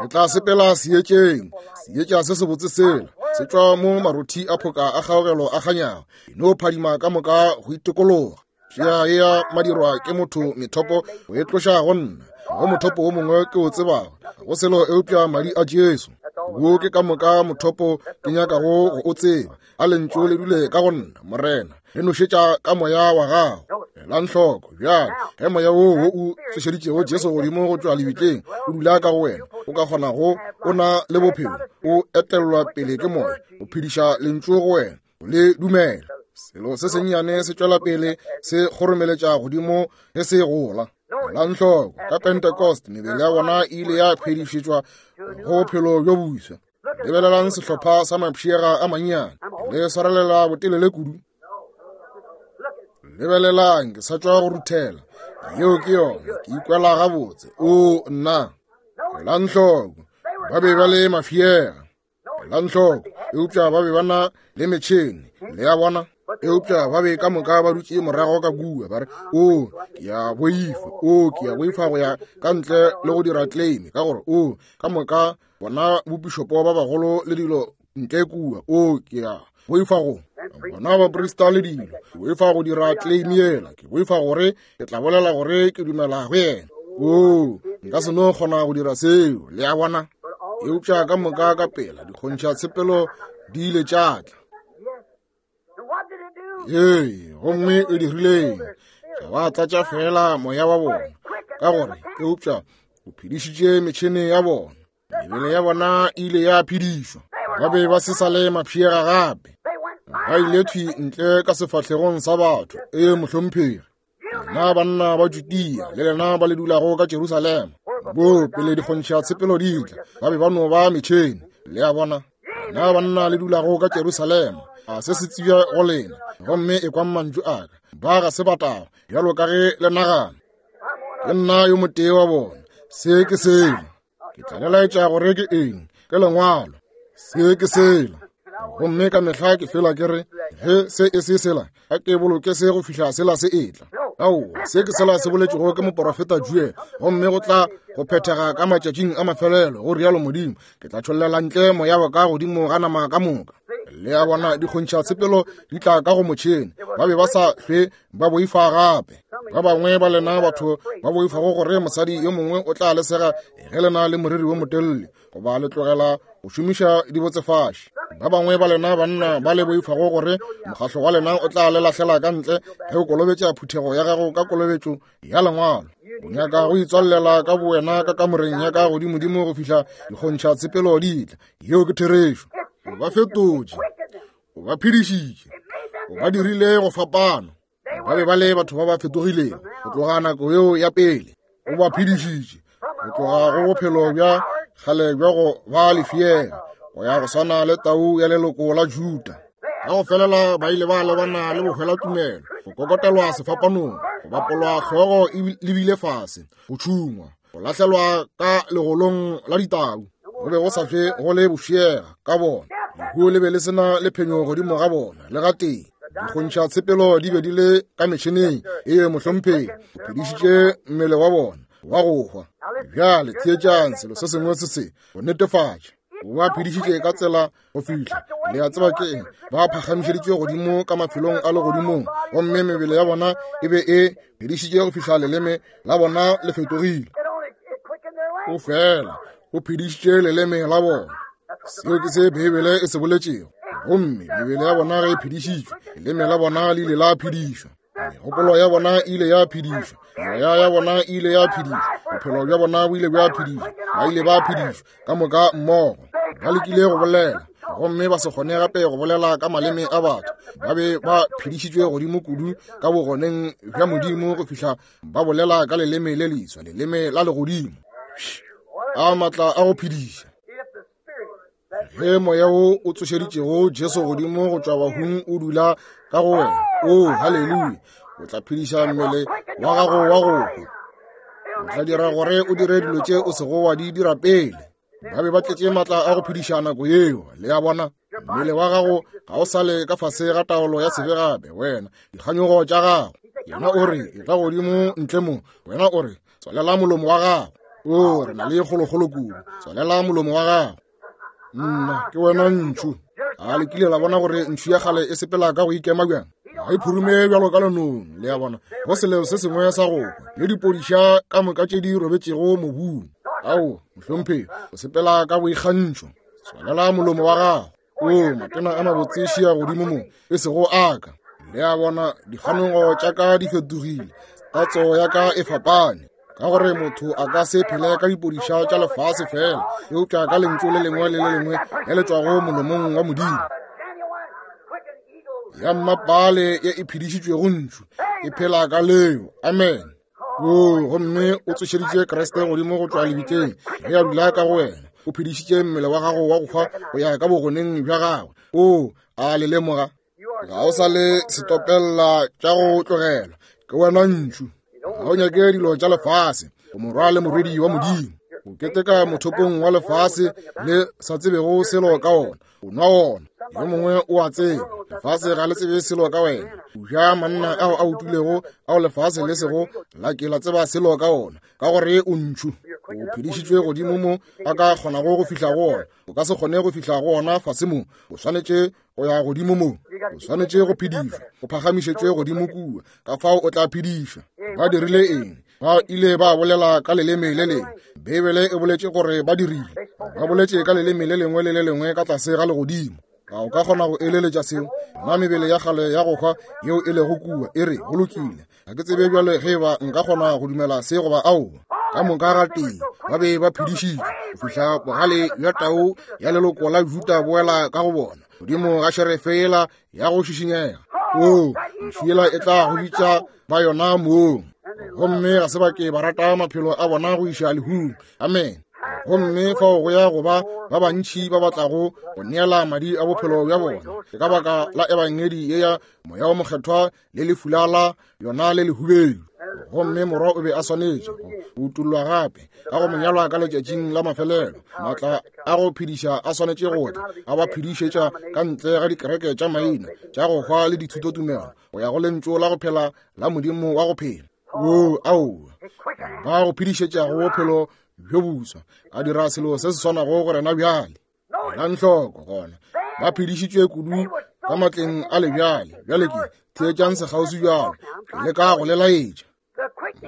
Re tla sepela seetšeng, seetša se sebotse sela se tšwa mo marothi a phoka a kgaogelo a kganyago, e no phadima ka moka go itikologa. Tšea ya madirwa ke motho methopo go e tloša go nna, go mothopo wo mongwe ke o tsebago, go selo eupša madi a Jesu. Wo ke ka moka mothopo ke nyakago go o tseba. A lentšu le dule ka go nna, Morena, le nošetša ka moya wa gago. Elang hloko bjale, ge moya wo wo o tsošeditšego Jesu godimo go tšwa lebitleng o dula ka go wena, o ka kgona go o na le bophelo, o etellwa pele ke moya, o phediša lentšu go wena, o le dumela. Selo se sennyane se tšwela pele se kgoromeletša godimo ge se gola. Elang hloko, ka Pentecost mebele ya bona e ile ya phedišetšwa go bophelo bjo boswa. Lebelelang sehlopha sa mapšiega a mannyane, le swarelela botelele kudu. Lebelelang, ke sa tšwa go ruthela. Yeo ke yona, ke ikwela gabotse. O nna. Elang hloko, ba be ba le mafiega. Elang hloko, eupša ba be ba na le metšhene, le a bona. Eupša ba be ka moka ba dutše morago ka kua, ba re, o, ke a boifa, o, ke a boifa go ya ka ntle le go dira claim, ka gore o, ka moka bona bopišopo ba bagolo le dilo ntle kua, o, ke a boifa go bona baprista le dilo, ke boifa go dira claim yela, ke boifa gore ke tla bolela gore ke dumela go yena. O, nka se no kgona go dira seo, le a bona. Eupša ka moka ka pela dikgontšha tshepelo di ile tša tla. Ee, gomme e dirileng? Ga ba tlatša fela moya wa bona, ka gore eupša o phedišitše metšhene ya bona. Mebele ya bona e ile ya phedišwa. Ba be ba se sa le mapšiega gape. Ba ile thwi ntle ka sefahlegong sa batho. Ee, mohlomphegi. Lena banna ba Judea le lena ba le dulago ka Jerusalema, bo pele dikgontšha tshepelo di tla, ba be ba no ba metšhene, le a bona. Lena banna le dulago ka Jerusalema, a se se tsebja go lena, gomme e kwang mantšu a ka, ba ga se batao bjalo ka ge le nagana. Ke nna yo motee wa bona. Se ke sela. Ke tla le laetša gore ke eng, ke lengwalo. Se ke sela. Gomme ka mehla ke fela ke re, ge se e se sela, a ke boloke se go fihla sela se etla. Aowa, se ke sela se boletšego ke moporofeta Joel, gomme go tla go phethega ka matšatšing a mafelelo, go rialo Modimo, ke tla tšhollela ntle moya wa ka godimo ga nama ka moka. Le a bona, dikgontšha tshepelo di tla ka go motšhene. Ba be ba sa hlwe ba boifa gape. Ba bangwe ba lena batho ba boifago gore mosadi yo mongwe o tla lesega ge lena le moriri wo motelele, goba le tlogela go šomiša dibotsefaši. Ba bangwe ba lena banna ba le boifago gore mokgahlo wa lena o tla le lahlela ka ntle ge o kolobetša phuthego ya gago ka kolobetšo ya lengwalo. O nyaka go itswalela ka bowena ka kamoreng ya ka godimodimo go fihla dikgontšha tshepelo di tla. Yeo ke therešo. O ba fetotše, o ba phedišitše, o ba dirile go fapana. Ba be ba le batho ba ba fetogilego go tloga nako yeo ya pele. O ba phedišitše go tloga go bophelo bja kgale bja go ba lefiela go ya go swana le tau ya leloko la Juda. Ka go felela ba ile ba lebana le bohwela tumelo, go kokotelwa sefapanong, go bapolwa hlogo e lebile fase, go tšhungwa, go lahlelwa ka legolong la ditau. Go be go sa hlwe go le bošiega ka bona. Lehu le be le sena le phenyo godimo ga bona le gatee. Dikgontšha tshepelo di be di le ka metšheneng. Ee, mohlomphegi, o phedišitše mmele wa bona wa go hwa. Bjale theetšang selo se sengwe se se go netefatša. O ba phedišitše ka tsela go fihla, le a tseba ke eng, ba phagamišeditšwe godimo ka mafelong a legodimong, gomme mebele ya bona e be e phedišitše go fihla leleme la bona le fetogile. O fela o phedišitše leleme la bona. Seo ke se Beibele e se boletšego. Gomme mebele ya bona ge e phedišitšwe, leleme la bona le ile la phedišwa, megopolo ya bona e ile ya phedišwa, meoya ya bona e ile ya phedišwa, bophelo bja bona bo ile bja phedišwa, ba ile ba phedišwa ka moka mmogo. Ba lekile go bolela, gomme ba se kgone gape go bolela ka maleme a batho. Ba be ba phedišitšwe godimo kudu ka bogoneng bja Modimo go fihla ba bolela ka leleme le leswa, leleme la legodimo. A matla a go phediša. Ge moya wo o tsošeditšego Jesu godimo go tšwa bahung o dula ka go wena, o haleluya, o tla phediša mmele wa gago wa go hwa. O tla dira gore o dire dilo tše o sego wa di dira pele. Ba be ba tletše matla a go phediša nako yeo, le a bona. Mmele wa gago ga o sale ka fase ga taolo ya sebe gape, wena dikganyogo tša gago. Yena o re, etla godimo ntle mo. Wena o re, Tswalela molomo wa gago. O, re na le kgolokgolo kudu. Tswalela molomo wa gago. Nna, ke wena ntšhu. A le kile la bona gore ntšhu ya kgale e sepela ka go ikema bjang? Ga e phurume bjalo ka lenong, le a bona, go selo se sengwe sa go hwa, le dipodiša ka moka tše di robetšego mobung. Ao, mohlomphegi, o sepela ka boikgantšho. Tswalela molomo wa gago. O, matena a mabotse šia godimo mo, e sego a ka. Le a bona, dikganyogo tša ka di fetogile, tatso ya ka e fapane. Ka gore motho a ka se phele ka dipodiša tša lefase fela, eupša ka lentšu le lengwe le le lengwe le le tšwago molomong wa Modimo. Ya mmapale ye e phedišitšwego ntšhu e phela ka leo. Amen. O, gomme o tsošeditše Kriste godimo go tšwa lebitleng, ge a dula ka go wena. O phedišitše mmele wa gago wa go hwa go ya ka bogoneng bja gagwe. O, a le lemoga? Ga o sa le setopella tša go tlogelwa, ke wena ntšhu. Ga o nyake dilo tša lefase, o morwa le morwedi wa Modimo. O keteka mothopong wa lefase le sa tsebego selo ka ona, o nwa ona. Yo mongwe o a tseba, lefase ga le tsebe selo ka wena. O ja manna ao a utilego ao lefase le sego la ke la tseba selo ka ona, ka gore o ntšhu. O phedišitšwe godimo mo a ka kgonago go fihla go ona. O ka se kgone go fihla go ona fase mo. O swanetše go ya godimo mo. O swanetše go phedišwa, o phagamišetšwe godimo kua, ka fao o tla phedišwa. Ba dirile eng? Ba ile ba bolela ka leleme le lengwe. Beibele e boletše gore ba dirile. Ba boletše ka leleme le lengwe le le lengwe ka tlase ga legodimo. A o ka kgona go eleletša seo? Nna mebele ya kgale ya go hwa yeo e lego kua e re go lokile. Ga ke tsebe bjale ge ba nka kgona go dumela se goba aowa. Ka moka ga tee ba be ba phedišitšwe go fihla bogale bja tau ya leloko la Juda boela ka go bona, godimo ga šerefe yela ya go šišinyega. O, ntšhu yela e tla go bitša ba yona mong. Gomme ga se ba ke ba rata maphelo a bona go iša lehung. Amen. Gomme fao go ya go ba ba bantši ba batlago go neela madi a bophelo bja bona. Ke ka baka la ebangedi ye ya Moya o Mokgethwa le lefula la yona le lehubedu. Gomme morwa o be a swanetše go utollwa gape ka go monyalwa ka letšatšing la mafelelo. Maatla a go phediša a swanetše go tla, a ba phedišetša ka ntle ga dikereke tša maina tša go hwa le dithutotumelo, go ya go lentšu la go phela la Modimo wa go phela. O, aowa, ba go phedišetša go bophelo bjo boswa, a dira selo se se swanago go rena bjale. Elang hloko gona, ba phedišitšwe kudu ka matleng a lebjale. Bjale ke theetšang sekgauswi bjalo, ke leka go le laetša.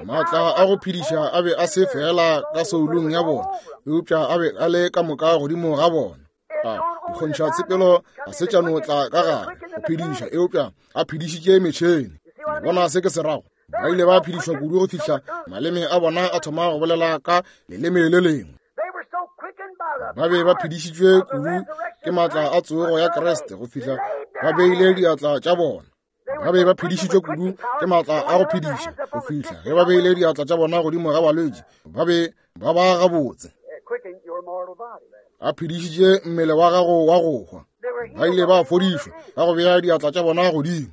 Maatla a go phediša a be a se fela ka soulong ya bona, eupša a be a le ka moka godimo ga bona. A dikgontšha tshepelo ga se tša no tla ka gare go phediša, eupša a phedišitše metšhene. Le bona se ke se rago? Ba ile ba phedišwa kudu go fihla maleme a bona a thoma go bolela ka leleme le lengwe. Ba be ba phedišitšwe kudu ke maatla a tsogo ya Kriste go fihla ba beile diatla tša bona. Ba be ba phedišitšwe kudu ke maatla a go phediša go fihla ge ba beile diatla tša bona godimo ga balwetši, ba be ba ba gabotse. A phedišitše mmele wa gago wa go hwa. Ba ile ba fodišwa ka go bea diatla tša bona godimo.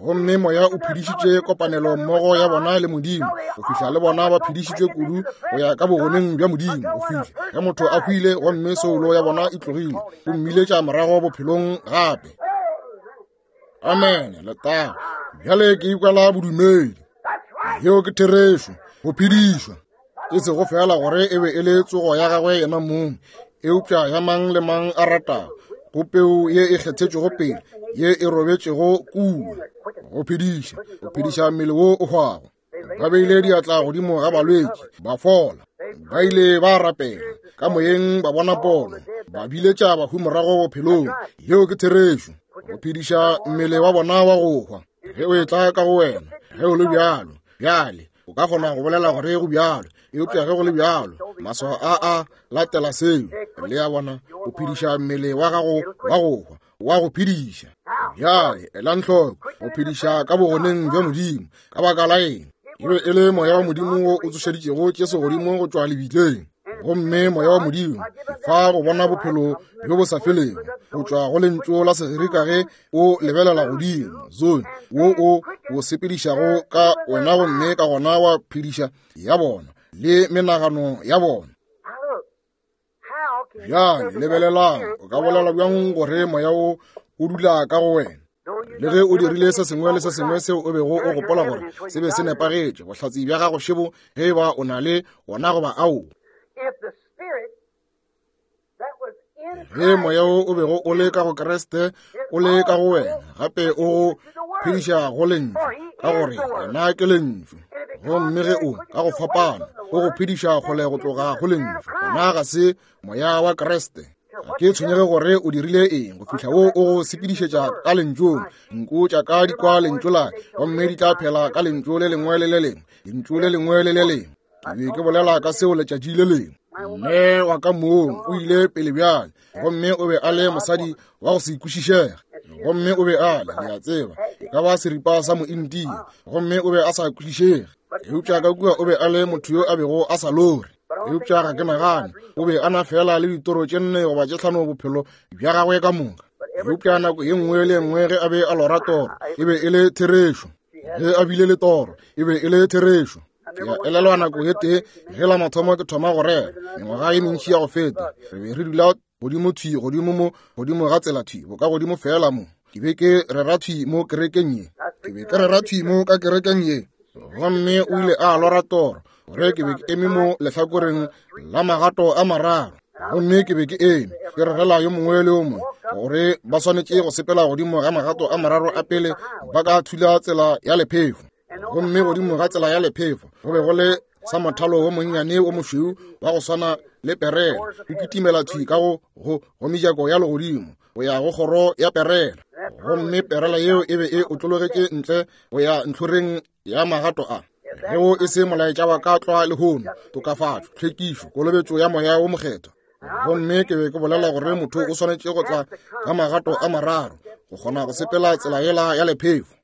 Gomme moya o phedišitše kopanelo mmogo ya bona le Modimo go fihla le bona ba phedišitšwe kudu go ya ka bogoneng bja Modimo go fihla ge motho a hwile gomme soulo ya bona e tlogile, o mmiletša morago bophelong gape. Amen. Letago. Bjale ke ikwela bodumedi. Yeo ke therešo, go phedišwa. E sego fela gore e be e le tsogo ya gagwe yena mong, eupša ya mang le mang a ratago, go peu ye e kgethetšwego pele, ye e robetšego kua. Go phediša, go phediša mmele wo o hwago. Ba beile diatla godimo ga balwetši, ba fola. Ba ile ba rapela ka moyeng, ba bona pono, ba biletša bahu morago bophelong. Yeo ke therešo, go phediša mmele wa bona wa go hwa. Ge o etla ka go wena, ge o le bjalo, bjale o ka kgona go bolela gore go bjalo, eupša ge go le bjalo, maswao a a latela seo. Le a bona, o phediša mmele wa gago wa go hwa, wa go phediša. Bjale elang hloko, go phediša ka bogoneng bja Modimo. Ka baka la eng? E be e le moya wa Modimo wo o tsošeditšego Jesu godimo go tšwa lebitleng. Gomme moya wa Modimo fa go bona bophelo bjo bo sa felego go tšwa go lentšu la Segerika ge o lebelela godimo, zone wo o o sepedišago ka wena, gomme ka gona wa phediša ya bona le menagano ya bona. Bjale lebelelang, o ka bolela bjang gore moya o o dula ka go wena? Le ge o dirile se sengwe le se sengwe seo o bego o gopola gore se be se nepagetše, bohlatse bja gago šebo ge e ba o na le wona goba ao. Ge moya wo o bego o le ka go Kriste o le ka go wena, gape o go phediša go lentšu, ka gore yena ke lentšu. Gomme ge o ka go fapana o go phediša kgole go tloga go lentšu, gona ga se moya wa Kriste. Ga ke tshwenyege gore o dirile eng go fihla wo o go sepedišetša ka lentšung. Nku tša ka di kwa lentšu la, gomme di tla phela ka lentšu le lengwe le le lengwe, lentšu le lengwe le le lengwe. Ke be ke bolela ka seo letšatši le lengwe. Mme wa ka mong o ile pele bjale, gomme o be a le mosadi wa go se kwešišege. Gomme o be a le, le a tseba, e ka ba seripa sa mointia, gomme o be a sa kwešišege. Eupša ka kua o be a le motho yo a bego a sa lore. Eupša ga ke nagane o be a na fela le ditoro tše nne goba tše hlano bophelo bja gagwe ka moka. Eupša nako ye nngwe le nngwe ge a be a lora toro, e be e le therešo. Ge a bile le toro, e be e le therešo. Ke a elelwa nako ye tee ge la mathomo ke thoma go rera, mengwaga ye mentši ya go feta, re be re dula godimo thwi godimo mo godimo ga tsela thwi boka godimo fela mo. Ke be ke rera thwi mo kerekeng ye, ke be ke rera thwi mo ka kerekeng ye. Gomme o ile a lora toro gore ke be ke eme mo lehlakoreng la magato a mararo, gomme ke be ke eme ke rerela yo mongwe le yo mongwe gore ba swanetše go sepela godimo ga magato a mararo a pele ba ka thula tsela ya lephefo. Gomme godimo ga tsela ya lephefo go be go le sa mothalo wo monnyane wo mošweu wa go swana le perela, o kitimela thwi ka go go go mejako ya legodimo go ya go kgoro ya perela. Gomme perela yeo e be e otlologetše ntle go ya ntlhoreng ya magato a. Ge o e se molaetša wa ka tlwa lehono, tokafatšo, tlhwekišo, kolobetšo ya moya wo mokgethwa. Gomme ke be ke bolela gore motho o swanetše go tla ka magato a mararo go kgona go sepela tsela yela ya lephefo.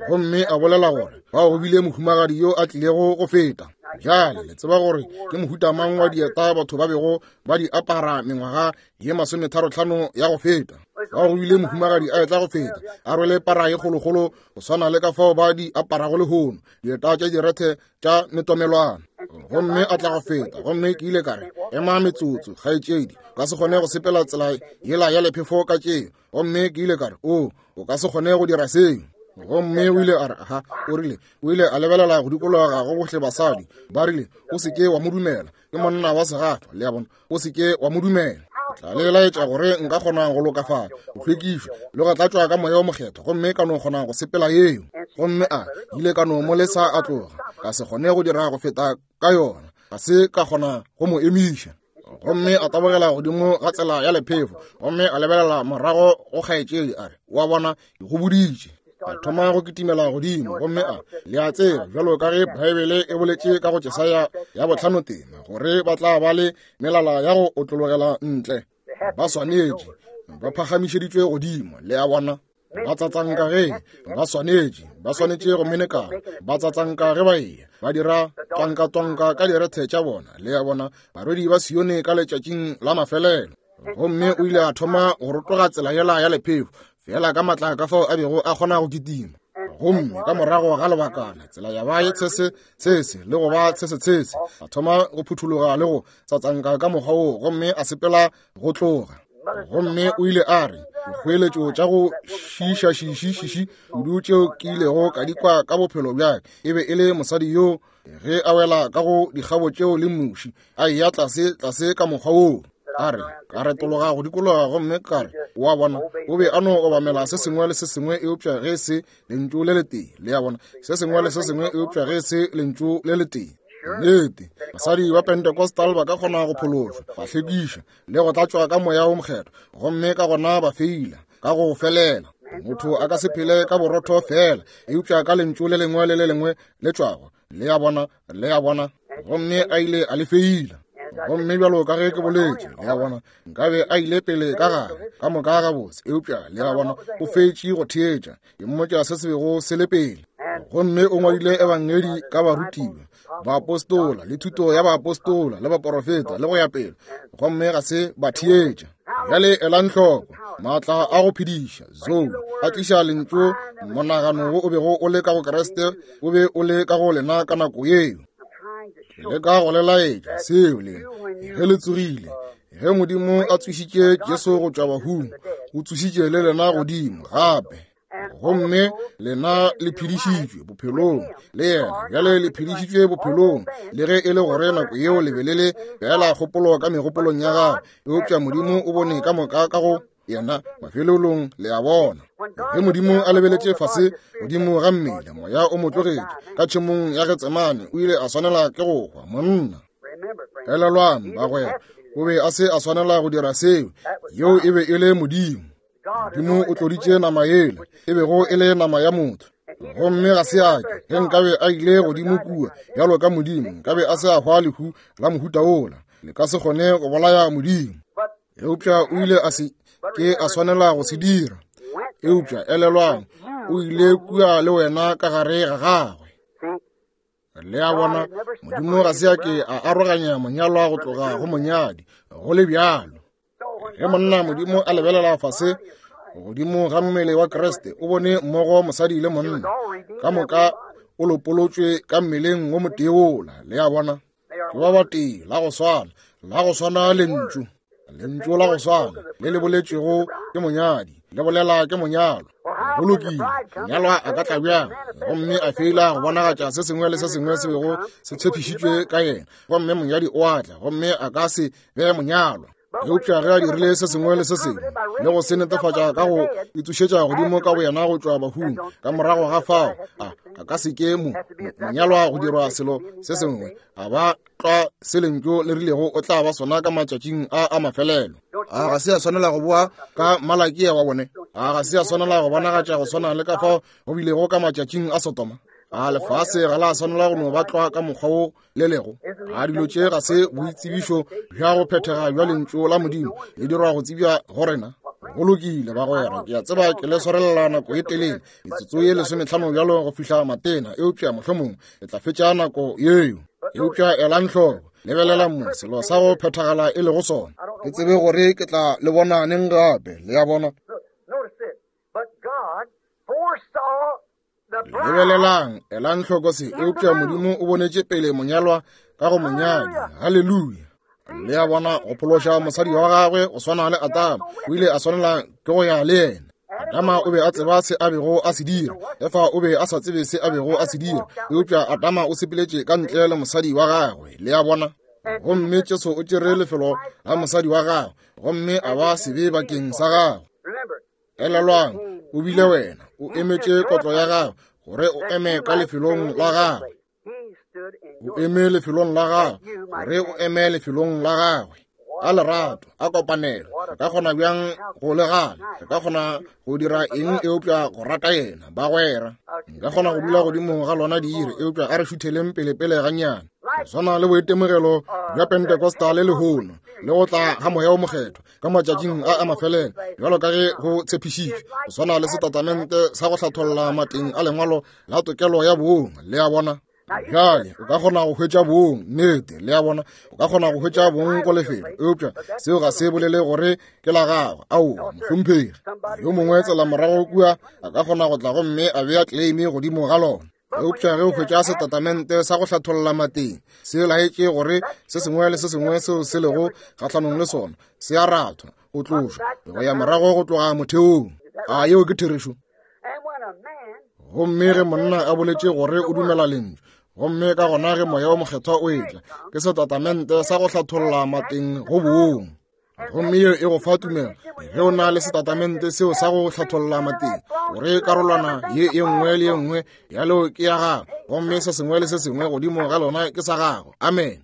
Gomme a bolela gore bao go bile mohumagadi yo a tlilego go feta. Bjale le tseba gore ke mohuta mang wa dieta batho ba bego ba di apara mengwaga ye masometharo-hlano ya go feta. Bao go bile mohumagadi a etla go feta a rwele para ye kgolokgolo go swana le ka fao ba di aparago lehono, dieta tša direthe tša metomelwana. Gomme a tla go feta, gomme ke ile ka re, ema metsotso kgaetšedi, o ka se kgone go sepela tsela yela ya lephefo ka tšeo. Gomme ke ile ka re, o o ka se kgone go dira seo. Gomme o ile a re, aha, o rile, o ile a lebelela go dikologa go bohle basadi. Ba rile, o se ke wa mo dumela, ke monna wa segafa, le a bona, o se ke wa mo dumela. Tla le laetša gore nka kgona go lokafala, go hlwekišwa le go tlatšwa ka moya o mokgethwa, gomme ka no kgona go sepela yeo. Gomme a ile ka no mo lesa a tloga, ka se kgone go dira go feta ka yona, ga se ka kgona go mo emiša. Gomme a tabogela godimo ga tsela ya lephefo, gomme a lebelela morago go kgaetšedi a re, wa bona, ke go boditše. A thoma go kitimela godimo, gomme a le a tseba bjalo ka ge Baebele e boletše ka go Jesaya ya bohlano tema gore ba tla ba le melala ya go otlologela ntle, ba swanetše ba phagamišeditšwe godimo, le a bona. Ba tsatsanka ge ba swanetše, ba swanetše go menekana, ba tsatsanka ge ba eya, ba dira twanka-twanka ka direthe tša bona, le a bona, barwedi ba Sione ka letšatšing la mafelelo. Gomme o ile a thoma go rotoga tsela yela ya lephefo fela ka matla ka fao a bego a kgona go kitima. Gomme ka morago ga lebakana tsela ya ba ye tshese tshese le go ba tshese tshese, a thoma go phuthologa le go tsatsanka ka mokgwa woo, gomme a sepela go tloga. Gomme o ile a re, dikgoeletšo tša go šiša šiši šiši kudu tšeo ke ilego ka di kwa ka bophelo bjaka e be e le mosadi yo ge a wela ka go dikgabo tšeo le muši a eya tlase tlase ka mokgwa woo. A re, ka retologa go dikologa, gomme ka re, wa bona, o be a no obamela se sengwe le se sengwe eupša ge se lentšu le letee, le a bona, se sengwe le se sengwe eupša ge se lentšu le letee. Nnete, basadi ba Pentecostal ba ka kgona go phološwa, ba hlwekišwa le go tlatšwa ka moya wo mokgethwa, gomme ka gona ba feila ka go felela. Motho a ka se phele ka borotho fela, eupša ka lentšu le lengwe le le lengwe le tšwago, le a bona, le a bona. Gomme a ile a le feila. Gomme bjalo ka ge ke boletše, le a bona, nkabe a ile pele ka gare ka moka gabotse, eupša le a bona, o fetše go theetša, ke mmotša se se bego se le pele. Gomme o ngwadile ebangedi ka barutiwa, baapostola le thuto ya baapostola le baporofeta le go ya pele, gomme ga se ba theetša. Bjale elang hloko, maatla a go phediša zoe a tliša lentšu, monagano wo o bego o le ka go Kriste o be o le ka go lena ka nako yeo. Le ka go le laetša seo lena ge le tsogile, ge Modimo a tsošitše Jesu go tšwa bahung, o tsošitše le lena godimo gape. Gomme lena le phedišitšwe bophelong le yena, bjale le phedišitšwe bophelong, le ge e le gore nako yeo le be le le feela kgopolo ka megopolong ya gago, eupša Modimo o bone ka moka ka go yena mafelelong, le a bona. Ge Modimo a lebeletše fase godimo ga mmele, moya o mo tlogetše ka tšhemong ya Getsemane, o ile a swanela ke go hwa monna. Elelwang bagwera, o be a se a swanela go dira seo, yeo e be e le Modimo. Modimo o tloditše nama yela, e bego e le nama ya motho. Gomme ga se a ke, ge nkabe a ile godimo kua bjalo ka Modimo, nkabe a se a hwa lehu la mohuta wola. Le ka se kgone go bolaya Modimo. Eupša o ile a se ke a swanela go se dira. Eupša elelwang, o ile kua le wena ka gare ga gagwe. Le a bona, Modimo ga se a ke a aroganya monyalwa go tloga go monyadi, go le bjalo. Ge monna Modimo a lebelela fase godimo ga mmele wa Kriste, o bone mmogo mosadi le monna, ka moka o lopolotšwe ka mmeleng wo motee wola. Le a bona, ke ba batee, la go swana, la go swana lentšu, lentšu la go swana le le boletšego ke monyadi, le bolela ke monyalwa. Go lokile, monyalwa a ka tla bjang gomme a feila go bonagatša se sengwe le se sengwe se bego se tshepišitšwe ka yena, gomme monyadi o a tla gomme a ka se be monyalwa. Eupša ge a dirile se sengwe le se sengwe le go se netefatša ka go itsošetša godimo ka boyena go tšwa bahung, ka morago ga fao a a ka se ke mo monyalwa go dirwa selo se sengwe, a ba tlwa se lentšu le rilego o tla ba sona ka matšatšing a a mafelelo. A ga se a swanela go boa ka Malakia wa bone? A ga se a swanela go bonagatša go swana le ka fao go bilego ka matšatšing a Sodoma? A lefase ga la swanela go no ba tlwa ka mokgwa wo le lego? A dilo tše ga se boitsebišo bja go phethega bja lentšu la Modimo le dirwa go tsebja go rena? Go lokile bagwera, ke a tseba ke le swarelela nako e telele, metsotso ye lesometlhano bjalo go fihla matena, eupša mohlomong le tla fetša nako yeo. Eupša elang hloko, lebelela mo selo sa go phethagala e lego sona. Ke tsebe gore ke tla le bona neng gape, le a bona. Lebelelang, elang hloko se, eupša Modimo o bonetše pele monyalwa ka go monyadi. Haleluya. Le a bona, go phološa mosadi wa gagwe go swana le Adama, o ile a swanela ke go ya le yena. Adama o be a tseba se a bego a se dira, Efa o be a sa tsebe se a bego a se dira, eupša Adama o sepeletše ka ntle le mosadi wa gagwe. Le a bona. Gomme Jesu o tšere lefelo la mosadi wa gagwe, gomme a ba sebe bakeng sa gagwe. Elelwang, o bile wena, o emetše kotlo ya gagwe, gore o eme ka lefelong la gagwe. O eme lefelong la gagwe, gore o eme lefelong la gagwe. A lerato, a kopanelo, re ka kgona bjang go le gana? Re ka kgona go dira eng eupša go rata yena, bagwera? Nka kgona go dula godimo ga lona diire, eupša a re šutheleng pele-pele gannyane. Go swana le boitemogelo bja Pentecostal le lehono, le go tla ga Moya o Mokgethwa ka matšatšing a a mafelelo, bjalo ka ge go tshepišitšwe, go swana le setatamente sa go hlatholla mateng a lengwalo la tokelo ya bong. Le a bona. Bjale o ka kgona go hwetša bong, nnete, le a bona, o ka kgona go hwetša bong ko lefelo, eupša seo ga se bolele gore ke la gagwe. Aowa, mohlomphegi. Yo mongwe tsela morago kua a ka kgona go tla gomme a bea claim godimo ga lona. Eupša ge o hwetša setatamente sa go hlatholla mateng, se laetše gore se sengwe le se sengwe seo se lego kgahlanong le sona se a rathwa, go tlošwa, go ya morago go tloga motheong. A yeo ke therešo? Gomme ge monna a boletše gore o dumela lentšu, gomme ka gona ge Moya o Mokgethwa o etla, ke setatamente sa go hlatholla mateng go bong. Gomme yeo e go fa tumelo ge o na le setatamente seo sa go hlatholla mateng, gore karolwana ye e nngwe le ye nngwe ya leo ke ya gago, gomme se sengwe le se sengwe godimo ga lona ke sa gago. Amen.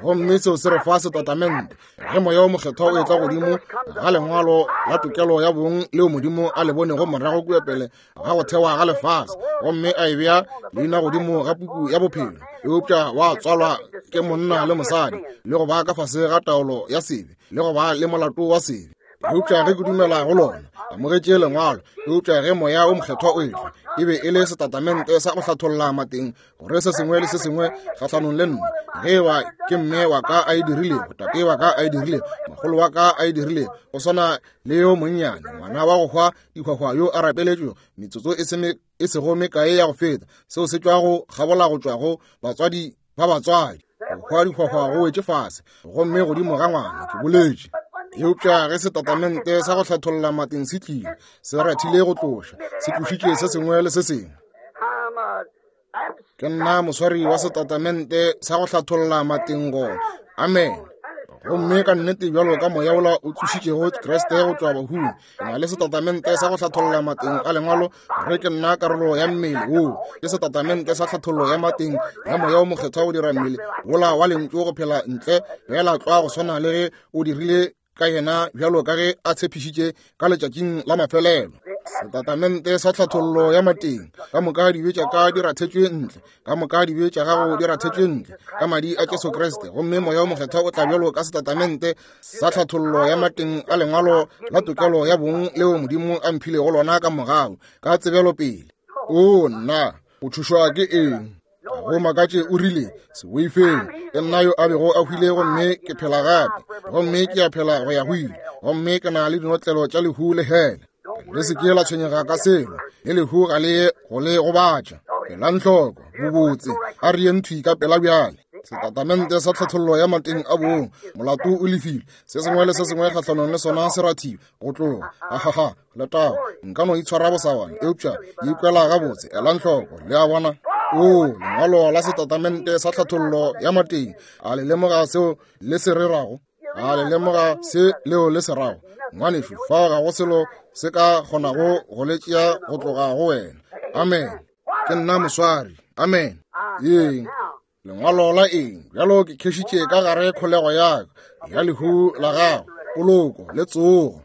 Gomme seo se re fa setatamente ge Moya o Mokgethwa o etla godimo ga lengwalo la tokelo ya bong leo Modimo a le bonego morago kua pele ga go thewa ga lefase, gomme a e bea leina godimo ga puku ya bophelo, eupša wa tswalwa ke monna le mosadi, le go ba ka fase ga taolo ya sebe, le go ba le molato wa sebe. Eupša ge ke dumela go lona, amogetše lengwalo, eupša ge Moya o Mokgethwa o etla, e be e le setatamente sa go hlatholla mateng gore se sengwe le se sengwe kgahlanong le nna, ge eba ke mme wa ka a e dirilego, tate wa ka a e dirilego, mogolo wa ka a e dirilego, go swana le yo monnyane ngwana wa go hwa dihwahwa yo a rapeletšwego metsotso e se e sego mekae ya go feta, seo se tšwa go kgabola go tšwa go batswadi ba batswadi. Go hwa dihwahwa go wetše fase gomme godimo ga ngwana, ke boletše. Eupša ge setatamente sa go hlatholla mateng se tlile, se rathile go tloša, se tlošitše se sengwe le se sengwe. Ke nna moswari wa setatamente sa go hlatholla mateng gona. Amen. Gomme ka nnete bjalo ka moya wola o tsošitšego Kriste go tšwa bahung, ke na le setatamente sa go hlatholla mateng a lengwalo gore ke nna karolo ya mmele woo. Ke setatamente sa hlathollo ya mateng ya moya o mokgethwa go dira mmele wola wa lentšu go phela ntle fela tlwa go swana le ge o dirile ka yena bjalo ka ge a tshepišitše ka letšatšing la mafelelo. Setatamente sa hlathollo ya mateng, ka moka dibe tša ka di rathetšwe ntle, ka moka dibe tša gago di rathetšwe ntle ka madi a Jesu Kriste. Gomme moya o mokgethwa o tla bjalo ka setatamente sa hlathollo ya mateng a lengwalo la tokelo ya bong leo Modimo a mphilego lona ka mogau ka tsebelopele. O nna, o tšhošwa ke eng? Go makatše o rile, se boifeng, ke nna yo a bego a hwile gomme ke phela gape, gomme ke a phela go ya go ile, gomme ke na le dinotlelo tša lehu le hele. Le se ke la tshwenyega ka selo, le lehu ga le ye go le gobatša. Elang hloko, bobotse, a re yeng thwi ka pela bjale. Setatamente sa tlhathollo ya mateng a bong, molato o lefile, se sengwe le se sengwe kgahlanong le sona se rathiwe go tloga. Ahaha, letago, nka no itshwara bosawana, eupša ikwela gabotse. Elang hloko, le a bona. O, lengwalo la setatamente sa tlhathollo ya mateng, a le lemoga seo le se rerago? A le lemoga se leo le se rago? Ngwanešu, fao ga go selo se ka kgonago go le tšea go tloga go wena. Amen. Ke nna moswari. Amen. Eng? Lengwalo la eng? Bjalo ke khešitše ka gare kholego ya ka ya lehu la gago, poloko le tsogo.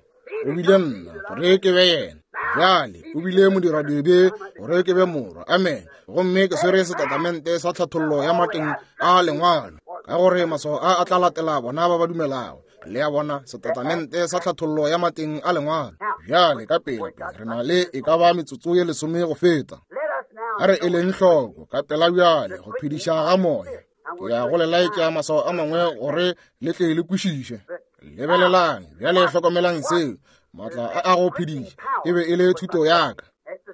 O bile nna gore ke be yena. Bjale o bile modiradibe gore ke be morwa. Amen. Gomme ke swere setatamente sa tlhathollo ya mateng a lengwalo, ka gore maswao a a tla latela bona ba ba dumelago. Le a bona, setatamente sa tlhathollo ya mateng a lengwalo. Bjale ka pele re na le e ka ba metsotso ye lesome go feta. A re eleng hloko ka pela bjale go phediša ga moya. Ke ya go le laetša maswao a mangwe gore le tle le kwešiše. Lebelelang bjale, hlokomelang seo. Maatla a a go phediša e be e le thuto ya ka.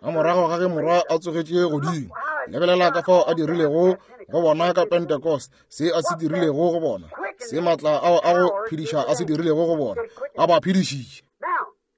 Ka morago ga ge morwa a tsogetše godimo, lebelela ka fao a dirilego go bona ka Pentecost, se a se dirilego go bona, se maatla ao a go phediša a se dirilego go bona, a ba phedišitše.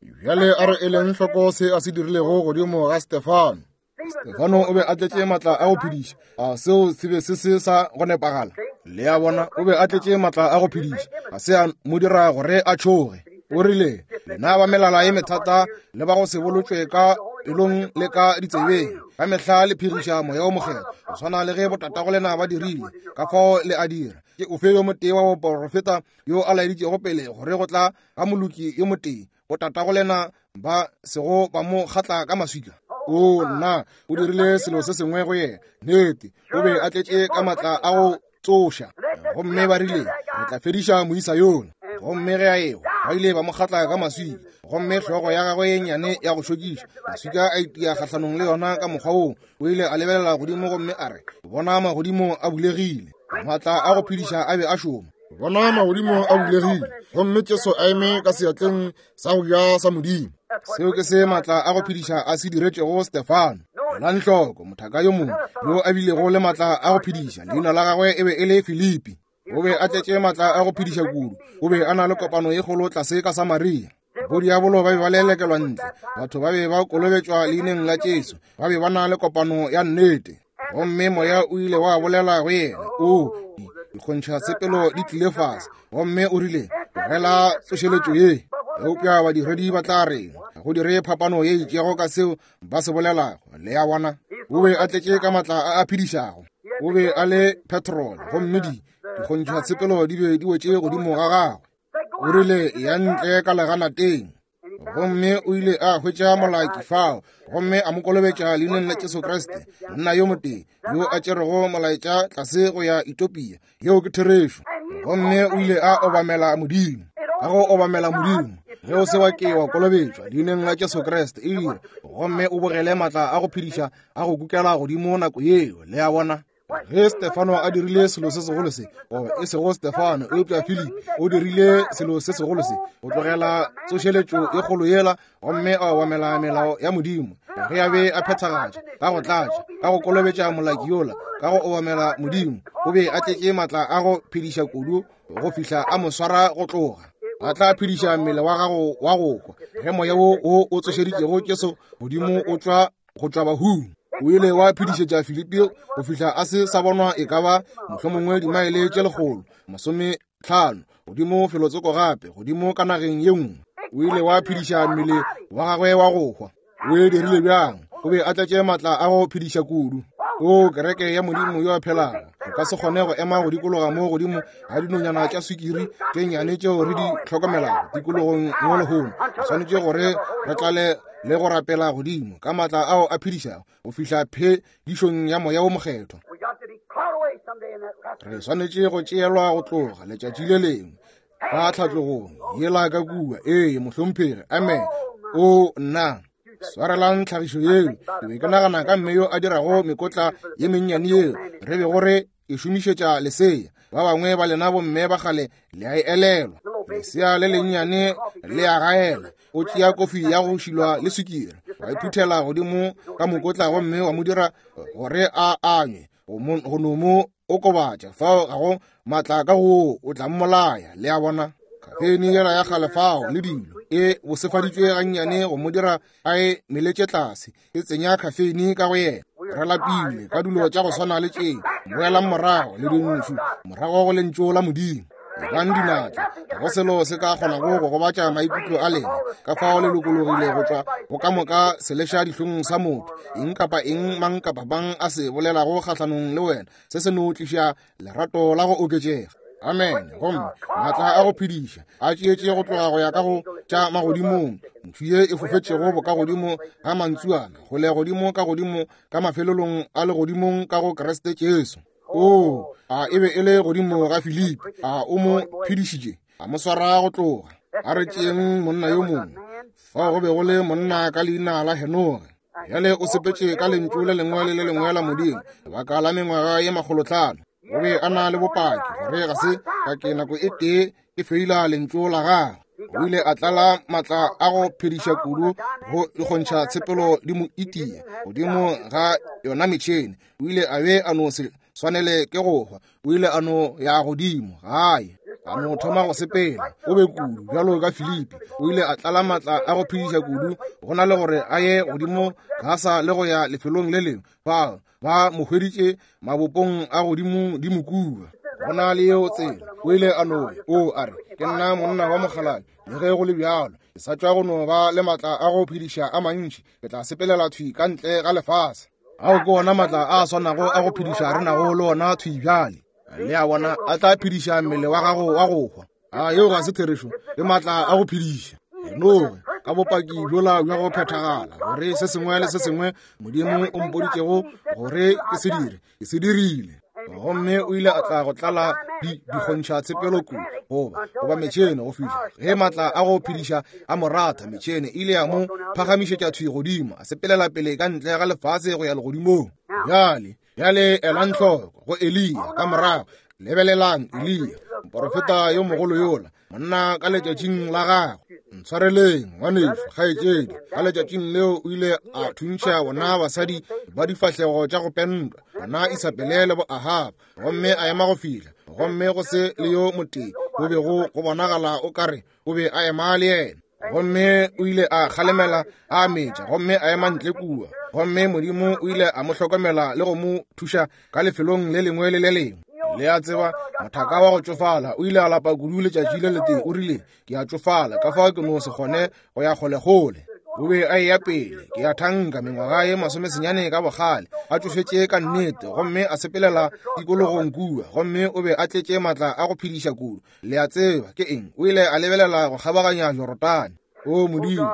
Bjale a re eleng hloko se a se dirilego godimo ga Stefano. Stefano o be a tletše maatla a go phediša. A seo se be se se sa go nepagala? Le a bona, o be a tletše maatla a go phediša, ga se a mo dira gore a tšhoge. O rile, lena ba melala ye methata le ba go se bolotšwe ka pelong le ka ditsebeng, ka mehla le phiriša moya o mokgethwa, go swana le ge botatago lena ba dirile, ka fao le a dira. Ke ofe yo motee wa boporofeta yo a laeditšego pele gore go tla ga moloki yo motee, botatago lena ba sego ba mo kgatla ka maswika? O nna, o dirile selo se sengwe go yena. Nnete, o be a tletše ka maatla a go tsoša. Gomme ba rile, re tla fediša moisa yola. Gomme ge a ewa, ba ile ba mo kgatla ka maswika, gomme hlogo ya gagwe ye nnyane ya go šokiša, maswika a itia kgahlanong le yona ka mokgwa woo. O ile a lebelela godimo gomme a re, bona magodimo a bulegile. Maatla a go phediša a be a šoma. Bona magodimo a bulegile, gomme Jesu a eme ka seatleng sa go ja sa Modimo. Seo ke se maatla a go phediša a se diretšego Stefano. Elang hloko, mothaka yo mongwe yo a bilego le maatla a go phediša, leina la gagwe e be e le Filipi. O be a tletše maatla a go phediša kudu. O be a na le kopano ye kgolo tlase ka Samaria. Bodiabolo ba be ba lelekelwa ntle, batho ba be ba kolobetšwa leineng la Jesu, ba be ba na le kopano ya nnete. Gomme moya o ile wa bolela go yena, o dikgontšha tshepelo di tlile fase, gomme o rile, tlogela tsošeletšo ye. Eupša badiredi ba tla reng? Go dire phapano ye itšego ka seo ba se bolelago. Le a bona, o be a tletše ka maatla a a phedišago. O be a le petrol, gomme di dikgontšha tshepelo di be di wetše godimo ga gagwe. O rile, ya ntle ka leganateng. Gomme o ile a hwetša molaki fao, gomme a mo kolobetša leineng la Jesu Kriste, monna yo motee yo a tšerego molaetša tlase go ya Ethiopia. Yeo ke therešo. Gomme o ile a obamela Modimo. Ka go obamela Modimo, ge o se wa ke wa kolobetšwa leineng la Jesu Kriste, e dire, gomme o bogele maatla a go phediša a go kukela godimo nako yeo. Le a bona? Ge Stefano a dirile selo se segolo se, goba e sego Stefano, eupša Filipi o dirile selo se segolo se, go tlogela tsošeletšo e kgolo yela, gomme a obamela melao ya Modimo, ge a be a phethagatša ka go tlatša, ka go kolobetša molaki yola, ka go obamela Modimo, o be a tletše maatla a go phediša kudu go fihla a mo swara go tloga. A tla phediša mmele wa gago wa go hwa ge moya wo o o tsošeditšego Jesu godimo o tšwa go tšwa bahung. O ile wa phedišetša Filipi go fihla a se sa bonwa e ka ba mohlomongwe dimaele tše lekgolo masometlhano godimo felotsoko gape godimo ka nageng ye nngwe. O ile wa phediša mmele wa gagwe wa go hwa. O e dirile bjang? O be a tletše maatla a go phediša kudu. O kereke ya Modimo yo a phelago, o ka se kgone go ema go dikologa mo godimo ga dinonyana tša swikiri tše nnyane tšeo re di hlokomelago tikologong mo lehono. Re swanetše gore re tlale le go rapela godimo ka maatla ao a phedišago go fihla phedišong ya moya wo mokgethwa. Re swanetše go tšeelwa go tloga letšatši le lengwe ka tlhatlogong yela ka kua. Ee, mohlomphegi. Amen. O nna swarelang tlhagišo yeo. Ke be ke nagana ka mme yo a dirago mekotla ye mennyane yeo re bego re e šomišetša lesea. Ba bangwe ba lena bomme ba kgale le a e elelwa. Lesea le lennyane le a gaela. O tšea kofi ya go šilwa le swikiri, wa e phuthela godimo ka mokotla gomme wa mo dira gore a anywe go no mo okobatša. Fao ga go maatla ka go o tla mmolaya. Le a bona? Kafeine yela ya kgale fao le dilo e bosefaditšwe gannyane go mo dira a e meletše tlase, e tsenya kafeine ka go yena. Re lapile ka dilo tša go swana le tše. Boelang morago le dintšu, morago go lentšu la Modimo. Ebang dinatla, ga go selo se ka kgonago go gobatša maikutlo a lena. Ka fao le lokologile go tšwa go ka moka seleša dihlong sa motho. Eng kapa eng mang kapa bang a se bolelago kgahlanong le wena, se se no tliša lerato la go oketšega. Amen. Gomme maatla a go phediša a tšeetše go tloga go ya ka go tša magodimong. Ntšu ye e fofetšego bokagodimo ga mantsuana, kgole godimo ka godimo ka mafelelong a legodimong ka go Kriste Jesu. O a e be e le godimo ga Filipi. A o mo phedišitše, a mo swara go tloga. A re tšeeng monna yo mongwe. Fao go be go le monna ka leina la Henoge. Bjale o sepetše ka lentšu le lengwe le le lengwe la Modimo lebaka la mengwaga ye makgolotlhano. O be a na le bopaki gore ga se ka ke nako e tee ke feila lentšu la gagwe. O ile a tlala maatla a go phediša kudu go ikgontšha tshepelo di mo itia godimo ga yona metšhene. O ile a be a no se swanele ke go hwa. O ile a no ya godimo gae, a no thoma go sepela. O be kudu bjalo ka Filipi. O ile a tlala maatla a go phediša kudu go na le gore a ye godimo Gasa le go ya lefelong le lengwe. Ba ba mo hweditše mabopong a godimo di mokua. Go na le yeo tsela. O ile a no o a re, ke nna monna wa mokgalabje, le ge go le bjalo ke sa tšwa go no ba le maatla a go phediša a mantši. Ke tla sepelela thwi ka ntle ga lefase. Ao ke ona maatla a swanago a go phediša re nago le ona thwi bjale. Le a bona, a tla phediša mmele wa gago wa go hwa. A yeo ga se therešo? Ke maatla a go phediša. Henoge ka bopaki bjola bja go phethagala gore se sengwe le se sengwe Modimo o mpoditšego gore ke se dire, ke se dirile. Gomme o ile a tla go tlala di dikgontšha tshepelo kudu goba goba metšhene go fihla ge maatla a go phediša a mo ratha. Metšhene ile ya mo phagamišetša thwi godimo, a sepelela pele ka ntle ga lefase go ya legodimong. Bjale bjale elang hloko go Eliya ka morago. Lebelelang Eliya, moporofeta yo mogolo yola, monna ka letšatšing la gagwe. Ntshwareleng ngwanešu kgaetšedi, ka letšatšing leo o ile a thuntšha bona basadi ba difahlego tša go pentwa, bona Isabele le bo Ahaba, gomme a ema go fihla, gomme go se le yo motee go bego go bonagala o kare o be a ema le yena. Gomme o ile a kgalemela a metša, gomme a ema ntle kua. Gomme Modimo o ile a mo hlokomela le go mo thuša ka lefelong le lengwe le le lengwe. Le a tseba, mothaka wa go tšofala o ile a lapa kudu letšatši le letee. O rile, ke a tšofala, ka fao ke no se kgone go ya kgolekgole. O be a eya pele, ke a thanka mengwaga ye masomesenyane ka bogale, a tšofetše ka nnete, gomme a sepelela tikologong kua. Gomme o be a tletše maatla a go phediša kudu. Le a tseba ke eng? O ile a lebelela go kgabaganya Jorodane. O Modimo,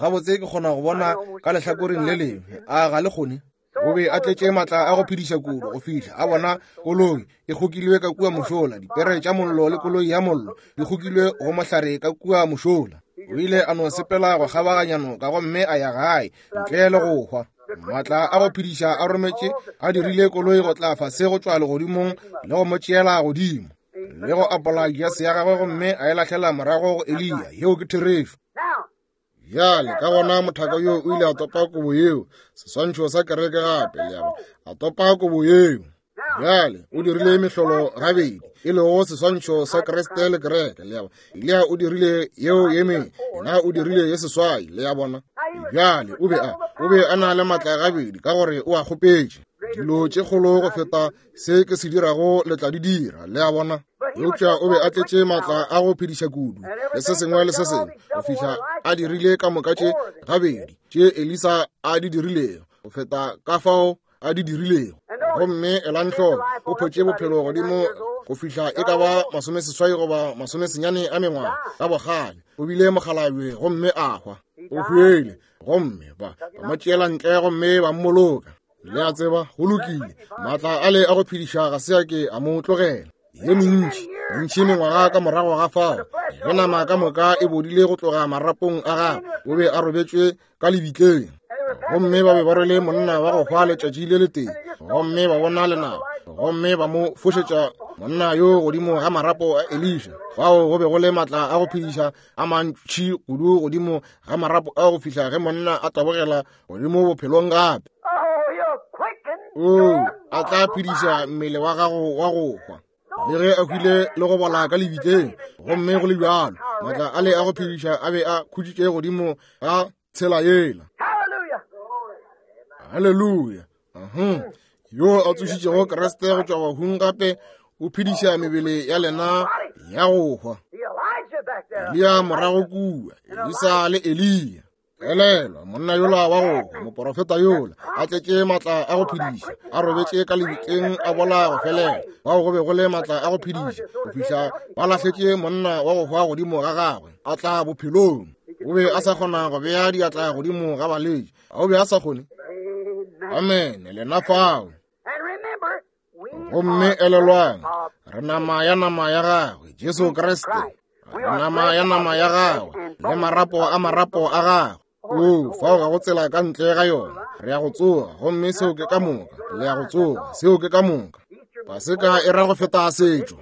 gabotse ke kgona go bona ka lehlakoreng le lengwe. A ga le kgone? O be a tletše maatla a go phediša kudu go fihla a bona koloi e kgokilwe ka kua mošola, dipere tša mollo le koloi ya mollo di kgokilwe go mohlare ka kua mošola. O ile a no sepela go kgabaganya noka gomme a ya gae ntle le go hwa. Maatla a go phediša a rometše a dirile koloi go tla fase go tšwa legodimong le go mo tšeela godimo le go apola jase ya gagwe gomme a e lahlela morago go Eliya. Yeo ke therešo. Bjale ka gona mothaka yo o ile a topa kobo yeo, seswantšho sa kereke gape, le a bona, a topa kobo yeo. Bjale o dirile mehlolo gabedi, e lego seswantšho sa Kriste le kereke, le a bona. Eliya o dirile yeo ye mengwe, yena o dirile ye seswai, le a bona. Bjale o be a o be a na le maatla gabedi ka gore o a kgopetše. Dilo tše kgolo go feta se ke se dirago le tla di dira, le a bona. Eupša o be a tletše maatla a go phediša kudu le se sengwe le se sengwe go fihla a dirile ka moka tše gabedi tše Elisa a di dirilego go feta ka fao a di dirilego. Gomme elang hloko, o photše bophelo godimo go fihla e ka ba masomeseswai goba masomesenyane a mengwaga ka bogale. O bile mokgalabje gomme a hwa. O hwele gomme ba ba mo tšeela ntle gomme ba mmoloka. Le a tseba, go lokile, maatla ale a go phediša ga se a ke a mo tlogela. Ye mentši mentši mengwaga ka morago ga fao, ge nama ka moka e bodile go tloga marapong a gagwe, o be a robetšwe ka lebitleng. Gomme ba be ba rwele monna wa go hwa letšatši le letee, gomme ba bona lenaba, gomme ba mo fošetša monna yo godimo ga marapo a Elisha. Fao go be go le maatla a go phediša a mantši kudu godimo ga marapo a go fihla ge monna a tabogela godimo bophelong gape. O a tla phediša mmele wa gago wa go hwa. Le ge a hwile le go bola ka lebitleng, gomme go le bjalo maatla ale a go phediša a be a khuditše godimo ga tshela yela. Haleluya. Yo a tsošitšego Kriste go tšwa bahung gape o phediša mebele ya lena ya go hwa. Eliya morago kua, Elisa le Eliya. Elelwa, monna yola wa go hwa, moporofeta yola, a tletše maatla a go phediša, a robetše ka lebitleng a bola go felela. Bao go be go le maatla a go phediša go fihla ba lahletše monna wa go hwa godimo ga gagwe, a tla bophelong. O be a sa kgona go bea diatla godimo ga balwetši, a o be a sa kgone? Amen, lena fao. Gomme elelwang, re nama ya nama ya gagwe, Jesu Kriste. Re nama ya nama ya gagwe le marapo a marapo a gagwe. O fao ga go tsela ka ntle ga yona. Re ya go tsoga, gomme seo ke ka moka. Le ya go tsoga, seo ke ka moka. Paseka e ra go feta setšo.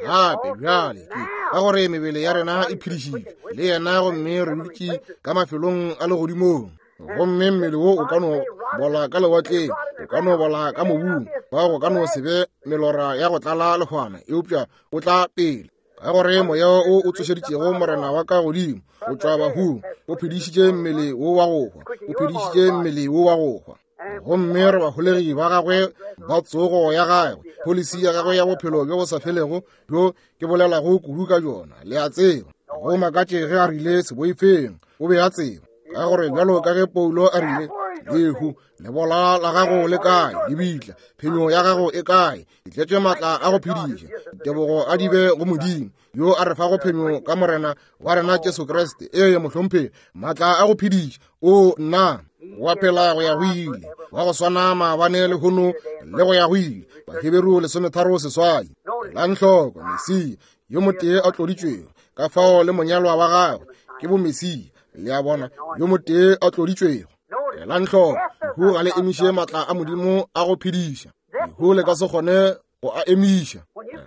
Gape bjale ke ka gore mebele ya rena e phedišitšwe le yena, gomme re dutše ka mafelong a legodimong. Gomme mmele wo o ka no bola ka lewatleng, o ka no bola ka mobung, fa go ka no se be melora ya go tlala lehwana, eupša o tla pele. Ka gore moya o o tsošeditšego Morena wa ka godimo o tšwa bahung, o phedišitše mmele wo wa go hwa, o phedišitše mmele wo wa go hwa. Gomme re baholegi ba gagwe ba tsogo ya gagwe, polisi ya gagwe ya bophelo bjo bo sa felego bjo ke bolelago kudu ka bjona. Le a tseba, go makatše ge a rile se boifeng, o be a tseba. Ka gore bjalo ka ge Paulo a rile, lehu lebola la gago le kae, lebitla phenyo ya gago e kae? E tletše maatla a go phediša. Ditebogo a di be go Modimo yo a re fago phenyo ka Morena wa rena Jesu Kriste. Ee, mohlomphegi, maatla a go phediša. O nna wa phela go ya go ile, wa go swana maabane lehono le go ya go ile. Baheberu lesometharo seswai. Elang hloko, Mesia yo motee a tloditšwego, ka fao le monyalwa wa gagwe ke bomesia. Le a bona, yo motee a tloditšwego. Elang hloko, lehu ga le emiše maatla a Modimo a go phediša. Lehu le ka se kgone go a emiša.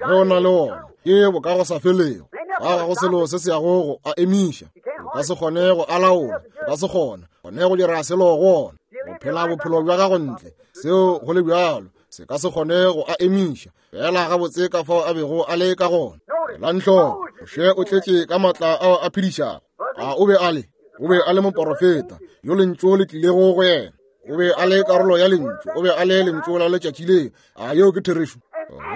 Ge o na le ona, ke boka go sa felego. Ga ga go selo se se yago go a emiša. O ka se kgone go a laola, o ka se kgone kgone go dira selo go ona. Go phela bophelo bja gago ntle, seo go le bjalo, se ka se kgone go a emiša. Fela gabotse ka fao a bego a le ka gona. Elang hloko, Moshe o tletše ka maatla ao a phedišago. A o be a le o be a le moporofeta yo lentšu le tlilego go yena. O be a le karolo ya lentšu, o be a le lentšu la letšatši leo. A yeo ke therešo?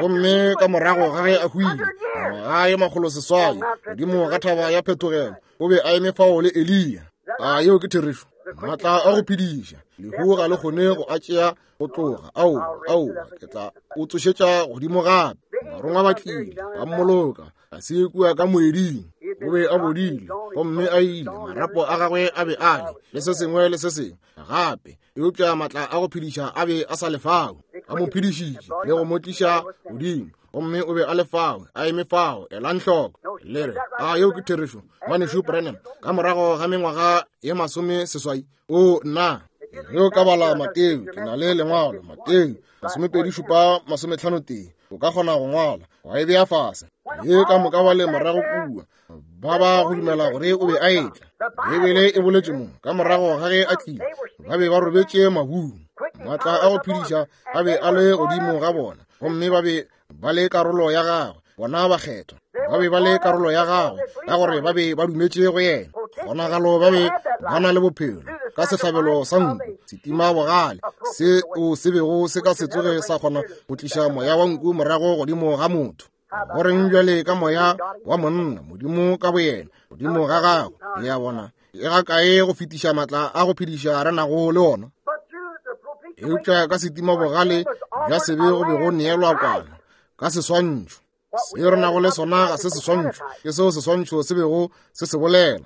Gomme ka morago ga ge a hwile mengwaga ye makgolo seswai godimo ga thaba ya phetogelo, o be a eme fao le Eliya. A yeo ke therešo? Maatla a go phediša, lehu ga le kgone go a tšea go tloga. Aowa, aowa, ke tla o tsošetša godimo gape. Barongwa ba tlile ba mmoloka a se kua ka moeding. O be a bodile gomme a ile, marapo a gagwe a be a le le se sengwe le se sengwe gape, eupša maatla a go phediša a be a sa le fao. A mo phedišitše le go mo tliša godimo, gomme o be a le fao, a eme fao. Elang hloko, le re, a yeo ke therešo, ngwanešu Branham, ka morago ga mengwaga ye masome seswai? O nna, ge o ka bala Mateo, ke na le lengwalo, Mateo masomepedi šupa masometlhano tee, o ka kgona go ngwala wa e bea fase. Ye ka moka ba le morago kua ba ba go dumela gore o be a etla. Bibele e boletše mo, ka morago ga ge a tlile, ba be ba robetše mabung. Maatla a go phediša a be a le godimo ga bona, Gomme ba be ba le karolo ya gagwe, bona bakgethwa ba be ba le karolo ya gagwe, ka gore ba be ba dumetše go yena. Kgonagalo ba be ba na le bophelo ka sehlabelo sa nku, setima bogale se o se bego se ka se tsoge sa kgona go tliša moya wa nku morago godimo ga motho. Go reng bjale ka moya wa monna, Modimo ka boyena, godimo ga gagwe? Le a bona, e ga kae go fetiša matla a go phediša re nago le ona? Eupša ka setima bogale bja sebe go be go neelwa kwana ka seswantšho. Se re nago le sona ga se seswantšho, ke seo seswantšho se bego se se bolela.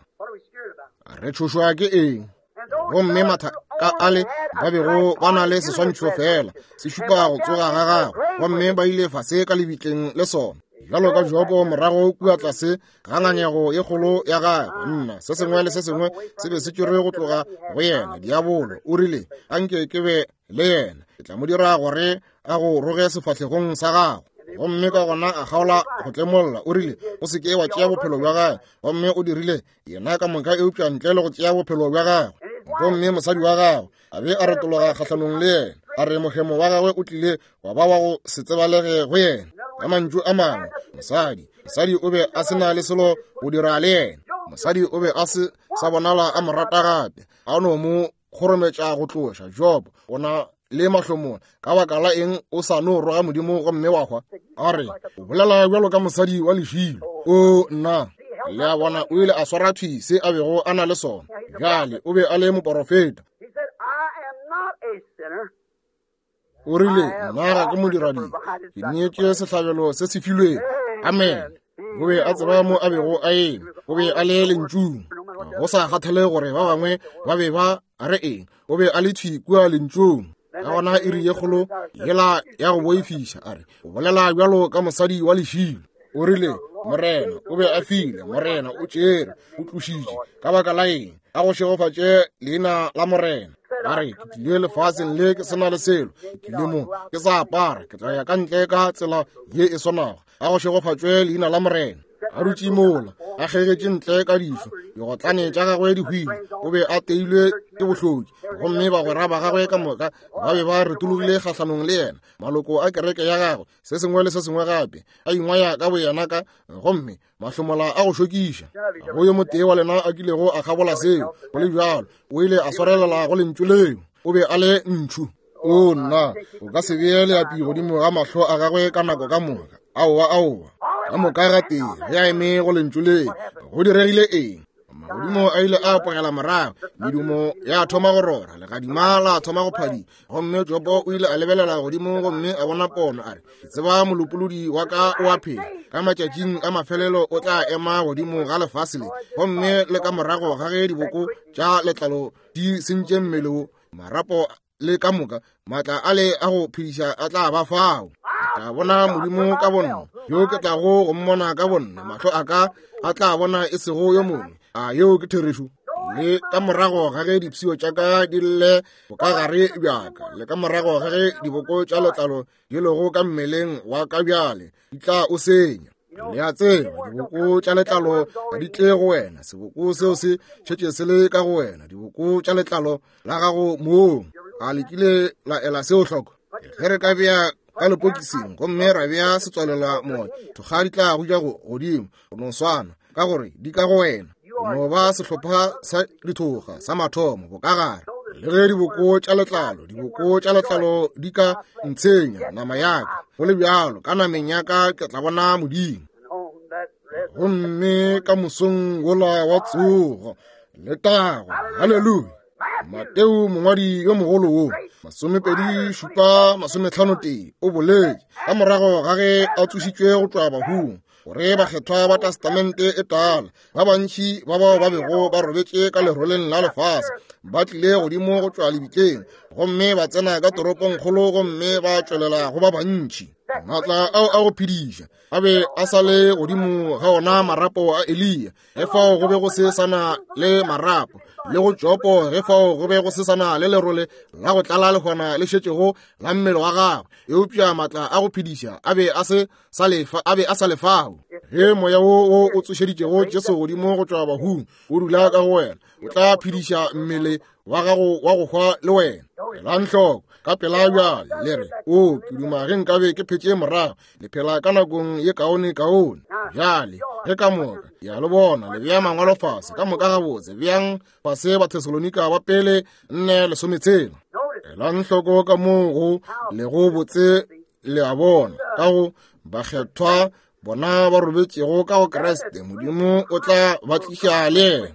Re tšhošwa ke eng? Gomme mathaka ale ba bego ba na le seswantšho fela se šupa go tsoga ga gagwe, gomme ba ile fase ka lebitleng le sona, bjalo ka Jobo morago kua tlase ga ngangego ye kgolo ya gagwe. Nna, se sengwe le se sengwe se be se tšerwe go tloga go yena. Diabolo o rile, anke ke be le yena, ke tla mo dira gore a go roge sefahlegong sa gago. Gomme ka gona a kgaola go tlemolla. O rile, o se ke wa tšea bophelo bja gagwe. Gomme o dirile yena ka moka eupša ntle le go tšea bophelo bja gagwe. Gomme mosadi wa gagwe a be a retologa kgahlanong le yena, a re mohemo wa gagwe o tlile wa ba wa go se tsebalege go yena. Ka mantšu a mangwe, mosadi mosadi o be a se na le selo go dira le yena. Mosadi o be a se sa bonala a mo rata gape, a no mo kgorometša go tloša. Job o na le mahlomola, ka baka la eng o sa no roga Modimo gomme wa hwa? A re, o bolela bjalo ka mosadi wa lešilo. O nna, le a bona, o ile a swara thwi se a bego a na le sona. Bjale o be a le moporofeta. O rile, nna ga ke modiradibe, ke neetše sehlabelo se se filwego. Amen. O be a tseba mo a bego a eme, o be a le lentšung. Go sa kgathale gore ba bangwe ba be ba re eng, o be a le thwi kua lentšung. Ka gona iri ye kgolo yela ya go boifiša, a re, o bolela bjalo ka mosadi wa lešilo. O rile, Morena o be a file, Morena o tšere, o tlošitše. Ka baka la eng? A go šegofatše leina la Morena. A re, ke tlile lefaseng le ke sena le selo, ke tlile mo ke sa apara, ke tla ya ka ntle ka tsela ye e swanago. A go šegofatšwe leina la Morena. A dutše mola, a kgegetše ntle ka dišo, digotlane tša gagwe di hwile. O be a teilwe ke bohloki, gomme bagwera ba gagwe ka moka ba be ba retologile kgahlanong le yena, maloko a kereke ya gagwe, se sengwe le se sengwe gape, a ingwaya ka boyena ka, gomme mahlomola a go šokiša. Go yo motee wa lena a kilego a kgabola seo, go le bjalo o ile a swarelela go lentšu leo. O be a le ntšhu. O nna, o ka se bee leapi godimo ga mahlo a gagwe ka nako ka moka. Aowa, aowa, ka moka ga tee ge a eme go lentšu leo. Go diregile eng? Magodimo a ile a apogela morago, medumo ya thoma go rora, legadima la thoma go phadima. Gomme Jobo o ile a lebelela godimo gomme a bona pono, a re, ke tseba molopolodi wa ka o a phela, ka matšatšing a mafelelo o tla ema godimo ga lefase le, gomme le ka morago ga ge diboko tša letlalo di sentše mmele wo, marapo le ka moka maatla a le a go phediša a tla ba fao. Ke tla bona Modimo ka bonna, yo ke tlago go mmona ka bonna, mahlo a ka a tla bona e sego yo mongwe. A yeo ke therešo? Le ka morago ga ge dipshio tša ka di lle bokagare bjaka, le ka morago ga ge diboko tša letlalo di lego ka mmeleng wa ka bjale di tla o senya. Le a tseba, diboko tša letlalo ga di tle go wena, seboko seo se šetše se le ka go wena, diboko tša letlalo la gago mong. A le kile la ela seo hloko? Ge re ka bea ka lepokising gomme ra bea setswalela moya, thokga di tla go ja godimo go no swana, ka gore di ka go wena. O no ba sehlopha sa dithoga sa mathomo bokagare. Le ge diboko tša letlalo, diboko tša letlalo di ka ntshenya nama yaka, go le bjalo ka nameng yaka ke tla bona Modimo. Gomme ka mosong wola wa tsogo, letago, haleluya. Mateo mongwadi yo mogolo wo, masomepedi šupa masometlhano tee, o boletše ka morago ga ge a tsošitšwe go tšwa bahung, gore bakgethwa ba testamente e tala ba bantši ba bao ba bego ba robetše ka leroleng la lefase ba tlile godimo go tšwa lebitleng, gomme ba tsena ka toropongkgolo gomme ba tšwelela go ba bantši. Maatla ao a go phediša a be a sa le godimo ga ona marapo a Eliya, ge fao go be go se sana le marapo, le go Jopo ge fao go be go se sana le lerole la go tlala lehwana le šetšego la mmele wa gagwe. Eupša maatla a go phediša a be a se sa lefa, a be a sa lefao. Ge moya wo wo o tsošeditšego Jesu godimo go tšwa bahung o dula ka go wena, o tla phediša mmele wa gago wa go hwa le wena. Elang hloko, Ka pela bjale le re, o ke duma ge nkabe ke phetše morago. Le phela ka nakong ye kaone kaone. Bjale ge ka moka ya le bona le bea mangwalo fase ka moka gabotse, bjang fase Bathesalonika ba pele nne lesometshela. Elang hloko ka moo go lego botse, le a bona, ka go bakgethwa bona ba robetšego ka go Kriste, Modimo o tla ba tliša le yena.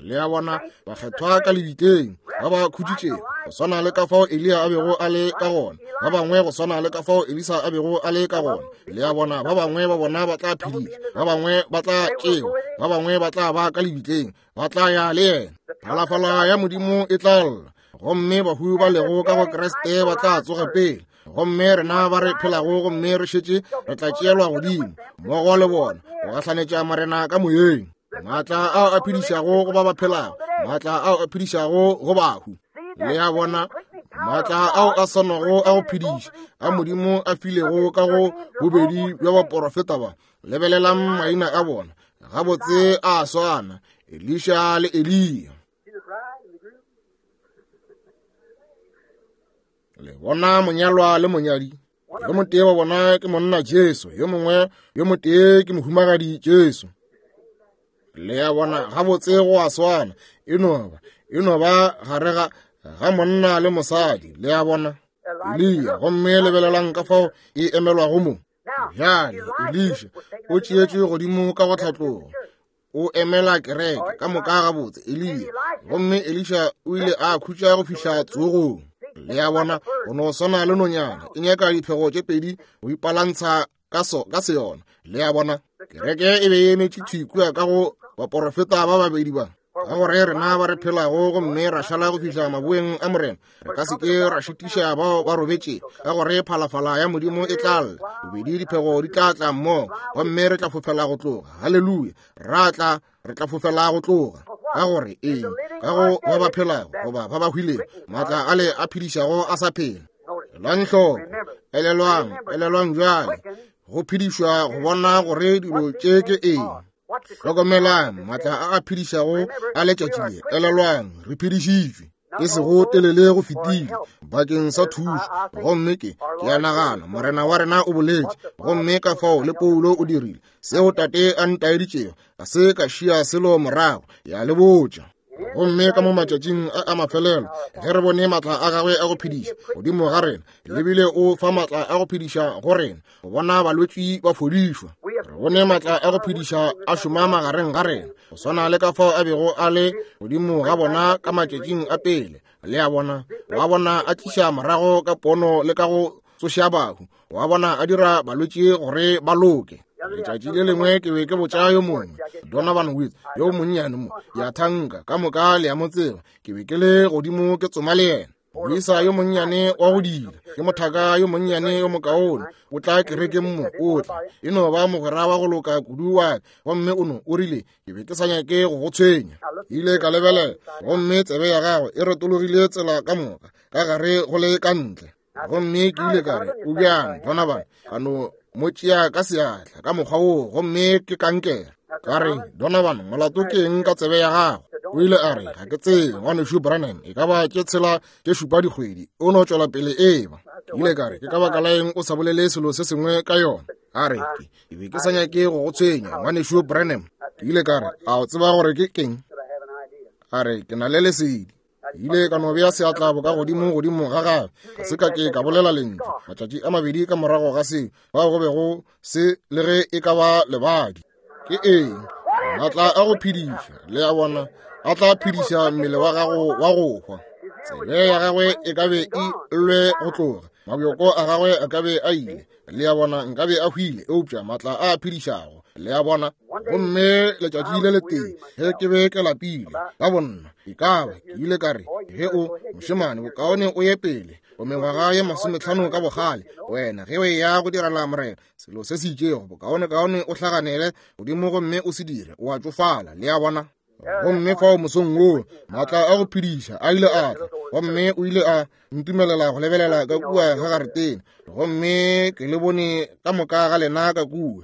Le a bona, bakgethwa ka lebitleng ba ba khutšitšego, go swana le ka fao Eliya a bego a le ka gona, ba bangwe go swana le ka fao Elisa a bego a le ka gona. Le a bona, ba bangwe ba bona ba tla phediša, ba bangwe ba tla tšewa, ba bangwe ba tla ba ka lebitleng, ba tla ya le yena. Phalafala ya Modimo e tla lla, gomme bahu ba lego ka go Kriste ba tla tsoga pele. Gomme rena ba re phelago gomme re šetše re tla tšeelwa godimo mmogo le bona go gahlanetša Morena ka moyeng. Maatla ao a phedišago go ba ba phelago, maatla ao a phedišago go bahu. Le a bona, maatla ao a swanago a go phediša a Modimo a filego ka go bobedi bja baporofeta ba. Lebelelang maina a bona, gabotse a swana, Elisha le Eliya. Le bona monyalwa le monyadi. Yo motee wa bona ke monna Jesu, yo mongwe yo motee ke mohumagadi Jesu. Le a bona, gabotse go a swana, e no ba e no ba gare ga ga monna le mosadi. Le a bona, Eliya, gomme lebelelang ka fao e emelwago mo. Bjale Elisha o tšeetšwe godimo ka go tlhatlogo, o emela kereke ka moka gabotse, Eliya. Gomme Elisha o ile a khutša go fihla tsogong. Le a bona, go no swana le nonyana e nyaka diphego tše pedi go ipalantsha ka so ka se yona. Le a bona, kereke e be e emetše thwi kua ka go baporofeta ba babedi ba. Ka gore rena ba re phelago gomme ra šala go fihla maboeng a Morena, re ka se ke ra šitiša bao ba robetše, ka gore phalafala ya Modimo e tla lla, bobedi diphego di tla tla mmogo, gomme re tla fofela go tloga. Haleluya, ra tla re tla fofela go tloga. Ka gore eng? Ka go ba ba phelago goba ba ba hwilego, maatla ale a phedišago a sa phela. Elang hloko, elelwang, elelwang bjale go phedišwa go bona gore dilo tše ke eng. Hlokomelang maatla a a phedišago a letšatši le. Elelwang, re phedišitšwe e sego telele go fetile bakeng sa thušo. Gomme ke ke a nagana Morena wa rena o boletše, gomme ka fao le Paulo o dirile seo Tate a ntaeditšego, ga se ka šia selo morago, ya le botša. Gomme ka mo matšatšing a a mafelelo, ge re bone maatla a gagwe a go phediša godimo ga rena, lebile o fa maatla a go phediša go rena, go bona balwetši ba fodišwa. Re bone maatla a go phediša a šoma magareng ga rena, go swana le ka fao a bego a le godimo ga bona ka matšatšing a pele. Le a bona, wa bona a tliša morago ka pono le ka go tsoša bahu, wa bona a dira balwetši gore ba loke. Letšatši le lengwe ke be ke botša yo mongwe, Donovan Woods, yo monnyane mo, ya thanka ka moka le ya mo tseba, ke be ke le godimo ke tsoma le yena. Moisa yo monnyane wa go dila, ke mothaka yo monnyane yo mokaone, o tla kerekeng mo, o tla e no ba mogwera wa go loka kudu wa ka. Gomme o no o rile, ke be ke sa nyake go go tshwenya. Ile ka lebelela, gomme tsebe ya gagwe e retologile tsela ka moka, ka gare go le ka ntle. Gomme ke ile ka re, o bjang Donovan? Ka no mo tšea ka seatla ka mokgwa woo, gomme ke kankere. Ka re, Donovan, molato ke eng ka tsebe ya gago? O ile a re, ga ke tsebe, ngwanešu Branham, e ka ba tše tshela tše šupa dikgwedi, o no tšwela pele eba. Ke ile ka re, ke ka baka la eng o sa bolele selo se sengwe ka yona? A re, ke be ke sa nyake go go tshwenya, ngwanešu Branham. Ke ile ka re, a o tseba gore ke keng? A re, ke na le lesedi. Ile ka no bea seatla boka godimo godimo ga gagwe, ga se ka ke ka bolela lentšu. Matšatši a mabedi ka morago ga seo, bao go bego se le ge e ka ba lebadi. Ke eng? Maatla a go phediša, le a bona, a tla phediša mmele wa gago wa go hwa. Tsebe ya gagwe e ka be e llwe go tloga, mabjoko a gagwe a ka be a ile, le a bona, nkabe a hwile, eupša maatla a a phedišago, le a bona. Gomme letšatši le letee ge ke be ke lapile ka bonna, e ka ba ke ile ka re, ge o mošemane, bokaone o ye pele, o mengwaga ye masometlhano ka bogale, wena ge o eya go direla Morena selo se se itšego, bokaonekaone o hlaganele godimo gomme o se dire, o a tšofala. Le a bona. Gomme fao mosong woo maatla a go phediša a ile a tla, gomme o ile a ntumelela go lebelela ka kua ga garetene, gomme ke le bone ka moka ga lena ka kua.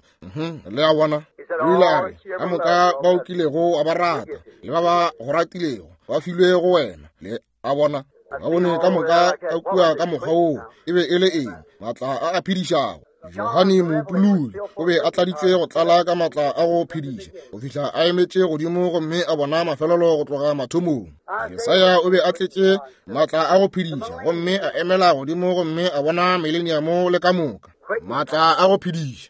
Le a bona. O ile a re, ka moka ba o kilego wa ba rata le ba ba go ratilego ba filwe go wena. Le a bona. Ba bone ka moka ka kua ka mokgwa woo. E be e le eng? Maatla a a phedišago. Johane Moutululi o be a tladitšwe go tlala ka maatla a go phediša go fihla a emetše godimo gomme a bona mafelelo go tloga mathomong. Jesaya o be a tletše maatla a go phediša gomme a emela godimo gomme a bona mileniamo le ka moka. Maatla a go phediša.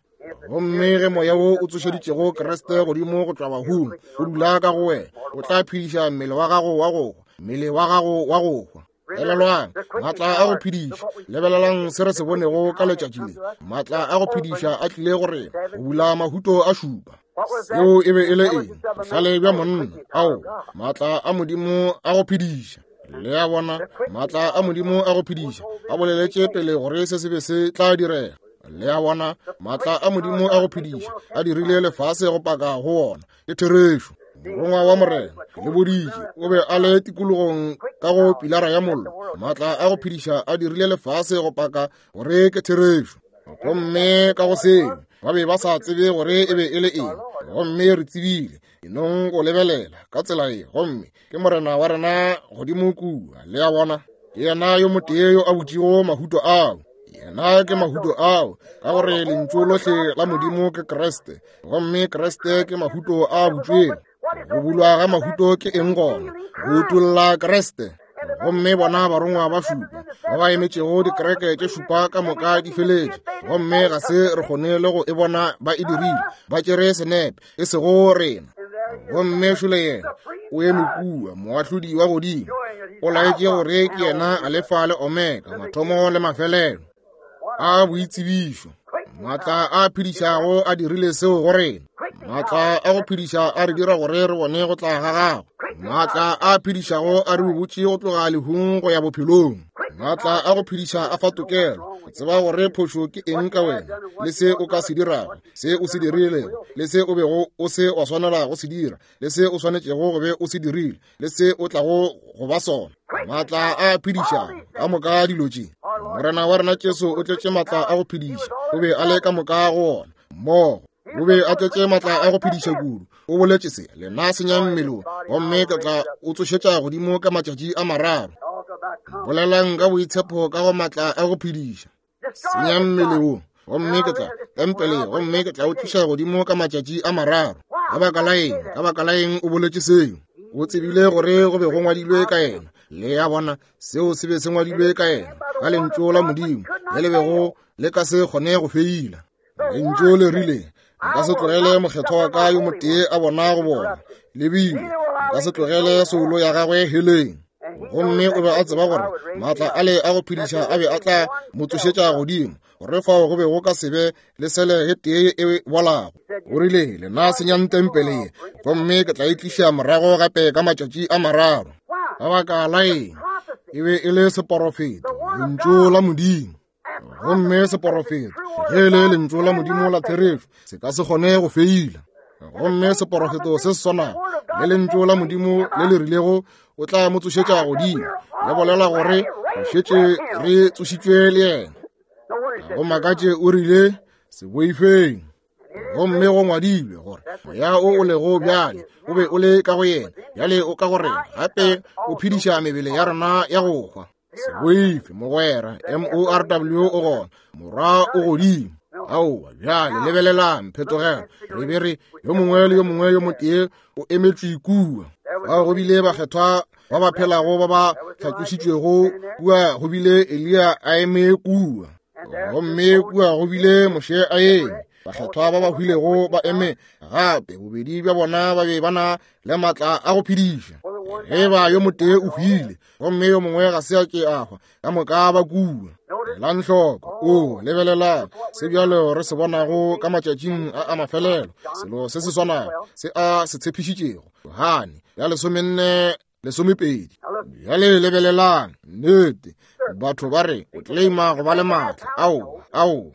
Gomme ge moya wo o tsošeditšego Kriste godimo go tšwa bahung o dula ka go wena, o tla phediša mmele wa gago wa go hwa, mmele wa gago wa go hwa. Elelwang, maatla a go phediša. Lebelelang se re se bonego ka letšatši le. Maatla a go phediša a tlile go rena go bula mahuto a šupa. Seo e be e le eng? Bohlale bja monna. Ao, maatla a Modimo a go phediša. Le a bona, maatla a Modimo a go phediša a boleletše pele gore se se be se tla direga. Le a bona, maatla a Modimo a go phediša a dirile lefase go paka go wona. Ke therešo. Morongwa wa Morena le boditše o be a le tikologong ka go pilara ya mollo. Maatla a go phediša a dirile lefase go paka gore ke therešo. Gomme ka go seo ba be ba sa tsebe gore e be e le eng, gomme re tsebile enong go lebelela ka tsela ye, gomme ke Morena wa rena godimo kua. Le a bona, ke yena yo motee yo a butšego mahuto ao. Yena ke mahuto ao, ka gore lentšu lohle la Modimo ke Kriste, gomme Kriste ke mahuto a butšwego. Go bulwa ga mahuto ke eng gona? Go utolla Kriste. Gomme bona barongwa ba šupa ba ba emetšego dikereke tše šupa ka moka di feletše, gomme ga se re kgone le go e bona ba e dirile. Ba tšere senepe, e sego rena. Gomme šole yena o eme kua, moahlodi wa godimo, o laetše gore ke yena Alefa le Omega, mathomo le mafelelo a boitsebišo. Maatla a phedišago a dirile seo go rena. Maatla a go phediša a re dira gore re bone go tla ga gagwe. Maatla a phedišago a re botše go tloga lehung go ya bophelong. Maatla a go phediša a fa tokelo go tseba gore phošo ke eng ka wena, le se o ka se dirago, se o se dirilego, le se o bego o se wa swanela go se dira, le se o swanetšego go be o se dirile, le se o tlago go ba sona. Maatla a phedišago ka moka dilo tše. Morena wa rena Jesu o tletše maatla a go phediša, o be a le ka moka go ona mmogo. O be a tletše maatla a go phediša kudu. O boletše se, lena senyang mmele, gomme ke tla o tsošetša godimo ka matšatši a mararo. Bolelang ka boitshepo ka go maatla a go phediša. Senyang mmele wo, gomme ke tla tempele, gomme ke tla o tliša godimo ka matšatši a mararo. Ka baka la eng? Ka baka la eng o boletše seo? O tsebile gore go be go ngwadilwe ka yena. Le a bona, seo se be se ngwadilwe ka yena, ka lentšu la Modimo le le bego le ka se kgone go feila. Lentšu le rile, nka se tlogele mokgethwa wa ka yo motee a bona go bona, lebile nka se tlogele soulo ya gagwe heleng. Gomme o be a tseba gore maatla ale a go phediša a be a tla mo tsošetša godimo, gore fao go be go ka se be le sele e tee e bolago. O rile, lena senyang tempele ye, gomme ke tla e tliša morago gape ka matšatši a mararo. Ka baka la eng? E be e le seporofeto, lentšu la Modimo. Gomme seporofeto ge e le lentšu la Modimo la therešo se ka se kgone go feila. Gomme seporofeto se se swanago le lentšu la Modimo le le rilego o tla mo tsošetša godimo, le bolela gore re šetše re tsošitšwe le yena. Go makatše o rile, se boifeng. Gomme go ngwadilwe gore moya o o lego bjale o be o le ka go yena, bjale o ka go rena, gape o phediša mebele ya rena ya go hwa. Se boife mogwera, M O R W o gona, morwa o godimo. Aowa, bjale lebelelang phetogelo. Re be re yo mongwe le yo mongwe yo motee o emetšwe kua. Bao go bile bakgethwa ba ba phelago ba ba hlatlošitšwego kua, go bile Eliya a eme kua, gomme kua go bile Moshe a eme. Bakgethwa ba ba hwilego ba eme gape, bobedi bja bona ba be ba na le maatla a go phediša. Ge ba yo motee o hwile gomme yo mongwe ga se a ke a hwa, ka moka ba kua. Elang hloko, o lebelelang se bjalo re se bonago ka matšatšing a a mafelelo, selo se se swanago se a se tshepišitšego Johane ya lesomenne lesomepedi. Bjale lebelelang, nnete batho ba re o claima go ba le maatla. Aowa, aowa,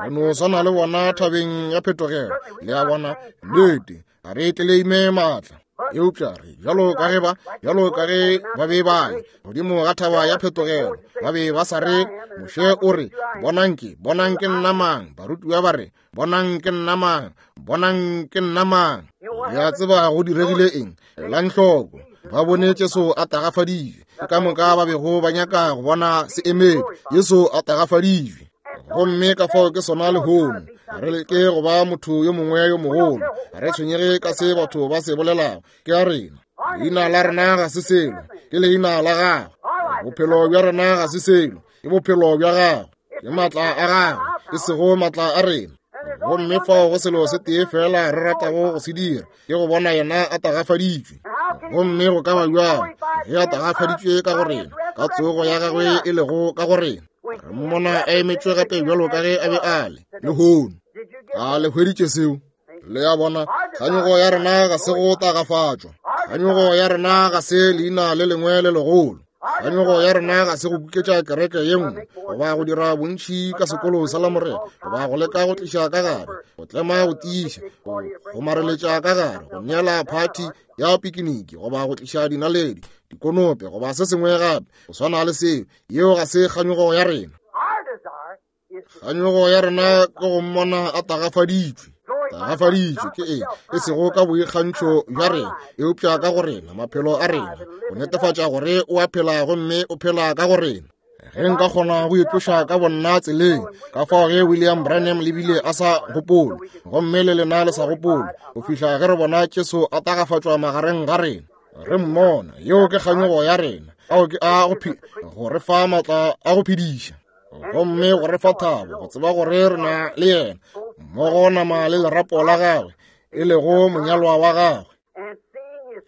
re no swana le bona thabeng ya phetogelo. Le a bona, nnete ga re tleleime maatla, eupša re bjalo ka ge ba bjalo ka ge ba be ba le godimo ga thaba ya phetogelo, ba be ba sa re Moshe o re, bonang ke bonang ke nna mang. Barutiwa ba re, bonang ke nna mang, bonang ke nna mang. Le a tseba go diregile eng? Elang hloko, ba bone Jesu a tagafaditšwe, Ke ka moka ba bego ba nyaka go bona se emedi, Jesu a tagafaditšwe. Gomme ka fao ke sona lehono. Re leke go ba motho yo mongwe yo mogolo. Re tshwenyege ka se batho ba se bolelago. Ke a rena. Leina la rena ga se selo, ke leina la gagwe. Bophelo bja rena ga se selo, ke bophelo bja gagwe. Ke maatla a gagwe, e sego maatla a rena. Gomme fao go selo se tee fela re ratago go se dira, ke go bona yena a tagafaditšwe. Gomme go ka ba bjang ge a tagafaditšwe ka go rena, ka tsogo ya gagwe e lego ka go rena. Re mmona a emetšwe gape bjalo ka ge a be a le lehono. A le hweditše seo? Le a bona, kganyogo ya rena ga se go tagafatšwa. Kganyogo ya rena ga se leina le lengwe le legolo. Kganyogo ya rena ga se go kuketša kereke ye nngwe, goba go dira bontši ka sekolo sa Lamorena, goba go leka go tliša ka gare, go tlema go tiiša, go gomareletša ka gare, go neela phathi ya pikiniki, goba go tliša dinaledi, dikonope, goba se sengwe gape go swana le seo. Yeo ga se kganyogo ya rena. Kganyogo ya rena ke go mmona a tagafaditšwe. Tagafaditšwe ke eng? E sego ka boikgantšho bja rena, eupša ka go rena, maphelo a rena, go netefatša gore o a phela gomme o phela ka go rena. Ge nka kgona go itloša ka bonna tseleng, ka fao ge William Branham le bile a sa gopole, gomme le lena le sa gopole, go fihla ge re bona Jesu a tagafatšwa magareng ga rena, re mmona. Yeo ke kganyogo ya rena, ao ke a go go re fa maatla a go phediša, gomme go re fa thabo go tseba gore re na le yena mmogo, nama le lerapo la gagwe, e lego monyalwa wa gagwe,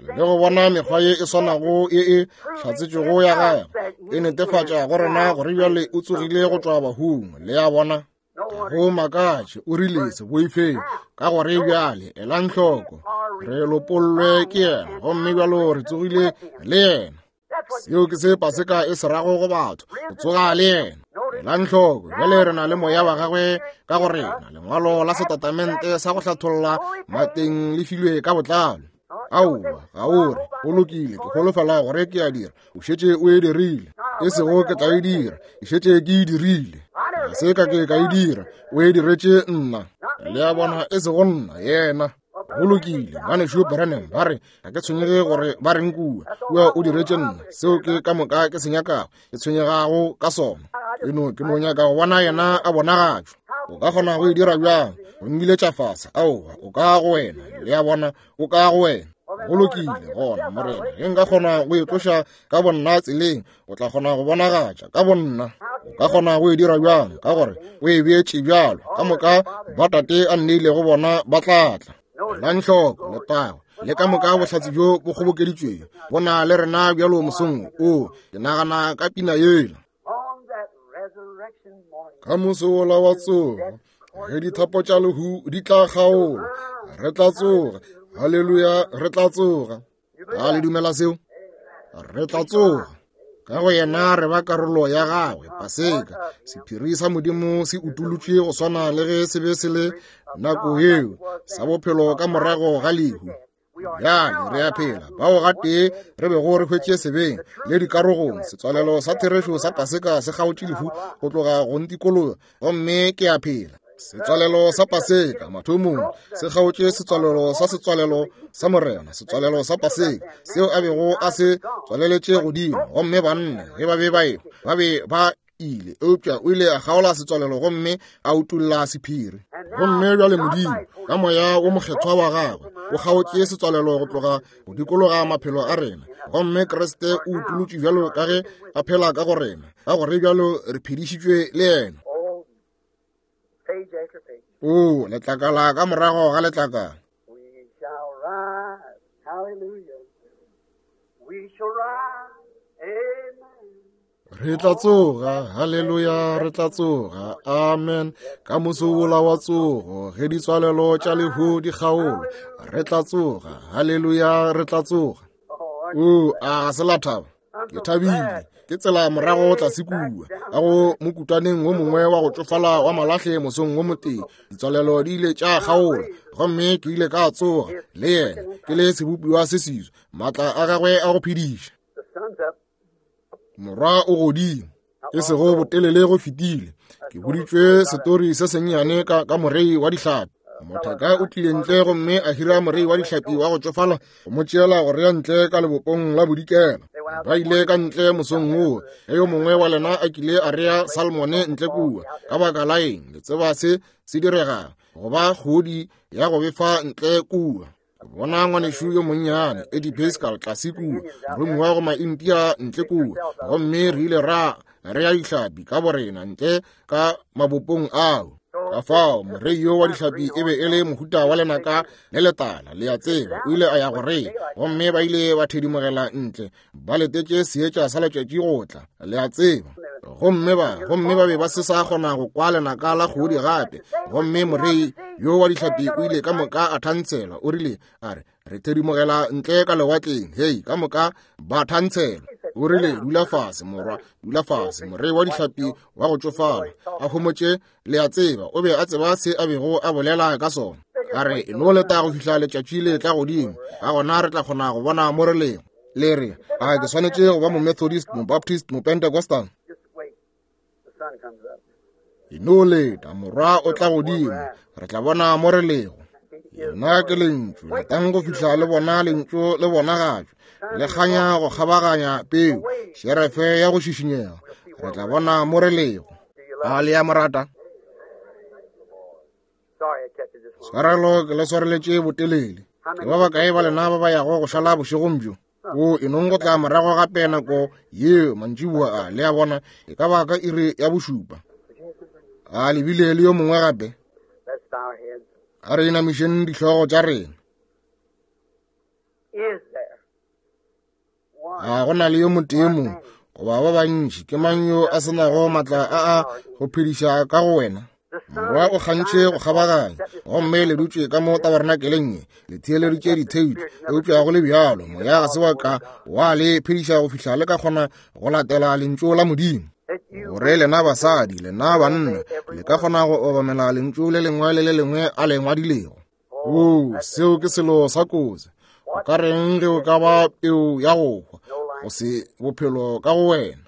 le go bona mekgwa ye e swanago ye e hlatsetšwego ya gagwe e netefatša go rena gore bjale o tsogile go tšwa bahung. Le a bona, go makatše, o rile se boifeng, ka gore bjale elang hloko, re lopollwe ke yena, gomme bjalo re tsogile le yena. Seo ke se Paseka e se rago go batho, go tsoga le yena. Elang hloko, bjale re na le moya wa gagwe ka go rena. Lengwalo la setatamente sa go hlatholla mateng le filwe ka botlalo. Aowa, ga o re go lokile, ke holofela gore ke a dira. O šetše o e dirile. E sego ke tla e dira, ke šetše ke e dirile. Ga se ka ke ka e dira, o e diretše nna. Le a bona, e sego nna, yena. Go lokile, ngwanešu Branham, ba re ga ke tshwenyege gore ba reng kua. Kua o diretše nna, seo ke ka moka ke se nyakago, ke tshwenyegago ka sona. Ke no, ke no nyaka go bona yena a bonagatšwa. O ka kgona go e dira bjang? O mmiletša fase. Aowa, o ka go wena. Le a bona, o ka go wena. Go lokile gona, Morena, ge nka kgona go itloša ka bonna tseleng, o tla kgona go bonagatša ka bonna. O ka kgona go e dira bjang? Ka gore o e beetše bjalo. Ka moka ba tate a nneilego bona ba tla tla. Elang hloko, letago le ka moka bohlatse bjo bo kgobokeditšwego bo na le rena bjalo mosong o. Ke nagana ka pina yela. Ka moso wola wa tsogo, ge dithapo tša lehu di tla kgaola, re tla tsoga. Haleluya, re tla tsoga. A le dumela seo? Re tla tsoga. Ka go yena re ba karolo ya gagwe. Paseka, sephiri sa Modimo se utolotšwe go swana le ge se be se le nako yeo, sa bophelo ka morago ga lehu. Bjale re a phela, bao gatee re bego re hwetše sebeng le dikarogong. Setswalelo sa therešo sa Paseka se kgaotše lehu go tloga go ntikologa, gomme ke a phela. Setswalelo sa Paseka mathomong se kgaotše setswalelo sa setswalelo sa Morena, setswalelo sa Paseka seo a bego a se tswaleletše godimo. Gomme banna ge ba be ba ehwa, ba be ba ile, eupša o ile a kgaola setswalelo gomme a utolla sephiri. Gomme bjale Modimo ka moya wo mokgethwa wa gagwe o kgaotše setswalelo go tloga go dikologa maphelo a rena, gomme Kriste o utolotše bjalo ka ge a phela ka go rena, ka gore bjalo re phedišitšwe le yena. O letlakala ka morago ga letlakala. We shall rise, hallelujah. We shall rise, amen. Re tla tsoga, haleluya, re tla tsoga, amen. Ka moso wola wa tsogo, ge ditswalelo tša lehu di kgaolwa, re tla tsoga, haleluya, re tla tsoga. O, a ga se la thaba? Ke thabile. Ke tsela morago tlase kua, ka go mokutwaneng wo mongwe wa go tšofala wa malahle mosong wo motee. Ditswalelo di ile tša kgaola, gomme ke ile ka tsoga le yena, ke le sebopiwa se seswa, maatla a gagwe a go phediša. The sun's up. Morwa o godimo, e sego botelele go fetile. Ke boditšwe setori se sennyane ka, ka morei wa dihlapi. Mothaka o tlile ntle gomme a hira morei wa dihlapi wa go tšofala go mo tšeela go rea ntle ka lebopong la bodikela. Ba ile ka ntle mosong woo, ge yo mongwe wa lena a kile a rea salmone ntle kua. Ka baka la eng, le tseba se se diregang, go ba kgodi ya go befa ntle kua. Bona ngwanešu yo monnyane Eddie Pascal tlase kua, moromiwa go Maindia ntle kua, gomme re ile ra rea dihlapi ka borena ntle ka mabopong ao. Ka fao morei yo wa dihlapi e be e le mohuta wa lenaka le letala, le a tseba, o ile a ya go rea, gomme ba ile ba thedimogela ntle ba letetše seetša sa letšatši go tla, le a tseba. Gomme ba gomme ba be ba se sa kgona go kwa lenaka la kgodi gape. Gomme morei yo wa dihlapi o ile ka moka a thantshelwa, o rile a re re thedimogela ntle ka lewatleng, hei, ka moka ba thantshelwa. O rile dula fase morwa, dula fase. Morei wa dihlapi wa go tšofala a homotše, le a tseba, o be a tseba se a bego a bolela ka sona. A re no leta go fihla letšatši le tla godimo, ka gona re tla kgona go bona mo re lego. Le re a ke swanetše go ba mo-Methodist, mo-Baptist, mo-Pentecostal. E no leta, morwa o tla godimo, re tla bona mo re lego. Yena ke lentšu, letang go fihla le bona lentšu le bonagatšwa, le kganya go kgabaganya peu, šerefe ya go šišinyega, re tla bona mo re lego. A le ya morata? Tshwarelo ke le swareletše botelele. Ke ba bakae ba lena ba ba yago go šala bošegong bjo? O e nong go tla morago gape nako yeo mantšiboa a, le a bona, e ka ba ka iri ya bošupa. A le bile le yo mongwe gape? A re inamišeng dihlogo tša rena. A go na le yo motee mo goba ba bantši? Ke mang yo a senago maatla a a go phediša ka go wena? Morwa o kgantšhe go kgabaganya, gomme le dutše ka mo tabernakeleng ye, le theeleditše ditheipi, eupša go le bjalo moya ga se wa ka wa le phediša go fihla le ka kgona go latela lentšu la Modimo. Gore lena basadi, lena banna, le ka kgona go obamela lentšu le lengwe le le lengwe a le ngwadilego. Oo, seo ke selo sa kotsi. O ka reng ge o ka ba peu ya go hwa, go se bophelo ka go wena?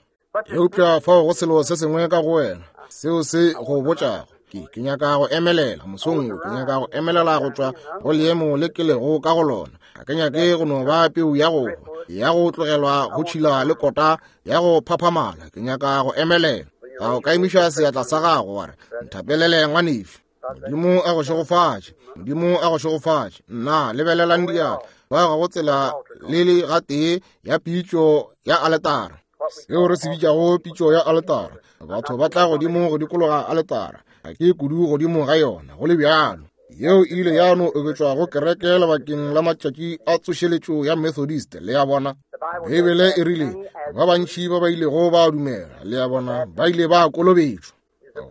Eupša fao go selo se sengwe ka go wena seo se go botšago. Ke ke nyaka go emelela mosong wo, ke nyaka go emelela go tšwa go leemo le ke lego ka go lona. Ga ke nyake go no ba peu ya go hwa, ya go tlogelwa go tšhila le kota ya go phaphamala. Ke nyaka go emelela. A o ka emiša seatla sa gago wa re, nthapelele ngwanešu. Modimo a go šegofatše, Modimo a go šegofatše. Nna lebelelang diatla ba ga go tsela le le gatee ya pitšo ya aletara, seo re se bitšago pitšo ya aletara. Batho ba tla godimo go dikologa aletara, ga ke kudu godimo ga yona go le bjalo. Yeo e ile ya no oketšwa go kereke lebakeng la matšatši a tsošeletšo ya Methodist, le a bona. Beibele e rile ba bantši ba ba ilego ba dumela, le a bona, ba ile ba kolobetšwa.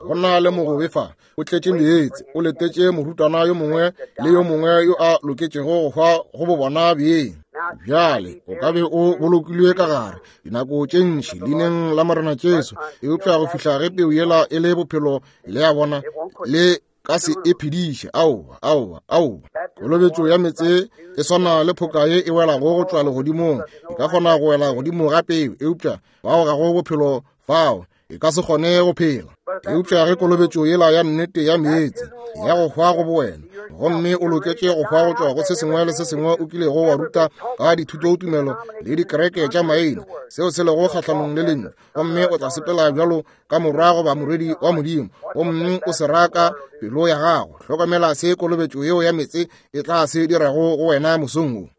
Go na le mogobe fa, o tletše meetse, o letetše morutwana yo mongwe le yo mongwe yo a loketšego go hwa go bo bona beng. Bjale o ka be o bolokilwe ka gare dinako tše ntši leineng la Morena Jesu, eupša go fihla ge peu yela e le bophelo, le a bona, le ka se e phediše. Aowa, aowa, aowa. Kolobetšo ya meetse e swana le phoka ye e welago go tšwa legodimong. E ka kgona go wela godimo ga peu, eupša bao ga go bophelo fao, e ka se kgone go phela. Eupša ge kolobetšo yela ya nnete ya meetse ya go hwa go bowena, gomme o loketše go hwa go tšwa go se sengwe le se sengwe o kilego wa ruta ka dithutotumelo le dikereke tša maina, seo se lego kgahlanong le lentšu, gomme o tla sepela bjalo ka morwa goba morwedi wa Modimo, gomme o se raka pelo ya gago. Hlokomela se kolobetšo yeo ya meetse e tla se dirago go wena mosong wo.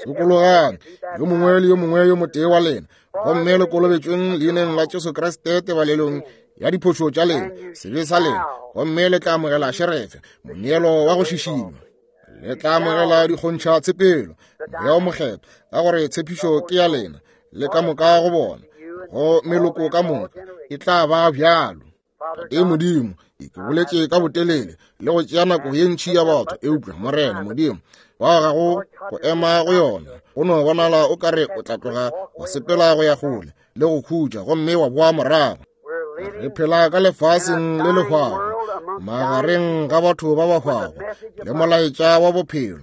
Sokologang yo mongwe le yo mongwe yo motee wa lena, gomme le kolobetšweng leineng la Jesu Kriste tebalelong ya diphošo tša lena, sebe sa lena, gomme le tla amogela šerefe, moneelo wa go šišinywa. Le tla amogela dikgontšha tshepelo, moya o mokgethwa, ka gore tshepišo ke ya lena le ka moka go bona, go meloko ka moka e tla ba bjalo. Tate Modimo, ke boletše ka botelele le go tšea nako ye ntši ya batho, eupša Morena Modimo wa gago go ema go yona, go no bonala o ka re o tla tloga wa sepela go ya kgole le go khutša gomme wa boa morago. Re phela ka lefaseng le le hwago, magareng ga batho ba ba hwago, le molaetša wa bophelo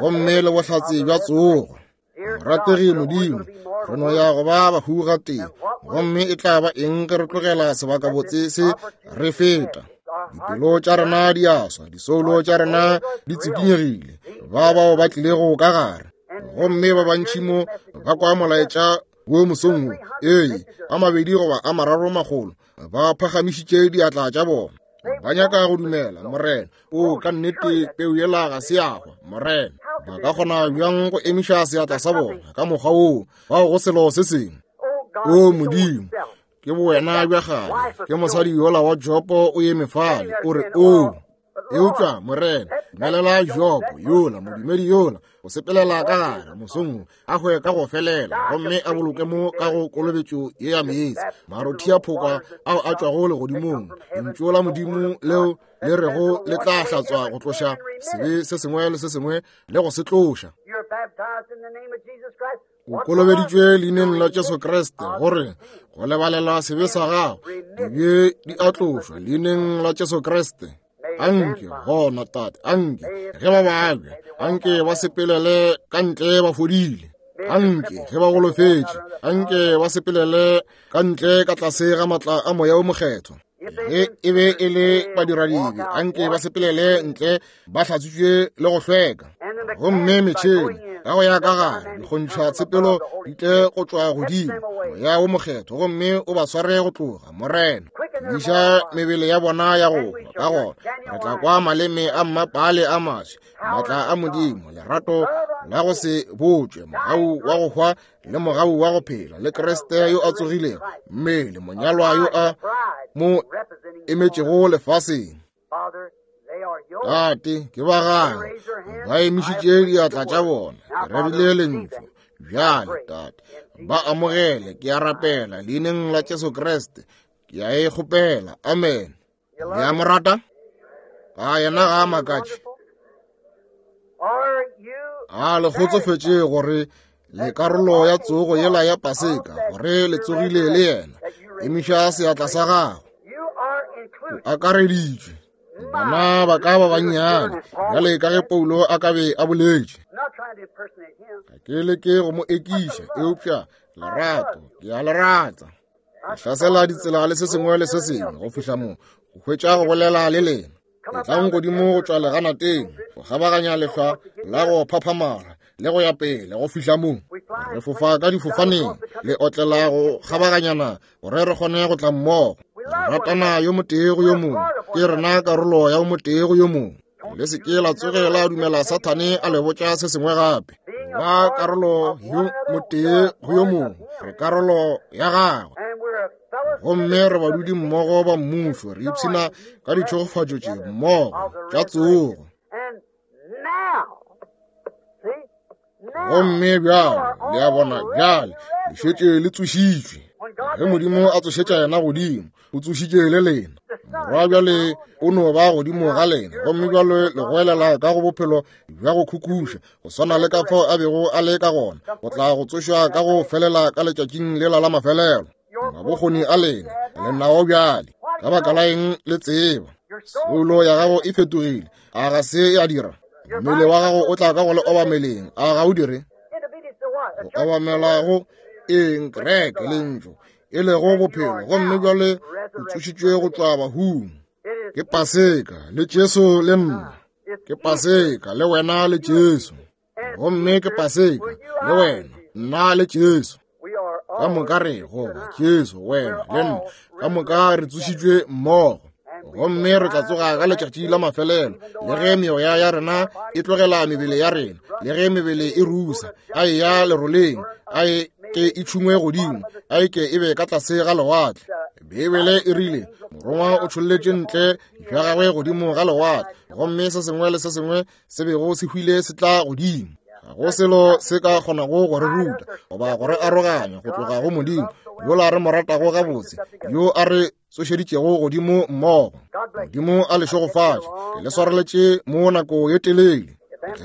gomme le bohlatse bja tsogo. Morategi Modimo, re no ya go ba bahu gatee, gomme e tla ba eng ge re tlogela sebakabotse se re feta? Dipelo tša rena di a swa, disoulo tša rena di tsikinyegile, ba bao ba tlilego ka gare, gomme ba bantši mo ba kwa molaetša wo mosong wo. Ee, a mabedi goba a mararo makgolo ba phagamišitše diatla tša bona. Ba nyaka go dumela, Morena. O ka nnete peu yela ga se ya hwa, Morena. Ba ka kgona bjang go emiša seatla sa bona ka mokgwa woo, bao go selo se sengwe? O Modimo, ke bowena bja kgale, ke mosadi yola wa Jopo o eme fale, o re, o eupša Morena, dumelela Jopo yola, modumedi yola, go sepelela ka gare mosong a hwe ka go felela, gomme a boloke mo ka go kolobetšo ye ya meetse, marothi a phoka ao a tšwago legodimong, lentšu la Modimo leo le rego le tla hlatswa go tloša sebe se sengwe le se sengwe le go se tloša. O kolobeditšwe leineng la Jesu Kriste gore go lebalelwa sebe sa gago, dibe di a tlošwa leineng la Jesu Kriste. Anke gona, Tate, anke ge ba babja, anke ba sepelele ka ntle ba fodile. Anke ge ba golofetše, anke ba sepelele ka ntle ka tlase ga matla a Moya o Mokgethwa. Ge e be e le badiradibe, anke ba sepelele ntle ba hlatswitšwe le go hlweka. Gomme metšhene ka go ya ka gare dikgontšha tshepelo di tle go tšwa godimo, Moya o Mokgethwa, gomme o ba sware go tloga, Morena. Diša mebele ya bona ya go hwa, ka gona re tla kwa maleme a mmapale a maswi, maatla a Modimo, lerato la go se botšwe, mogau wa go hwa le mogau wa go phela, le Kriste yo a tsogilego, mmele monyalwa yo a mo emetšego lefaseng. Tate, ke ba gago, ba emišitše diatla tša bona, ke rerile lentšu. Bjale, Tate, ba amogele, ke a rapela leineng la Jesu Kriste, ke a e kgopela. Amen. Le a mo rata? A yena ga a makatše? A le kgotsofetše gore le karolo ya tsogo yela ya Paseka, gore le tsogile le yena? Emiša seatla sa gago. O akareditšwe. Bana ba ka ba bannyane, bjale ka ge Paulo a ka be a boletše. Ga ke leke go mo ekiša, eupša lerato, ke a le rata. Ke hlasela ditsela le se sengwe le se sengwe go fihla mo go hwetša go bolela le lena. Etlang godimo go tšwa leganateng, go kgabaganya lehlwa la go phaphamala le go ya pele go fihla mo. Re fofa ka difofaneng, le otlela go kgabaganyana gore re kgone go tla mmogo. Re ratana yo motee go yo mongwe, ke rena karolo ya motee go yo mongwe. Le se ke la tsoge la dumela Sathane a le botša se sengwe gape. Ba karolo yo motee go yo mongwe, re karolo ya gagwe. Gomme re badudi mmogo ba mmušo, re ipshina ka ditšhegofatšo tše mmogo tša tsogo. Gomme bjale, le a bona, bjale le šetše le tsošitšwe. Ge Modimo a tsošetša yena godimo, o tsošitše le lena. Morwa bjale o no ba godimo ga lena, gomme bjale le goelela ka go bophelo bja go khukhuša, go swana le ka fao a bego a le ka gona, go tla go tsošwa ka go felela ka letšatšing lela la mafelelo. Mabokgoni a lena le nao bjale, ka baka la eng le tseba soulo ya gago e fetogile? A ga se ya dira? Mmele wa gago o tla ka go le obameleng, a ga o dire? Go obamela go eng? Kereke, lentšu e lego bophelo, gomme bjale o tsošitšwe go tšwa bahung. Ke Paseka le Jesu le nna, ke Paseka le wena le Jesu, gomme ke Paseka le wena, nna le Jesu. Ka moka re goba Jesu, wena le nna, ka moka re tsošitšwe mmogo, gomme re tla tsoga ka letšatši la mafelelo. Le ge meoya ya rena e tlogela mebele ya rena, le ge mebele e rusa, a e ya leroleng, a e ke e tšhungwe godimo, a e ke e be ka tlase ga lewatle. Beibele e rile morongwa o tšholletše ntle bja gagwe godimo ga lewatle, gomme se sengwe le se sengwe se bego se hwile se tla godimo. Ga go selo se ka kgonago go re ruta goba go re aroganya go tloga go Modimo yola re mo ratago gabotse, yo a re tsošeditšego godimo mmogo. Modimo a le šegofatše. Ke le swareletše mo nako ye telele.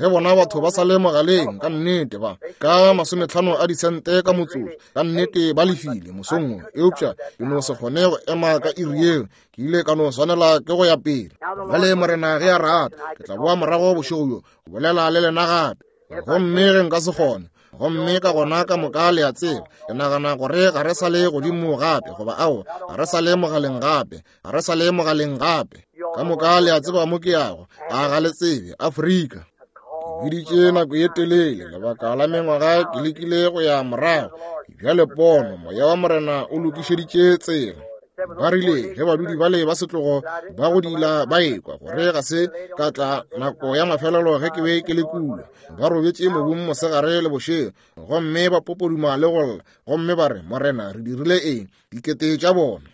Ge bona batho ba sa le mogaleng, ka nnete ba ka masometlhano a disente ka motsotso, ka nnete ba lefile mosong wo, eupša ke no se kgone go ema ka iri yeo, ke ile ka no swanela ke go ya pele. Bjale Morena ge a rata, ke tla boa morago bošego bjo go bolela le lena gape. Gomme ge nka se kgone, gomme ka gona ka moka le a tseba, ke nagana gore ga re sa le godimo gape, goba ao, ga re sa le mogaleng gape, ga re sa le mogaleng gape. Ka moka le a tseba mo ke yago, a ga le tsebe, Afrika. Ke biditše nako ye telele, lebaka la mengwaga ke lekile go ya morago. Bjale pono, moya wa Morena o lokišeditše tsela. Ba rile ge badudi bale ba setlogo ba go dila ba ekwa gore ga se ka tla nako ya mafelelo ge ke be ke le kua, ba robetše mobung mosegare le bošego, gomme ba popoduma le go lla, gomme ba re, Morena, re dirile eng? Dikete tša bona.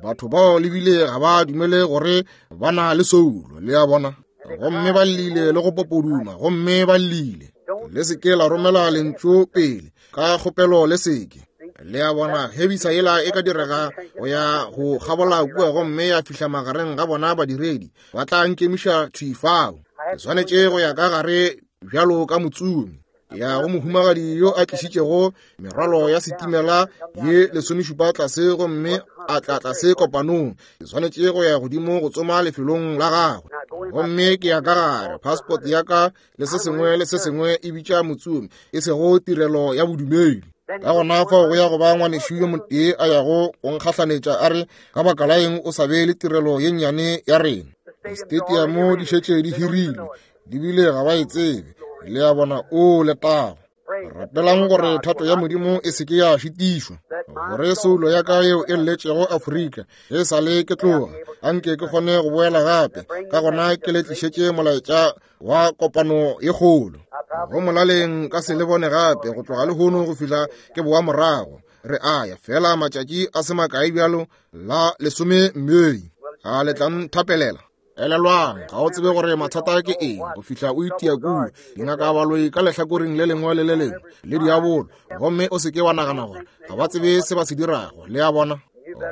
Batho bao le bile ga ba dumele gore ba na le soulo, le a bona. Gomme ba llile le go popoduma, gomme ba llile. Le seke la romela lentšu pele, ka kgopelo le seke. Le a bona, hebisa yela e ka direga go ya go kgabola kua gomme ya fihla magareng ga bona badiredi, ba tla nkemiša thwi fao. Ke swanetše go ya ka gare bjalo ka motsomi. Ya go mohumagadi yo a tlišitšego merwalo ya setimela ye lesomešupa tlase gomme a tla tlase kopanong. Ke swanetše go ya godimo go tsoma lefelong la gagwe. Gomme ke ya ka gare, passport ya ka le se sengwe le se sengwe e bitša motsomi, e sego tirelo ya bodumedi. Ka gona fao go ya go ba ngwanešu yo motee a yago go nkgahlanetša a re, ka baka la eng o sa be le tirelo ye nnyane ya rena? Distadiamo di šetše di hirilwe, di bile ga ba e tsebe. Le a bona, o letago. Rapelang gore thato ya Modimo e seke ya šitišwa, gore soulo ya ka yeo e lletšego Afrika ge e sa le ke tloga, anke ke kgone go boela gape. Ka gona ke le tlišetše molaetša wa kopano ye kgolo. Go molaleng ka se le bone gape go tloga lehono go fihla ke boa morago. Re a ya fela matšatši a se makae bjalo la lesome Mei. A le tla nthapelela? Elelwang, ga o tsebe gore mathata ke eng go fihla o itia kua. Dingaka baloi ka lehlakoreng le lengwe le le lengwe le diabolo, gomme o seke wa nagana gore ga ba tsebe se ba se dirago, le a bona.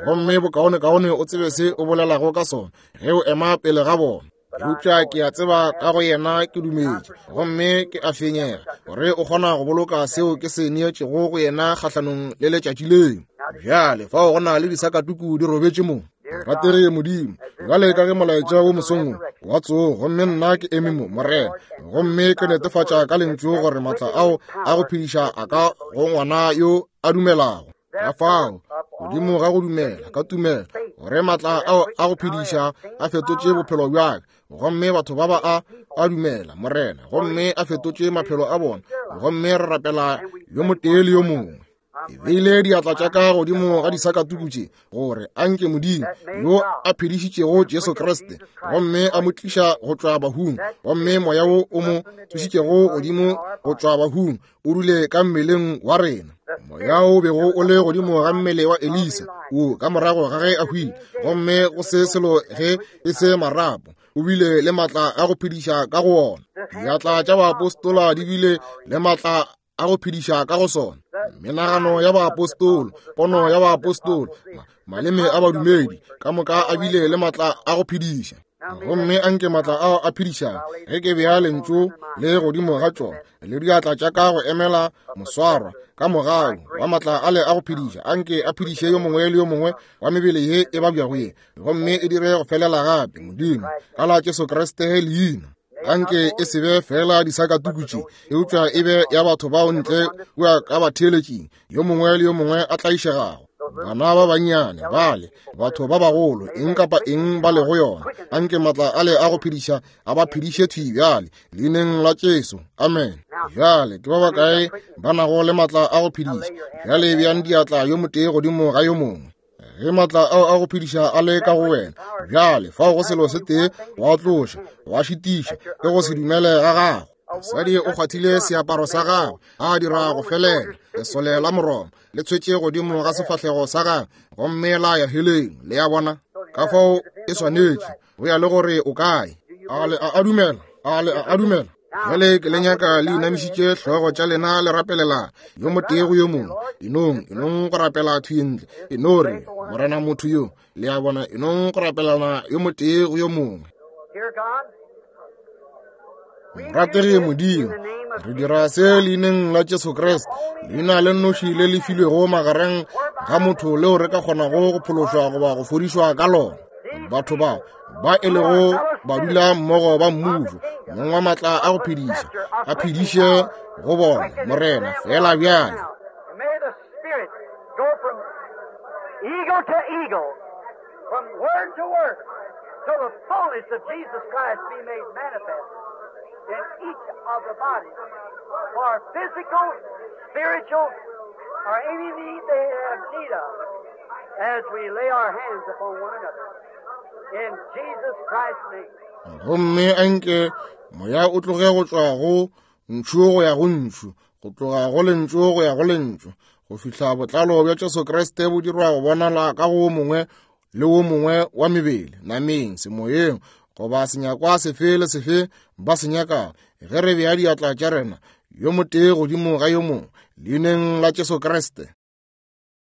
Gomme bokaonekaone o tsebe se o bolelago ka sona ge o ema pele ga bona. Eupša ke a tseba ka go yena ke dumetše, gomme ke a fenyega gore o kgona go boloka seo ke se neetšego go yena kgahlanong le letšatši leo. Bjale fao go na le disakatuku di robetše mo. Ratege Modimo, bjale ka ge molaetša wo mosong wa tsogo, gomme nna ke eme mo, Morena, gomme ke netefatša ka lentšu gore matla ao a go phediša a ka go ngwana yo a dumelago. Ka fao godimo ga go dumela ka tumelo gore matla ao a go phediša a fetotše bophelo bja ka, gomme batho ba ba a a dumela, Morena, gomme a fetotše maphelo a bona, gomme re rapela yo motee le yo mongwe. Ke beile diatla tša ka godimo ga disakatuku tše gore anke Modimo yo a phedišitšego Jesu Kriste gomme a mo tliša go tšwa bahung, gomme moya wo o mo tsošitšego godimo go tšwa bahung o dule ka mmeleng wa rena. Moya o bego o le godimo ga mmele wa Elisa o ka morago ga ge a hwile, gomme go se selo ge e se marapo, o bile le matla a go phediša ka go ona. Diatla tša baapostola di bile le matla a go phediša ka go sona. Menagano ya baapostolo, pono ya baapostolo, maleme a badumedi ka moka a bile le matla a go phediša. Gomme anke matla ao a phedišang ge ke bea lentšu le godimo ga tšona le diatla tša ka go emela moswarwa ka mogau wa matla ale a go phediša, anke a phediše yo mongwe le yo mongwe wa mebele ye e babjago ye, gomme e dire go felela gape, Modimo, ka la Jesu Kriste leina. Anke e se be fela disakatuku tše, eupša e be ya batho bao ntle kua ka batheeletšing, yo mongwe le yo mongwe a tlaišegago, bana ba bannyane bale, batho ba bagolo, eng kapa eng ba lego yona. Anke matla ale a go phediša a ba phediše thwi bjale, leineng la Jesu. Amen. Bjale ke ba bakae ba nago le matla a go phediša? Bjale beang diatla yo motee godimo ga yo mongwe. Ge matla ao a go phediša a le ka go wena, bjale fao go selo se tee wa tloša, wa šitiša, ke go se dumele ga gago. Mosadi o kgwathile seaparo sa gagwe, a dira go felela. Lesole la Moroma le tshwetše godimo ga sefahlego sa gagwe, gomme la ya heleng. Le a bona, ka fao e swanetše go ya le gore o kae. A le a dumela, a le a dumela. Bjale ke le nyaka le inamišitše hlogo tša lena le rapelela yo motee go yo mongwe. Enong, enong go rapela thwi ntle. E no re, Morena motho yo, le a bona, enong go rapelana yo motee go yo mongwe. Ratege Modimo, re dira se leineng la Jesu Kriste, leina le nnoši le le filwego magareng ga motho leo re ka kgonago go phološwa goba go fodišwa ka lona. Batho bao ba e lego badula mmogo ba mmušo, mong wa matla a go phediša, a phediše go bona, Morena, fela bjale. Eagle to eagle, from word to word, till the fullness of Jesus Christ be made manifest in each of the bodies for physical, spiritual or any need they have need of as we lay our hands upon one another. In Jesus Christ's name. Gomme anke moya o tloge go tšwa go ntšhu go ya go ntšhu, go tloga go lentšu go ya go lentšu, go fihla botlalo bja Jesu Kriste bo dirwa go bonala ka go wo mongwe le wo mongwe wa mebele, nameng, semoyeng, goba senyakwa sefe le sefe ba se nyakago, ge re bea diatla tša rena yo motee godimo ga yo mongwe, leineng la Jesu Kriste.